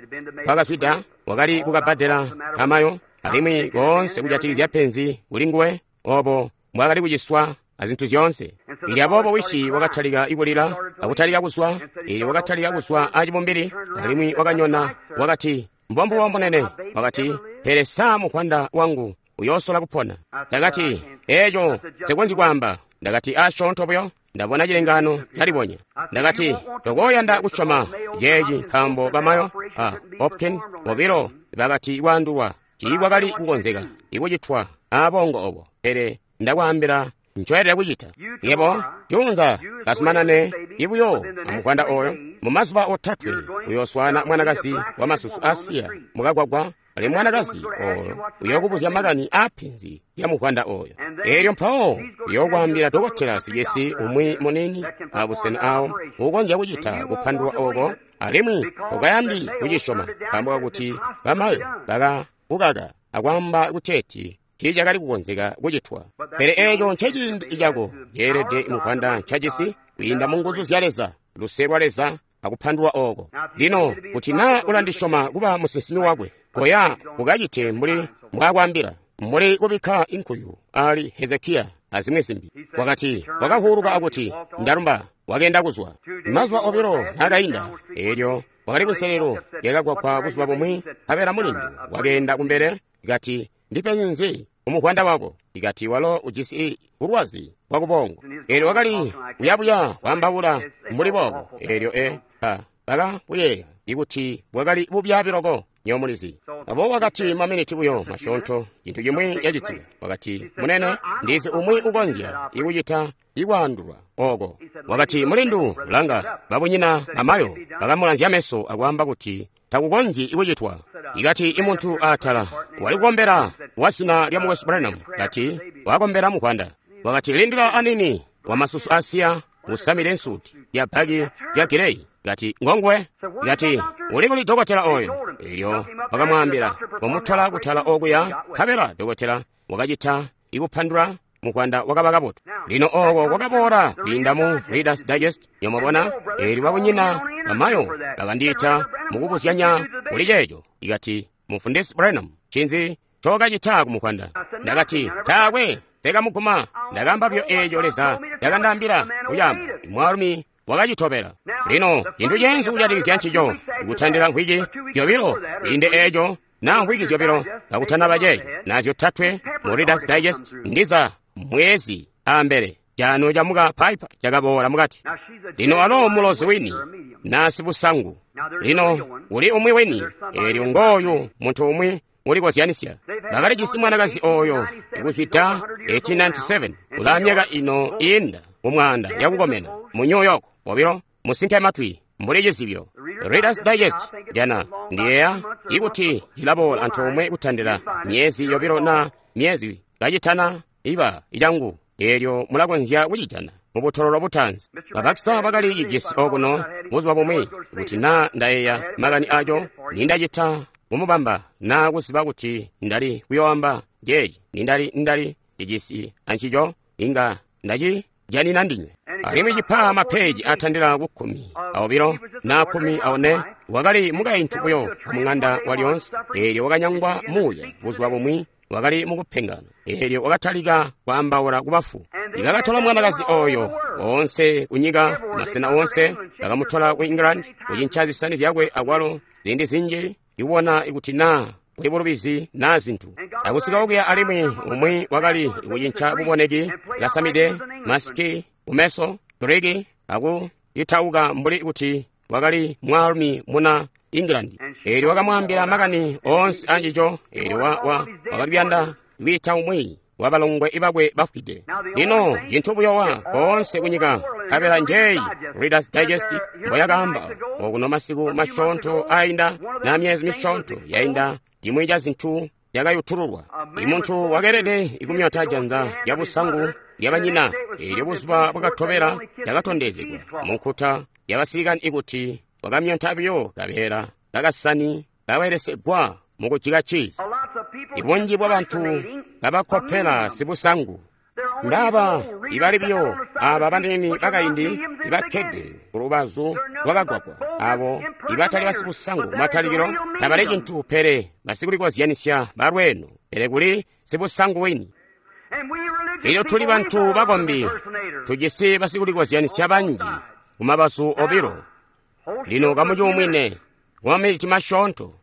S1: wakazwida wakali kukabbadela kamayo, alimwi koonse kujatikizya penzi kuli nguwe, obo mbwaakali kuciswa azintu zyoonse. Ili aboobo wisi wakatalika ikulila akutalika kuzwa. Ili wakatalika kuzwa acibumbili, alimwi wakanyona, wakati, mbombubo munene. Wakati, pele sa muvwanda wangu uyoosola kupona. Ndakati, eeco nsekonzyi kwaamba. Ndakati, asyoonto buyo ndabona cilengaano calibonya. Ndakati, tokooyanda kusyoma ceeci nkaambo bamayo a Hopkin bobilo bakati kwaandulwa tiikwakali kukonzeka ikucitwa aabongo obo, pele ndakwaambila ncoyelede kucita. Yebo juunza kazumanane ibuyo amuvwanda oyo. Mumazuba otatwe uyooswaana mwanakazi wa masusu asiya mukagwagwa, ali mwanakazi oyo uyookubuzya makani aapenzi lya muvwanda oyo. Eelyo mpawo uyookwaambila dokotela sicisi umwi munini abusena awo ukonzya kucita kupandulwa oko, alimwi tokayandi kucisyoma nkaambo kakuti bamayo bakakukaka akwaamba kuteeti tiicakali kukonzeka kucitwa. Pele eeco nceciindi cako ceelede muvwanda ncajisi kwiinda mu nguzu zya Leza, luse lwa Leza akupandulwa oko. Lino kuti naa ulandisyoma kuba musinsimi wakwe, koya ukacite mbuli mbwaakwaambila, mbuli kubikka inkuyu ali Hezekiya azimwi zimbi. Wakati wakahuuluka akuti, ndalumba, wakenda kuzwa. Mazuba obilo naakainda, eelyo wakali kunselelo lyakagwagwa buzuba bumwi, nkabela mulindu wakeenda kumbele kati, ndipenzi nzi umuvwanda wako? Ikati walo ujisi bulwazi bwakubongo. Eelyo wakali kuyabuya kwaambaula mbuli boobo. Eelyo e pa bakabuyeeya ikuti bwakali bubyaabi loko, nyomulizi. Abo wakati maminiti buyo masyoonto cintu cimwi cacitika. Wakati, munene, ndizi umwi ukonzya ikucita ikwaandulwa oko. Wakati, mulindu, langa, babunyina amayo bakamulanzya meso akwaamba kuti takukonzyi ikucitwa. Ikati imuntu atala wali kukombela wa zina lya Mukwesu Branham, kati wakombela muvwanda. Wakati, lindila anini, wamasusu asiya usamile nsuti ya baki ya gireyi. Kati ngongwe. Kati uli kuli dokotela oyo? Elyo wakamwaambila komutola kutala okuya, nkabela dokotela wakacita ikupandula muvwanda wakaba kabotu. Lino oko kwakaboola kwiinda mu Reader's Digest, yomubona. Eelyo babunyina bamayo bakandiita mukubuzyanya kuli ceeco. Ikati, Mufundisi Branham, ncinzi ncokacita kumuvwanda? Ndakati, taakwe, nsekamuguma. Ndakamba buyo eeco Leza yakandaambila kuyamba. Mwaalumi wakacitobela. Lino cintu ceenzu kujatikizya ncico, ikutandila mvwiki zyobilo kwiinde eeco, naa mvwiki zyobilo kakutanaba ceeco, naa zyotatwe mu Reader's Digest, ndiza mwezi ambele cano camuka Piper cakaboola mukati. Lino alo mulozi wini naa sibusangu. Lino uli umwi wini, eelyo ngooyu muntu umwi ulikozyanisya. Bakalijisi mwanakazi oyo ikuzwida eighteen ninety-seven, ulaa myaka ino iinda kumwaanda yakukomena mu New York, bobilo musinke matwi mbuli cizibyo. Reader's Digest jana ndiyeeya ikuti cilaboola antoomwe kutandila myezi yobilo na myezi kacitana iba icangu, eelyo mulakonzya kucijana mubutololo butanzi. Ba Baxter bakali cijisi okuno buzuba bumwi, kuti naa ndayeeya makani aco nindacita kumubamba naa kuziba kuti ndali kuyoamba jeeci nindali ndali cijisi ancico inga ndacijanina ndinywe. Alimwi cipa mapeji atandila ku kkumi aobilo na kkumi aone. Wakali mukaintu buyo mung'anda walyoonse, eelyo wakanyangwa muuya buzuba bumwi wakali mukupengana, eelyo wakatalika kwaambaula kubafu. Ibakatola mwanakazi oyo oonse kunyika, masena oonse, bakamutola ku England kucinca zisani zyakwe akwalo ziindi zinji ikubona kuti naa kuli bulubizi naa zintu. Akusika okuya alimwi umwi wakali kucinca buboneki, kasamide masiki kumeso, Griki, akuyitauka mbuli kuti wakali mwaalumi muna England. Eelyo wakamwaambila makani oonse ancico. Eelyo wa, wa, wakali kuyanda kwiita umwi wa balongwe bakwe bafwide. Lino cintu buyowa koonse kunyika, nkabela njeeyi Reader's Digest mboyakaamba okuno masiku masyoonto ainda na myezi misyoonto yainda, cimwi ca zintu cakayutululwa. Imuntu wakeelede ikumyota janza lya busangu lya banyina. Eelyo buzuba bwakatobela cakatondezegwa munkuta yabasilikani ikuti wakamyonta buyo kabeela kakasani kabelesegwa mukujika cizi. Ibunji bwabantu kabakopela sibusangu. Ndaba ibali buyo aba banene bakaindi ibakkede ku lubazu lwakagwagwa, abo ibatali basibusangu kumatalikilo tabali cintu pele basikulikozyanisya balweeno, pele kuli sibusangu wini. Elyo tuli bantu bakombi, tujisi basikulikozyanisya banji kumabazu obilo. Lino kamucuumwine kumaminiti masyoonto.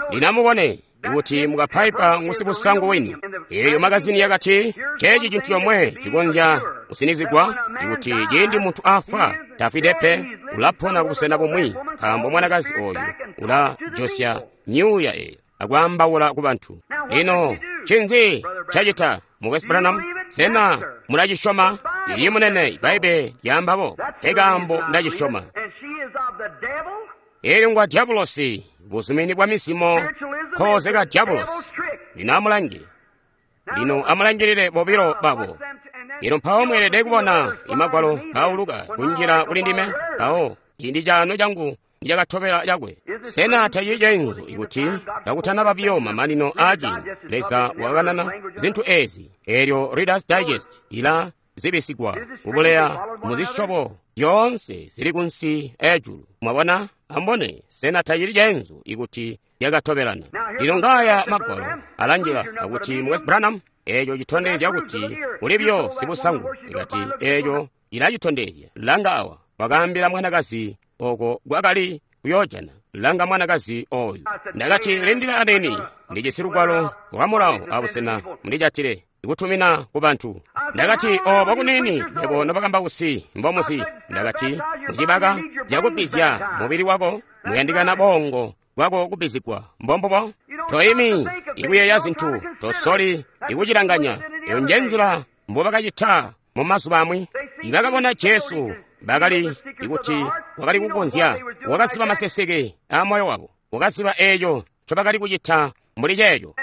S1: Lino amubone, Ikuti mukapaipa ngusibusangu wini. Eyo magazini yakati, ceeci cintu comwe cikonzya kusinizigwa, ikuti ciindi muntu afwa, tafwide pe, ulapona kubusena bumwi, nkaambo mwanakazi oyu ulajosya myuuya eyo akwaambaula ku bantu. Lino, ncinzi cacita, Mukwesu Branham? Sena mulacisyoma? Ili munene, Bbaibbele lyaambabo, nkekaambo ndacisyoma. Elyo ngwa dyabulosi, buzumini bwa mizimo, nkooze ka dyabulosi. Lino amulange. Lino amulangilile bobilo babo. Lino mpawo mweelede kubona imagwalo kauluka kunjila kuli ndime, mpawo ciindi cano changu nicakatobela cakwe. Sena tacili cenzu ikuti kakutanaba biyo mamanino aaciindi, Leza wakanana zintu ezi. Elyo Reader's Digest ila zibisigwa kubuleya muzisyobo zyoonse zili kunsi ejulu. Mwabona? Ambone, sena tacili cenzu ikuti lyakatobelana. Lino ngaya magwalo alanjila akuti Mukwesu Branham, eeco citondezya kuti uli biyo sibusangu. Ikati eeco ilacitondezya. Langa awa, wakaambila mwanakazi oko kwakali kuyoojana. Langa mwanakazi oyu. Ndakati, lindila aneni, ndijisi lugwalo lwa mulawo abusena mundijatile ikutumina ku bantu. Ndakati, obo kunini mebo nobakambausi mbomuzi. Ndakati, mucibaka cakubizya mubili wako muyandikana bongo bwako kubizigwa. Mbombubo toimi ikuyeeya zintu, tosoli ikucilanganya. Eyo nje nzila mbobakacita mu mazuba amwi. Ibakabona Jesu bakali ikuti wakali kukonzya, wakasiba maseseke a moyo wabo, wakasiba eeco ncobakali kucita mbuli ceeco.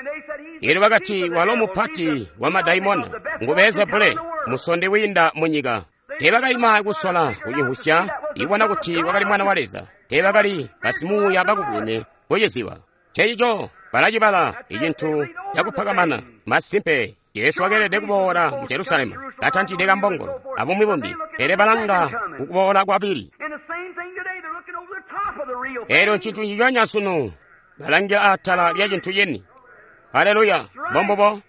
S1: Elyo bakati, walo mupati wa madaimona, ngu Beelzebule, musonde wiinda mu nyika. Teebakaima kusola kucimvwisya, ibona kuti wakali mwana wa Leza. Teebakali basimuuya bakubwene kuciziba. Ncencico balacibala icintu cakupakamana. Masimpe, Jesu wakeelede kuboola mu Jerusalemu katantide kambongolo abumwi bumbi, pele balanga kukuboola kwabili. Elyo ncintu nciconya sunu, balangila atala lya cintu cini. Haleluya! Mbombubo.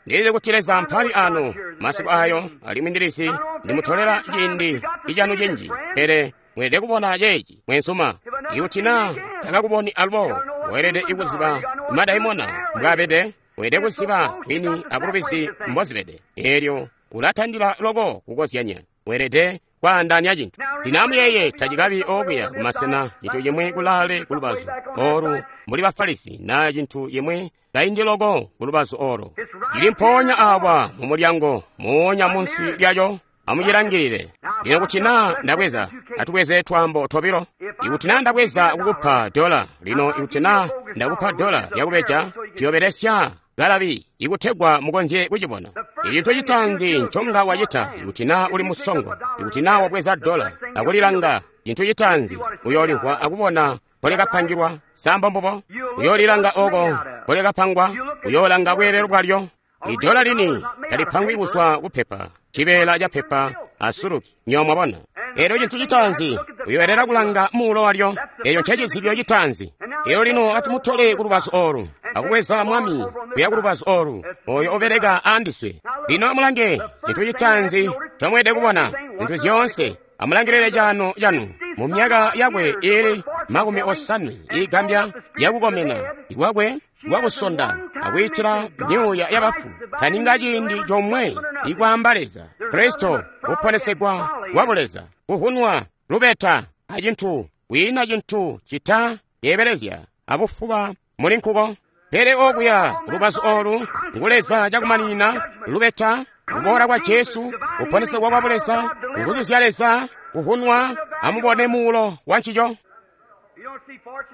S1: Ndilizi kuti Leza mpali ano masiku ayo, alimwi ndilizi ndimutolela ciindi icanu cinji, pele mweelede kubona ceeci mwenzuma. Ikuti naa takakuboni alubo, weelede ikuziba madaimona mbwaabede, weelede kuziba bwini abulubizi mbozibede. Eelyo ulatandila loko kukozyanya, weelede kwaandaanya cintu. Lino amuyeeye, tacikabi okuya kumasena cintu cimwi kulaale kulubazu olu mbuli Bafarisi naa cintu cimwi kaindi loko kulubazu olo. Cili mpoonya awa mu mulyango, moonya munsi lyaco. Amucilangilile. Lino kuti naa ndabweza, atubweze twaambo tobilo. Ikuti naa ndabweza kukupa dola, lino ikuti naa ndakupa dola lyakubeja, tuyobelesya galabi ikutegwa mukonzye kucibona. Icintu citaanzi nconga wacita, ikuti naa uli musongo, ikuti naa wabweza dola akulilanga, cintu citaanzi uyoolimvwa akubona mpolikapangilwa. Samba mbubo, uyoolilanga oko mpolikapangwa, uyoolanga bweelelo bwalyo. Idola lini talipangwi kuzwa kupepa, cibeela ca pepa asuluki, nyo mwabona. Elyo cintu citaanzi uyoelera kulanga muulo walyo. Eyo ncecizibyo citaanzi. Elyo lino atumutole ku lubazu olu, akubweza mwami kuya ku lubazu olu, oyo obeleka andiswe. Lino amulange cintu citaanzi ncomweelede kubona, zintu zyoonse. Amulangilile cano canu mu myaka yakwe ili makumi osanwe igambya yakukomena ikwakwe kwakusonda akwiitila myuuya yabafu, taninga ciindi comwe ikwaamba Leza, Kristo, kuponesegwa kwa buleza, kuhunwa, lubeta, acintu, kwiina cintu cita yeebelezya abufuba muli nkuko. Pele okuya lubazu olu ngu Leza cakumaninina, lubeta, kuboola kwa Jesu, kuponesegwa kwa buleza, nguzu zya Leza, kuhunwa. Amubone muulo wa ncico.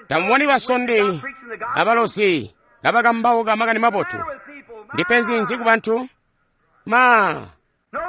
S1: Tamuboni basondi abalozi kabakambauka makani mabotu. Ndipenzi nzi ku bantu? Ma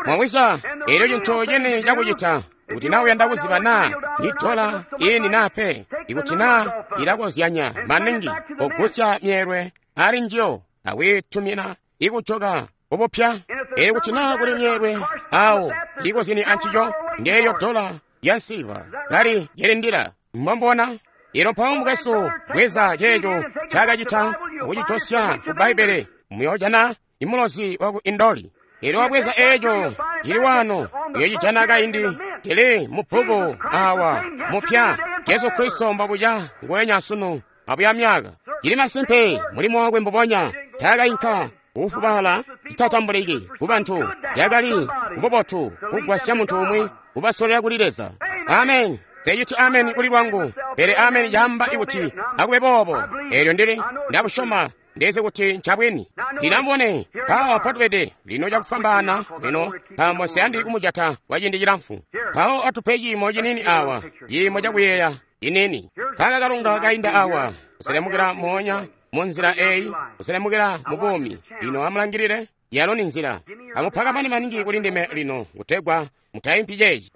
S1: mwawisa, elyo cintu cini cakucita kuti naa uyanda kuziba naa ni dola ini naa pe, ikuti naa ilakozyanya maningi, kogusya myeelwe ali njiyo akwiitumina ikujoka kubupya. Elyo kuti naa kuli myeelwe awo ikozyene ancico, ndeelyo dola ya nsiliva kali cilindila. Mwambona? Ilo mpawo mukwesu bweza ceeco cakacita akucijosya ku Bbaibbele, muyoojana imulozi waku Indoli. Ilo wabweza eeco cili wano, uyocijana kaindi cili mu bbuku awa mupya. Jesu Kristo mbobuca nguwenya sunu abuya myaka. Cili masimpe mulimo wakwe mbubonya. Taakainka kufubala citatambuliki ku bantu. Yakali kububotu kugwasya muntu umwi kubasolera kuli Leza. Amen. Seyiti amen kuli lwangu, pele amen yamba ikuti akube boobo. Elyo ndili ndabusyoma ndeze kuti ncabwini. Ndinambone mpawo patubede lino cakufwambaana lino, nkaambo nsiyandi kumujata kwa ciindi cilamfu. Mpawo atupe ciimo ciniini awa, ciimo cakuyeeya ciniini. Kaka kalunga kainda awa, kuselemukila moonya mu nzila eyi, kuselemukila mu buumi. Lino amulangilile, yalo ni nzila. Amupakamane maningi kuli ndime lino, kutegwa mutayimpi ceeci.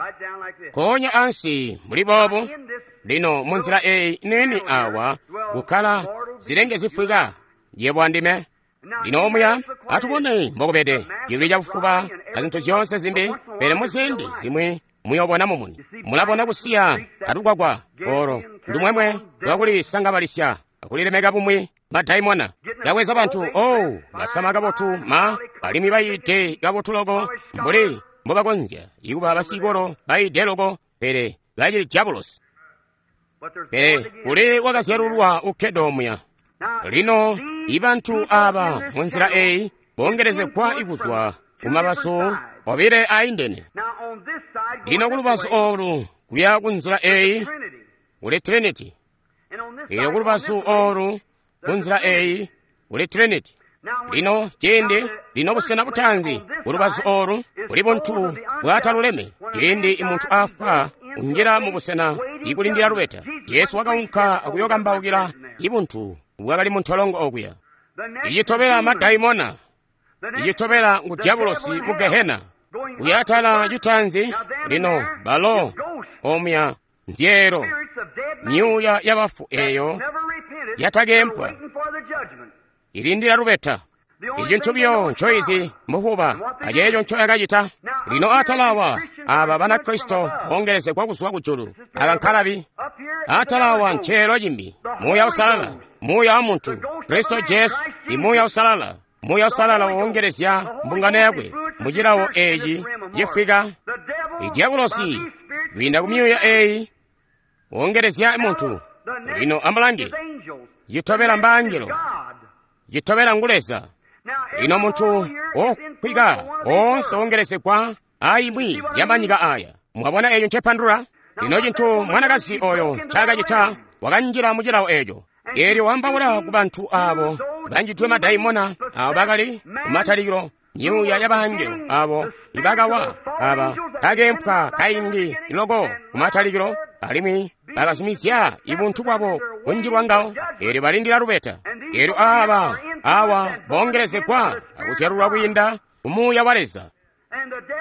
S1: Konya ansi muli boobo. Lino mu nzila eyi nini awa kukkala zilenge zifwika yebo andime. Lino omuya atubone mbokubede cibili cabufuba na zintu zyoonse zimbi, pele muzindi zimwi muyobona mumuni. Mulabona kusiya atukwakwa olo ndumwemwe lwakulisangabalisya akulilemeka bumwi madaimona yaweza bantu. Oh, basama kabotu ma alimwi bayide kabotu loko mbuli mbobakonzya ikuba basikolo bayide loko, pele kacili diabulosi. Pele kuli wakazyalulwa ukkede omuya. Lino ibantu aba munzila eyi bongerezegwa ikuzwa kumabazu obile aindene. Lino kulubazu olu kuya kunzila eyi kuli Trinity. Lino kulubazu olu kunzila eyi kuli Trinity. Lino ciindi lino busena butanzi kulubazu olu kuli buntu bwataluleme. Ciindi imuntu afwa unjila mu busena ikulindila lubeta. Jesu wakaunka akuyokambaukila ibuntu bwakali mu ntolongo okuya. Icitobela madaimona, icitobela ngu diabulosi mu Gehena. Kuyatala citanzi lino balo omuya nzyeelo myuuya yabafu eyo yatakempwa ilindila lubeta. Icintu biyo ncoizi mbufuba aceeco ncoyakacita. Lino atalawa aba Banakristo bongerezegwa kuzwa kujulu aba nkalabi. Atalawa nceelo cimbi Muuya Usalala, Muuya wa muntu Kristo Jesu i Muuya Usalala. Muuya Usalala wongerezya mbungano yakwe mu cilawo eeci cifwika. Idyabulosi kwiinda ku myuuya eyi wongerezya muntu. Lino amulange, citobela mbaangelo, citobela ngu Leza. Lino muntu okwika oonse wongerezegwa aimwi yamanyika aya. Mwabona eyo ncepandula? Lino cintu mwanakazi oyo ncaakacita, wakanjila mu cilawo eco. Eelyo wambaula ku bantu abo banjidwe madaimona, abo bakali kumatalikilo myuuya y'abangelo abo ibakawa, aba kakempwa kaindi loko kumatalikilo, alimwi bakazumizya ibuntu bwabo kunjilwa ngawo. Eelyo balindila lubeta. Eelyo aba awa bongerezegwa akuzyalulwa kwiinda ku Muuya wa Leza.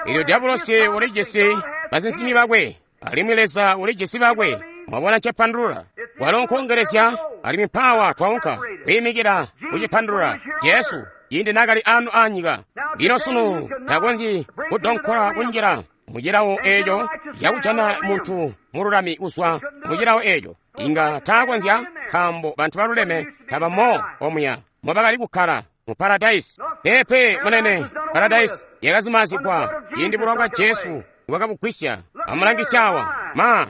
S1: Eelyo diabulosi ulijisi basinsimi bakwe, alimwi Leza ulijisi bakwe. Mwabona ncepandulula? Walo nkongerezya, alimwi mpawa twaunka kwiimikila kucipandulula. Jesu ciindi naakali anu anyika. Lino sunu takonzyi kudonkola kunjila mu cilawo eeco cakujana muntu mululami kuzwa mu cilawo eeco. Inga taakonzya, nkaambo bantu baluleme tabamo omuya mobakali kukkala mu paradayisi. Peepe munene, paradayisi yakazimazigwa ciindi bulowa bwa Jesu bwakabugwisya. Amulangisya awa ma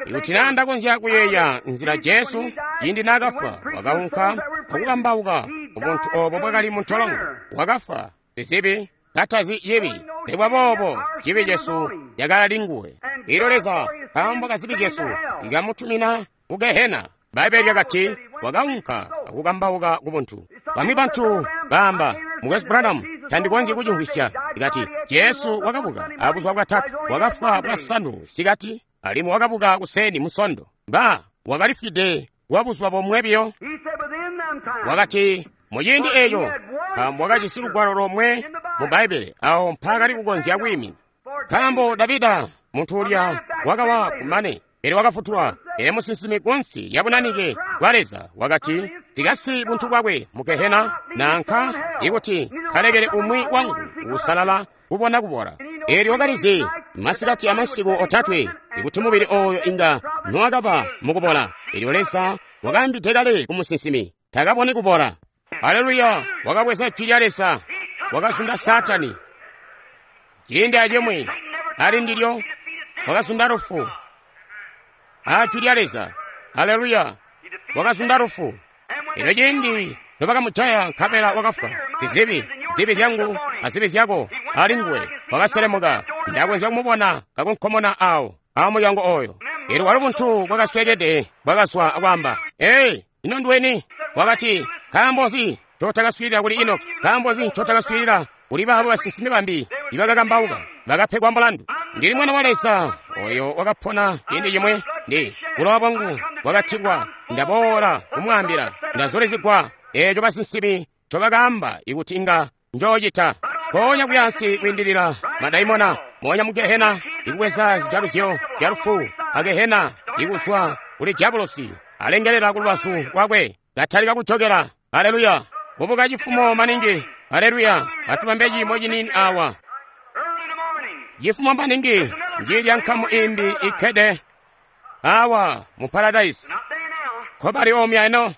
S1: ikuti naa ndakonzya kuyeeya nzila Jesu ciindi naakafwa, wakaunka akukambauka ubuntu obo bwakali mu ntolongo. Wakafwa sizibi katazi cibi, nikuba boobo cibi cesu cakali nguwe. Elyo Leza nkaambo ka zibi zyesu ikamutumina ku Gehena. Bbaibbele lyakati wakaunka akukambauka ku buntu. Bamwi bantu baamba, Mukwesu Branham, tandikonzyi kucimvwisya. Ikati Jesu wakabuka abuzuba bwatatu, wakafwa bwasanu sikati, alimwi wakabuka kuseni musondo. Ba wakalifwide kwa buzuba bomwe biyo. Wakati muciindi eco, nkaambo wakajisi lugwalo lomwe mu Bbaibbele awo mpaakali kukonzya kwiimina. Nkaambo Davida muntu ulya wakawa kumane, pele wakafutulwa. Pele musinsimi kunsi lya bunanike bwa Leza wakati zikasi buntu bwakwe mu Gehena, nanka ikuti kalekele umwi wangu usalala kubona kubola. Eelyo wakalizi masikati amasiku otatwe ikuti mubili oyo inga nowakaba mukubola. Eelyo Leza wakaambide kale ku musinsimi takaboni kubola. Haleluya! Wakabweza jwi lya Leza, wakazunda Saatani. Ciindi acimwi ali ndilyo wakazunda lufu. A jwi lya Leza. Haleluya! Wakazunda lufu. Elyo ciindi nobakamujaya nkabela wakafwa, zizibi, zibi zyangu azibi zyako ali nguwe, wakaselemuka. Ndakonzya kumubona kakunkomona awo amulyango oyo. Elyo walo buntu bwakaswekede bwakazwa akwaamba, "Ei, ino nduweni?" Wakati, "Nkaambo nzi ncotakaswiilila kuli Enoki? Nkaambo nzi ncotakaswiilila kuli baabo basinsimi bambi ibakakambauka bakapegwa mulandu? Ndili mwana wa Leza oyo wakapona ciindi cimwe. Ndi bulowa bwangu bwakatilwa. Ndaboola kumwaambila. Ndazulizigwa eeco basinsimi ncobakaamba ikuti inga njoocita." Nkoonya kuyansi kwiindilila madaimona, moonya mu gehena, ikubweza zijaluzyo zya lufu a gehena, ikuzwa kuli diabolosi alengelela ku lubazu lwakwe, katalika kujokela. Aleluya! Kubuka cifumo maningi. Aleluya! Atubambe ciimo ciniini awa. Cifumo maningi njilya nkamu imbi ikkede awa mu paradise. Nkobali omya eno.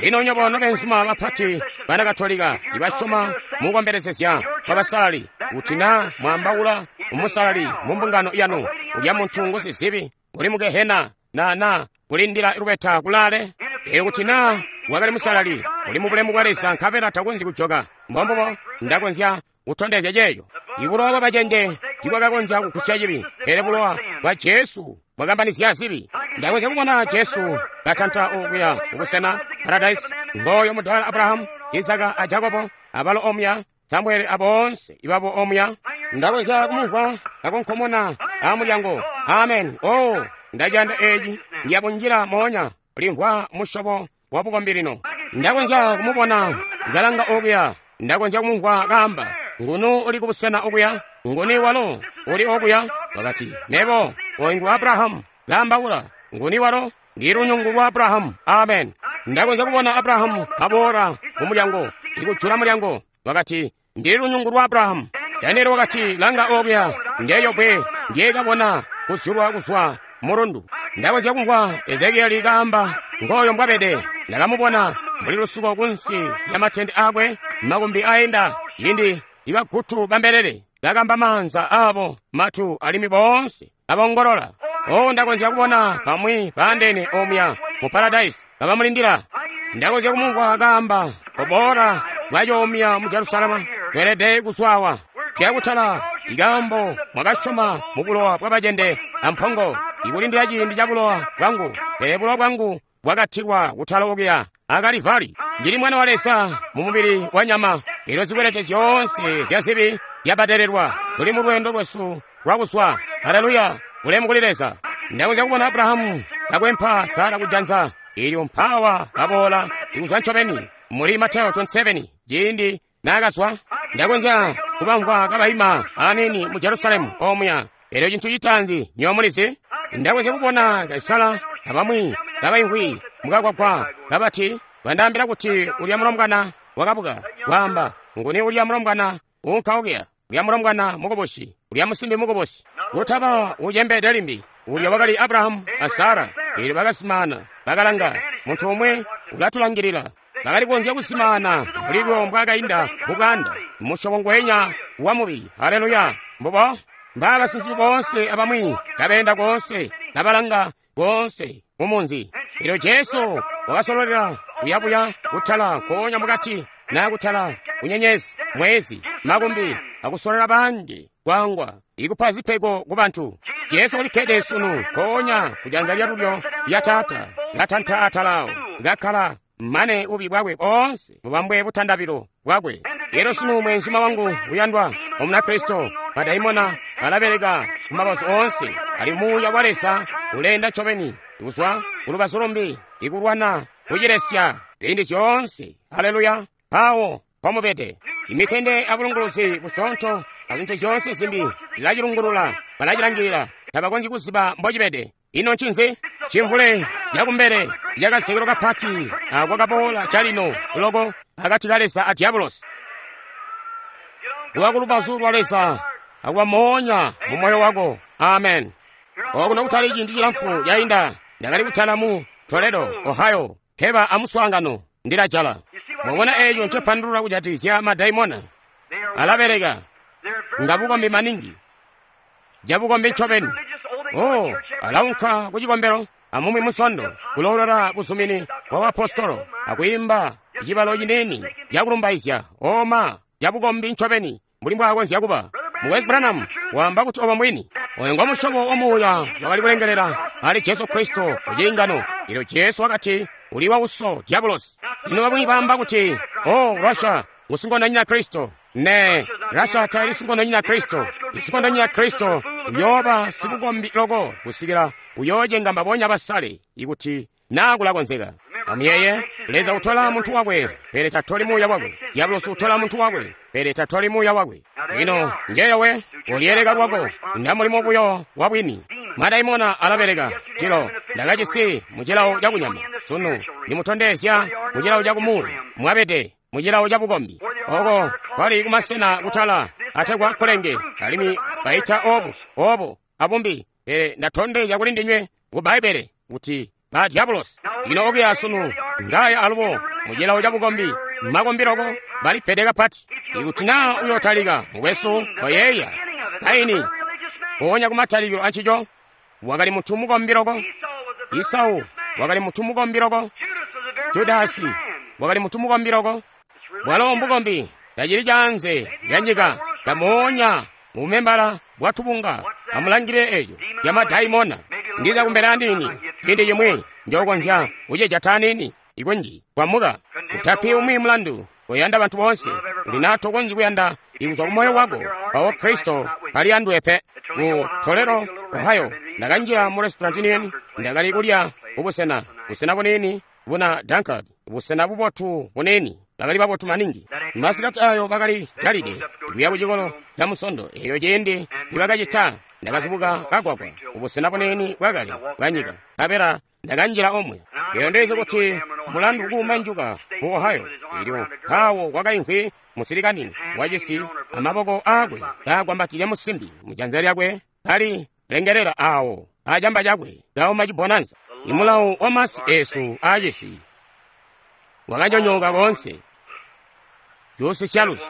S1: Lino nyobo nobenzuma bapati bana Katolika ibasyoma mukukombelezezya kwa basalali, kuti na mwambaula umusalali mu mbungano yanu, ulya muntu ngusizibi uli mu gehena na na kulindila lubeta kulaale. Elyo kuti na wakali musalali uli mu bulemu bwa Leza nkabela takonzyi kujoka. Mbombubo ndakonzya kutondezya ceeco. Ibulowa bwa bacende tibwakakonzya kugusya cibi, pele bulowa bwa Jesu bwakambanizya zibi. Ndakonzya kubona Jesu katanta okuya kubusena paradise, ngoyo mudala Abrahamu, Isaka a Jakobo, abalo omuya, Samueli aboonse ibabo omuya. Ndakonzya kumumvwa kakonkomona amulyango. Amen. Oh, ndaciyanda eci. Ndiyabunjila moonya limvwa musyobo wa bukombi lino. Ndakonzya kumubona kalanga okuya. Ndakonzya kumumvwa kaamba, "Ngunu uli kubusena okuya? Nguni walo uli okuya?" Wakati, "Mebo, oyu ngu Abrahamu." Kaambaula, "Nguni walo? Ndi lunyungu lwa Abrahamu." Amen. Ndakonzya kubona Abrahamu kaboola ku mulyango, ikujula mulyango. Wakati, "Ndi lunyungu lwa Abrahamu." Danieli wakati, "Langa okuya, ndeyo bwe ndyekabona kuzyulwa kuzwa mulundu." Ndakonzya kumvwa Ezekieli kaamba, "Ngoyo mbwabede. Ndakamubona mbuli lusuko kunsi lya matende akwe, makumbi aenda, cindi ibagutu bambelele kakamba maanza abo matu alimi boonse abongolola." Oh, ndakonzya kubona bamwi baandene omuya mu paradise kabamulindila. Ndakonzya kumumvwa kaamba, "Koboola bwacoomya mu Jerusalema, tweelede kuzwawa. Tuyakutala ikambo mwakasyoma mu bulowa bwabacende ampongo, ikulindila ciindi ca bulowa bwangu, pele bulowa bwangu bwakatilwa kutala okuya akalivari. Ndili mwana wa Leza mu mubili wa nyama. Elyo zikwelete zyoonse zya zibi zyabadelelwa. Tuli mu lwendo lwesu lwakuzwa. Haleluya! Bulemu kuli Leza." Ndakonzya kubona Abrahamu kakwempa Sara kujanza. Elyo mpawa baboola ikuzwa ncobeni muli Mateo makumi abili asanu ciindi naakazwa. Ndakonzya kubamvwa kabaima aniini mu Jerusalemu omuya. Elyo cintu citaanzi nywebo mulizi, ndakonzya kubona Kaisala abamwi kabaimvwi mukakwakwa kabati, "Bandaambila kuti ulya mulombwana wakabuka." Kwaamba, "Nguni ulya mulombwana uunka okuya? Ulya mulombwana mukubusi, ulya musimbi mukubusi, kutaba ucembeede limbi." Ulya wakali Abrahamu a Sara. Elyo bakasimana, bakalanga, muntu umwe ulatulangilila. Bakali kukonzya kusimana mbuli buyo mbwakainda mubwaanda, musyobo ngwenya wa mubili. Haleluya! Mbubo mbaa basinsimi boonse abamwi kabeenda koonse, kabalanga koonse mu munzi. Elyo Jesu wakasololela kuyabuya kutala nkoonya mukati na kutala kunyenyezi, mwezi, makumbi, akusololela banji kwangwa ikupa zipego ku bantu. Jesu ulikkede sunu nkoonya kujanza lyalulyo lya Taata, katanta atalawo, kakkala mane bubi bwakwe boonse bubambwe butandabilo bwakwe. Elyo sunu mwenzuma wangu uyandwa Omunakristo, madaimona alabeleka ku mabazu oonse. Ali muuya wa Leza uleenda ncobeni kuzwa kulubazu lumbi ikulwana kucilesya ziindi zyoonse. Haleluya! Mpawo mpomubede. Imitende abulunguluzi busyoonto azintu zyoonse zimbi zilacilungulula, balacilangilila, tabakonzyi kuziba mbocibede. Ino ncinzi? Cimvule cakumbele cakazekelo kapati akwakaboola calino loko akati ka Leza a Diabolosi. Kuba kulubazu lwa Leza akuba moonya mu moyo wako. Amen. Okuno kutali ciindi cilamfu cainda, ndakali kutala mu Toledo, Ohio, keba amuswaangano ndilajala. Mwabona eeco ncepandulula kujatikizya madaimona? Alabeleka nga bukombi maningi, jabukombi ncobeni. Oh, alaunka ku cikombelo amumwi musondo kuloolola buzumini wa apostolo akwiimba cibalo ciniini cakulumbaizya oma cabukombi ncobeni mbuli mbwaakonzya kuba. Mukwesu Branham waamba kuti obo mwini oyo ngo musyobo wa muuya wakali kulengelela ali Jesu Kristo kuciingano. Elyo Jesu wakati uli wa uso diabulosi. Lino bamwi baamba kuti o Russia ngusinkondonyina Kristo. Ne Russia taili sinkondonyina Kristo. Isinkondonyina Kristo uyooba sibukombi loko kusikila uyoocenga mbabonya basale ikuti naa kulakonzeka. Amuyeye, Leza utola muntu wakwe, pele tatoli muuya wakwe. Diabulosi utola muntu wakwe, pele tatoli muuya wakwe. Lino njeyowe uliyeleka lwako nda mulimo buyo wabwini. Madaimona alabeleka cilo ndakajisi mucilawo cakunyama sunu nimutondezya mucilawo cakumuuya mwabede mucilawo cabukombi oko kwali kumasena kutala ategwa kulenge alimwi baita obu obu abumbi, pele ndatondezya kuli ndinywe ku Bbaibbele kuti ba diabulosi. Lino okuya sunu ngaya alubo mucilawo cabukombi makombi loko balipede kapati. Ikuti naa uyotalika mukwesu koyeeya Kaini ponya kumatalikilo ancico wakali muntu mukombi loko. Isau wakali muntu mukombi loko. Judasi wakali muntu mukombi loko. Bwalo mbukombi tacili caanze lya nyika tamuonya mumembala bwa tubunga. Amulangile eco lya madaimona. Ndiza kumbele aniini ciindi cimwi njokonzya kucijata aniini ikunji kwamuka. Utapi umwi mulandu kuyanda bantu bonse. Uli tokonzyi kuyanda ikuzwa ku moyo wako pawo Kristo pali anduwe pe. Ku Toledo, Ohio, ndakanjila mu restaurant nini, ndakali kulya kubusena busena bunini buna Dunkard, busena bubotu bunini, bakali babotu maningi. Masikati ayo bakali jalide kuya ku cikolo ca musondo. Eyo ciindi nibakacita ndakazubuka kagwagwa kubusena bunini bwakale bwa nyika, nkabela ndakanjila omwe. Eyo ndizi kuti mulandu kuuma njuka mu Ohio. Elyo mpawo kwakaimvwi musilikani wacisi amaboko aakwe kaagwambatile musimbi mujanza lyakwe kali lengelela awo acamba cakwe kauma cibonanza. Imulawo wa masi esu aacisi wakanyonyooka koonse. Cuusisya luzu.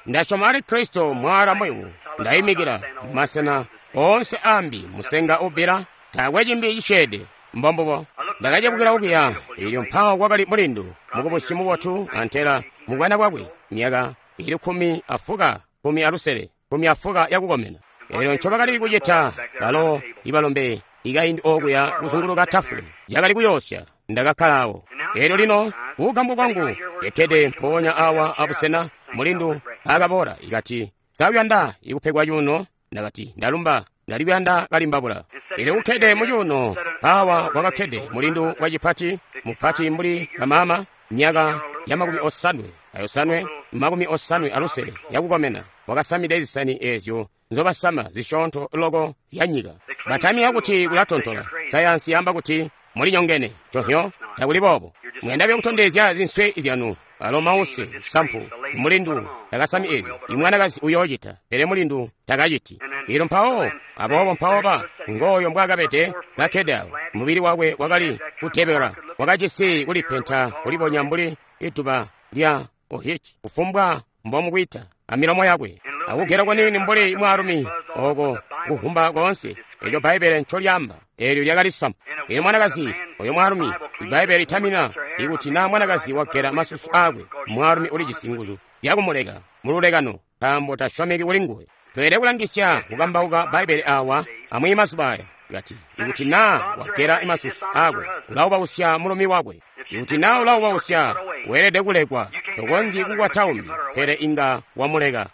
S1: Ndasyoma ali Kristo mwala muyumu. Ndayimikila masena oonse ambi musenga ubbila taakwe cimbi cisyeede. Mbombubo ndakacebukila okuya. Elyo mpawo kwakali mulindu mukubusi mubotu antela mubwana bwakwe myaka ili kumi afuka kumi alusele kumi afuka yakukomena. Elyo ncobakali kucita balo ibalombe ikaindi okuya kuzunguluka tafule cakali kuyoosya. Ndakakkala awo. Elyo lino kugambwa kwangu ekkede mpoonya awa abusena mulindu akaboola ikati sauyanda ikupegwa cuuno. Ndakati ndalumba ndali kuyanda kalimbabula. Elyo kukkede mu cuuno awa kwakakkede mulindu wacipati mupati mbuli bamama myaka ya makumi osanwe ayosanwe makumi osanwe alusele yakukomena. Wakasamide zisani ezyo nzobasama zisyoonto loko zya nyika. Batamika kuti kulatontola. Sayansi yamba kuti mulinyongene. Cohyo takuli boobo. Muyanda buyo kutondezya zinswe zyanu. Alo mause sampu mulindu takasami ezyo. Imwanakazi uyoocita pele mulindu takaciti. Ilo mpawo aboobo mpawo ba ngoyo mbwaakabede kakkede awo. Mubili wakwe wakali kutebela wakajisi kulipenta kulibonya mbuli ituba lya ohichi kufumbwa mbomukwita amilomo yakwe akugera kwanini mbuli mwaalumi oko kuvumba koonse. Eco Bbaibbele ncolyamba eelyo lyakali sampu. Elyo mwanakazi oyo mwaalumi Bbaibbele litamina ikuti naa mwanakazi wagera masusu aakwe mwaalumi ulijisi nguzu zyakumuleka mululekano nkaambo tasyomeki kuli nguwe. Tweelede kulangisya kukambauka Bbaibbele awa amwi mazuba aya. Kati ikuti naa wagera masusu aakwe ulaubausya mulumi wakwe. Ikuti naa ulaubausya weelede kulekwa. Tokonzyi kukwata umbi pele inga wamuleka.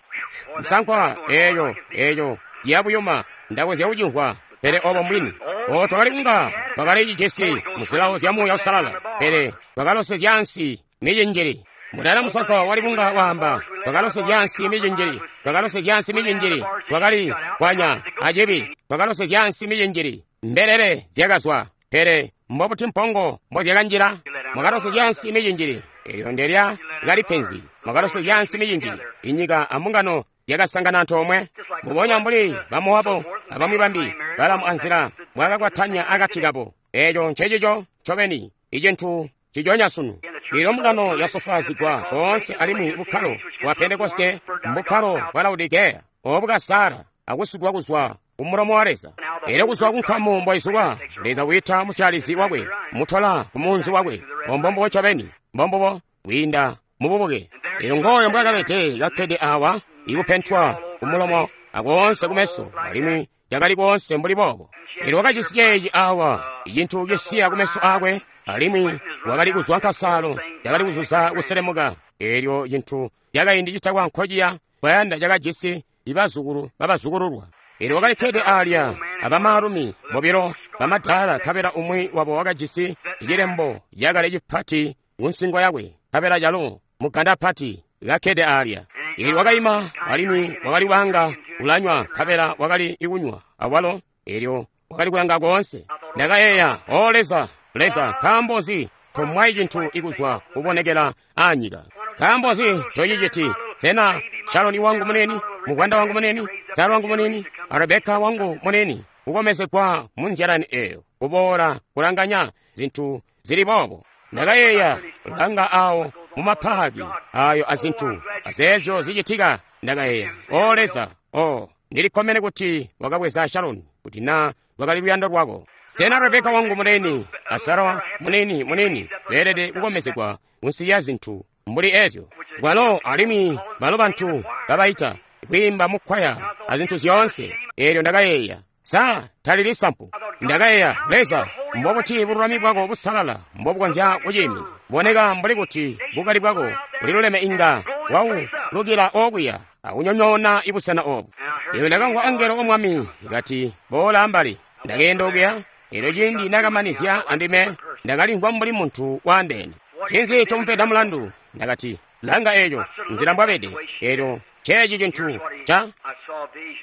S1: Msankwa eeyo eeyo yabuyuma ndakonzya kucimvwa pele obo mbwini. O twakali kunga twakali cijisi muzilawo zya Muuya Uusalala pele twakalosezya ansi micinjili. Mudala musako wali kunga waamba twakalosezya ansi micinjili, twakalosezya ansi micinjili, twakali kwanya acibi, twakalosezya ansi micinjili. Mbelele zyakazwa pele mbobuti mpongo mbozyakanjila? Mwakalosezya ansi micinjili. Elyo ndelya kali penzi. Mwakalosezya ansi micinjili. Inyika ambungano yakasangana antoomwe mbubonya mbuli Bamowabu abamwi bambi Balamu anzila bwakakwatanya akati kabo. Eco ncecico ncobeni icintu ciconya sunu. Ilyo mbungano yasofwaazigwa koonse alimwi bukkalo bwa Pentekoste mbukkalo bwa Laodikeya obu kasala akusugwa kuzwa ku mulomo wa Leza. Elyo kuzwa ku nkamu mboizulwa, Leza wiita musyalizi wakwe, mutola ku munzi wakwe. Mbombubo ncobeni, mbombubo kwiinda mububuke. Elyo ngooyo mbwakabede kakkede awa, ikupentwa kumulomo akoonse kumeso, alimwi cakali koonse mbuli boobo. Elyo wakajisi ceeci awa, icintu cisiya kumeso akwe, alimwi wakali kuzwa nkasaalo, cakali kuzuza kuselemuka. Elyo cintu cakaindi citakwa nkociya kwayanda cakajisi ibazukulu babazukululwa. Elyo wakali kkede alya abamaalumi bobilo bamadaala, nkabela umwi wabo wakajisi cilembo cakale cipati kunsingo yakwe, nkabela calo muganda pati kakkede alya. Elyo wakaima alimwi wakali wanga ulanywa, nkabela wakali ikunywa awalo. Elyo wakali kulanga koonse. Ndakayeeya, O Leza, Leza, nkaambo nzi tomwayi cintu ikuzwa kubonekela aanyika? Nkaambo nzi tociciti? Sena Shaloni wangu munene, mugwanda wangu munene, Sara wangu munene, a Rebeka wangu munene, kukomezegwa mu nzyalani eyo, kuboola kulanganya zintu zili boobo? Ndakayeeya, langa awo mu mapaaki ayo azintu azeezyo zicitika. Ndakayeeya, O Leza, o ndilikkomene kuti wakabweza Shaloni, kuti na lwakali luyando lwako. Sena Rebeka wangu munene a Sara munene munene beelede kukomezegwa munsi ya zintu mbuli ezyo? Bwalo alimwi balo bantu babaita kwiimba mukwaya azintu zyoonse. Elyo ndakayeeya, sa talili sampu? Ndakayeeya, Leza, mbobuti bululami bwako busalala mbobukonzya kuciimina? Boneka mbuli kuti bukali bwako buliluleme inga waulukila okuya akunyonyoona ibusena obu. Elyo ndakamvwa angelo wa Mwami kati, boola ambali. Ndakeenda okuya. Elyo ciindi nakamanizya andime, ndakalimvwa mbuli muntu waandeene. Ncinzi comupeda mulandu? Ndakati, langa eco, nzila mbwabede. Elyo ceeci cintu ca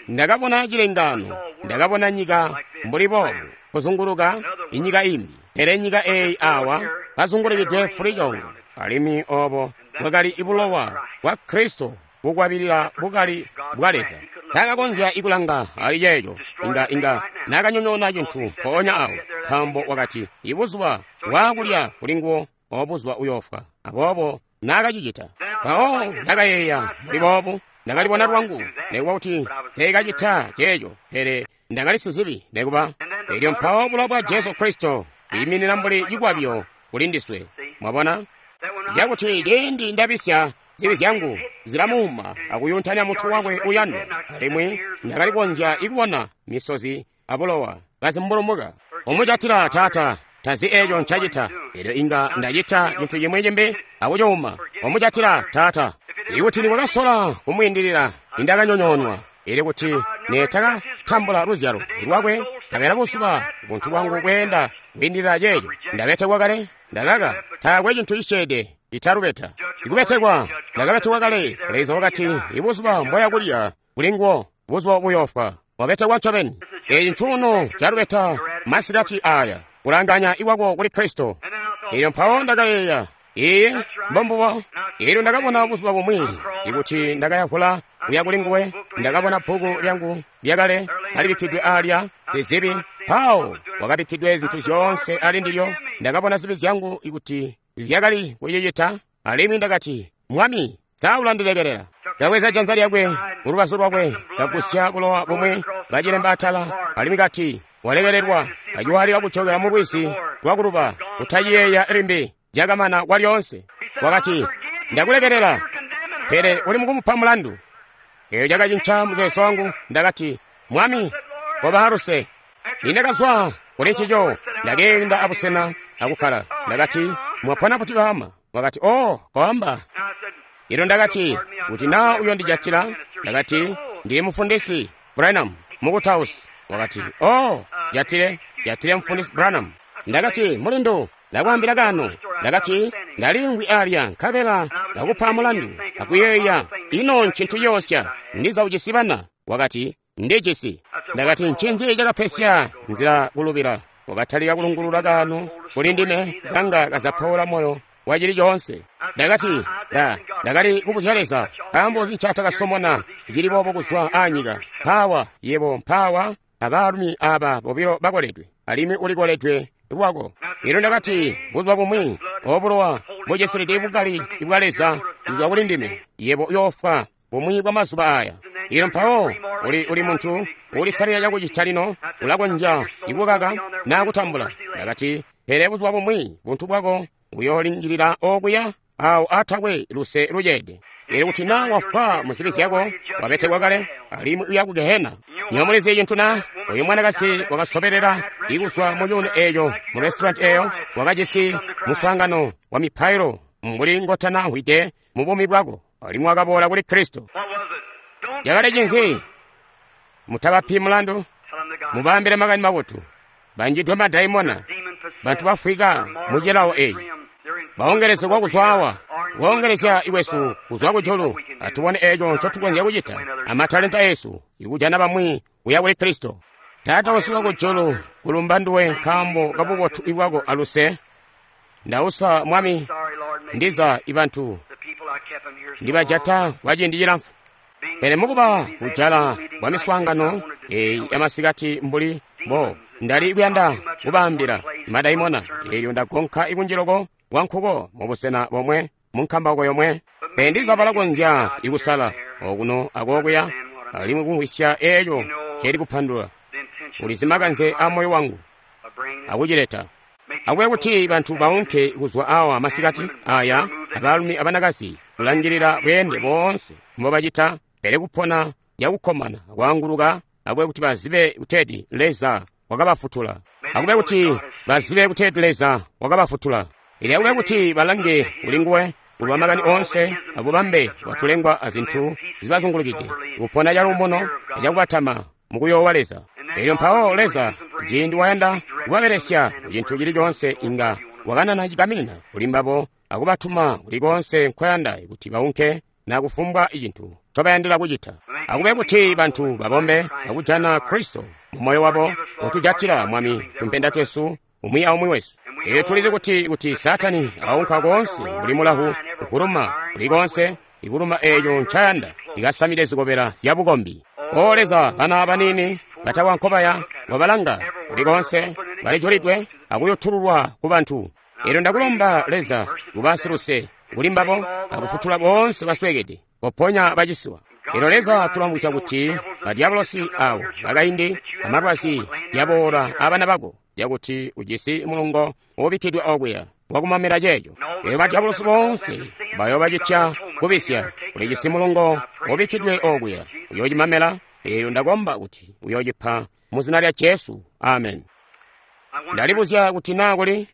S1: ndakabona cilengaano. Ndakabona nyika mbuli boobu kuzunguluka inyika imbi, pele nyika eyi awa kazungulukidwe fulicongo, alimwi obo bwakali ibulowa bwa Kristo bukwabilila bukali bwa Leza. Takakonzya ikulanga ali ceeco, inga inga nakanyonyoona cintu mpoonya awo, nkaambo wakati ibuzuba bwakulya kuli nguwo obuzuba uyoofwa. Aboobo nakacicita. Mpawo ndakayeeya mbuli boobu, ndakalibona lwangu, nekuba kuti nseekacita ceeco, pele ndakali sizibi nekuba. Elyo mpawo bulowa bwa Jesu Kristo bwiiminina mbuli cikwabyo kuli ndiswe. Mwabona? Cakuti ciindi ndabisya, zibi zyangu zilamuuma akuyuntanya mutwe wakwe uyandwa, alimwi ndakali konzya ikubona misozi abulowa kazimbulumuka. Umucatila Taata, tazi eco ncacita. Elyo inga ndacita cintu cimwi cimbi akucuuma. Umucatila Taata. Ikuti nikwakasola kumwiindilila, nindakanyonyoonwa. Elyo kuti netakatambula luzyalo lwakwe, ndakela buzuba buntu bwangu bweenda kwiindilila ceeco. Ndabetekwa kale, ndakaka, taakwe cintu cisyeede italubeta. Ikubetekwa, ndakabetekwa kale. Leza wakati, ibuzuba mboya kulya kuli nguwo, buzuba buyoofwa. Wabetekwa ncobeni. Eeci ncuuno calubeta masikati aya, kulanganya ikwako kuli Kristo. Elyo mpawo ndakayeeya, iye mbombubo. Elyo ndakabona buzuba bumwi, ikuti ndakayavula kuya kuli nguwe, ndakabona bbuku lyangu lyakale kalibikkidwe alya zizibi. Mpawo wakabikkidwe zintu zyoonse ali ndilyo. Ndakabona zibi zyangu ikuti zyakali kucicita, alimwi ndakati, Mwami, sa ulandilekelela? Kabweza janza lyakwe mulubazu lwakwe, kagusya bulowa bumwi, kacilemba atala, alimwi kati, walekelelwa. Kaciwalila kucokela mu lwizi lwakuluba, kutaciyeeya limbi, cakamana kwalyoonse. Wakati, ndakulekelela, pele uli mukumupa mulandu. Eyo cakacinca muzeezo wangu. Ndakati, Mwami, koba luse. Nindakazwa kuli ncico, ndakeenda abusena akukkala. Ndakati, mwapona buti baama? Wakati, oh, koamba. Elyo ndakati, kuti naa uyondijatila, ndakati, ndili mufundisi Branham mukutausi. Wakati, oh, jatile, jatile mufundisi Branham. Ndakati, mulindu, ndakwaambila kano. Ndakati, ndalimvwi alya nkabela ndakupa mulandu akuyeeya, ino ncintu yoosya, ndiza ujisi bana. Wakati, ndijisi. Ndakati, ncinzi cakapesya nzila kulubila? Wakatalika kulungulula kano kuli ndime, kanga kazapaula moyo wacili coonse. Ndakati, nda ndakali kubuzya Leza, nkaambo nzi ncatakasomona cili boobo kuzwa anyika? Mpawa yebo, mpawa abaalumi aba bobilo bakoledwe, alimwi ulikoledwe lwako. Elyo ndakati, buzuba bumwi obulowa bucisilide bukali bwa Leza kuzwa kuli ndime, yebo uyoofwa bumwi bwa mazuba aya. Ilo mpawo uli uli muntu ulisalila cakucita lino, ulakonzya ikukaka na kutambula. Ndakati, pele buzuba bumwi buntu bwako buyoolingilila okuya awo atakwe luse luceede. Elyo kuti na wafwa mu zibi zyako, wabetekwa kale, alimwi uya ku gehena. Nywebo mulizi cintu na? Oyu mwanakazi wakasobelela ikuzwa mu cuuno eco mu restaurant eyo, wakajisi muswaangano wa mipailo mbuli ngotana mvwide mu buumi bwako, alimwi wakaboola kuli Kristo. Yakali cinzi? Mutabapi mulandu, mubaambile makani mabotu. Banjidwe madaimona, bantu bafwika mu cilawo eci. Baongelezegwa kuzwa awa, kuongelezya ikwesu kuzwa kujulu. Atubone eco ncotukonzya kucita amatalenta esu ikujana bamwi kuya kuli Kristo. Taata wesu wakujulu, kulumba nduwe nkaambo kabubotu bwako aluse. Ndausa Mwami, ndiza ibantu ndibajata kwa ciindi cilamfu. Pele mukuba kujala kwa miswaangano eyi yamasikati mbuli bo ndali kuyanda kubaambila madaimona, elyo ndagonka ikunjiloko kwa nkuko mubusena bomwe munkambauko yomwe. Pele ndiza balakonzya ikusala okuno akokuya alimwi kumvwisya eco celi kupandula. Ulizi makanze a moyo wangu akucileta. Akube kuti bantu baunke kuzwa awa masikati aya, abaalumi abanakazi, kulangilila bweende boonse mbobacita, pele kupona yakukkomana kwaanguluka. Akube kuti bazibe kuteeti Leza wakabafutula. Akube kuti bazibe kuteeti Leza wakabafutula. Elyo akube kuti balange kuli nguwe kuluba makani oonse abubambe bwatulengwa azintu zibazungulukide, kupona caluumuno acakubatama mukuyoowa Leza. Elyo mpawo Leza, ciindi wayanda kubabelesya kucintu cili coonse, inga wakanana cigaminina kuli mbabo akubatuma kuli koonse nkoyanda kuti baunke na kufumbwa icintu ncobayandila kucita. Akube kuti bantu babombe akujana Kristo mu moyo wabo, utujatila Mwami tumpenda twesu umwi aumwi wesu. Elyo tulizi kuti kuti Saatani aunka koonse mbuli mulahu ukuluma kuli koonse, ikuluma eco ncayanda, ikasamide zikobela zya bukombi. O Leza, bana baniini batakwa nkobaya wabalanga kuli koonse, balijulidwe akuyotululwa ku bantu. Elyo ndakulomba Leza kuba siluse kuli mbabo akufutula boonse basweekede, koponya bacisiwa. Elyo Leza tulamvwisya kuti badyabolosi awo bakaindi amalwazi yaboola abana bako, yakuti ujisi mulungo ubikkidwe okuya wakumamela ceeco. Elyo badyabolosi boonse bayoobacitya kubisya, ulijisi mulungo ubikkidwe okuya uyoocimamela. Elyo ndakomba kuti uyoocipa mu zina lya Jesu. Amen. Ndalibuzya kuti naa kuli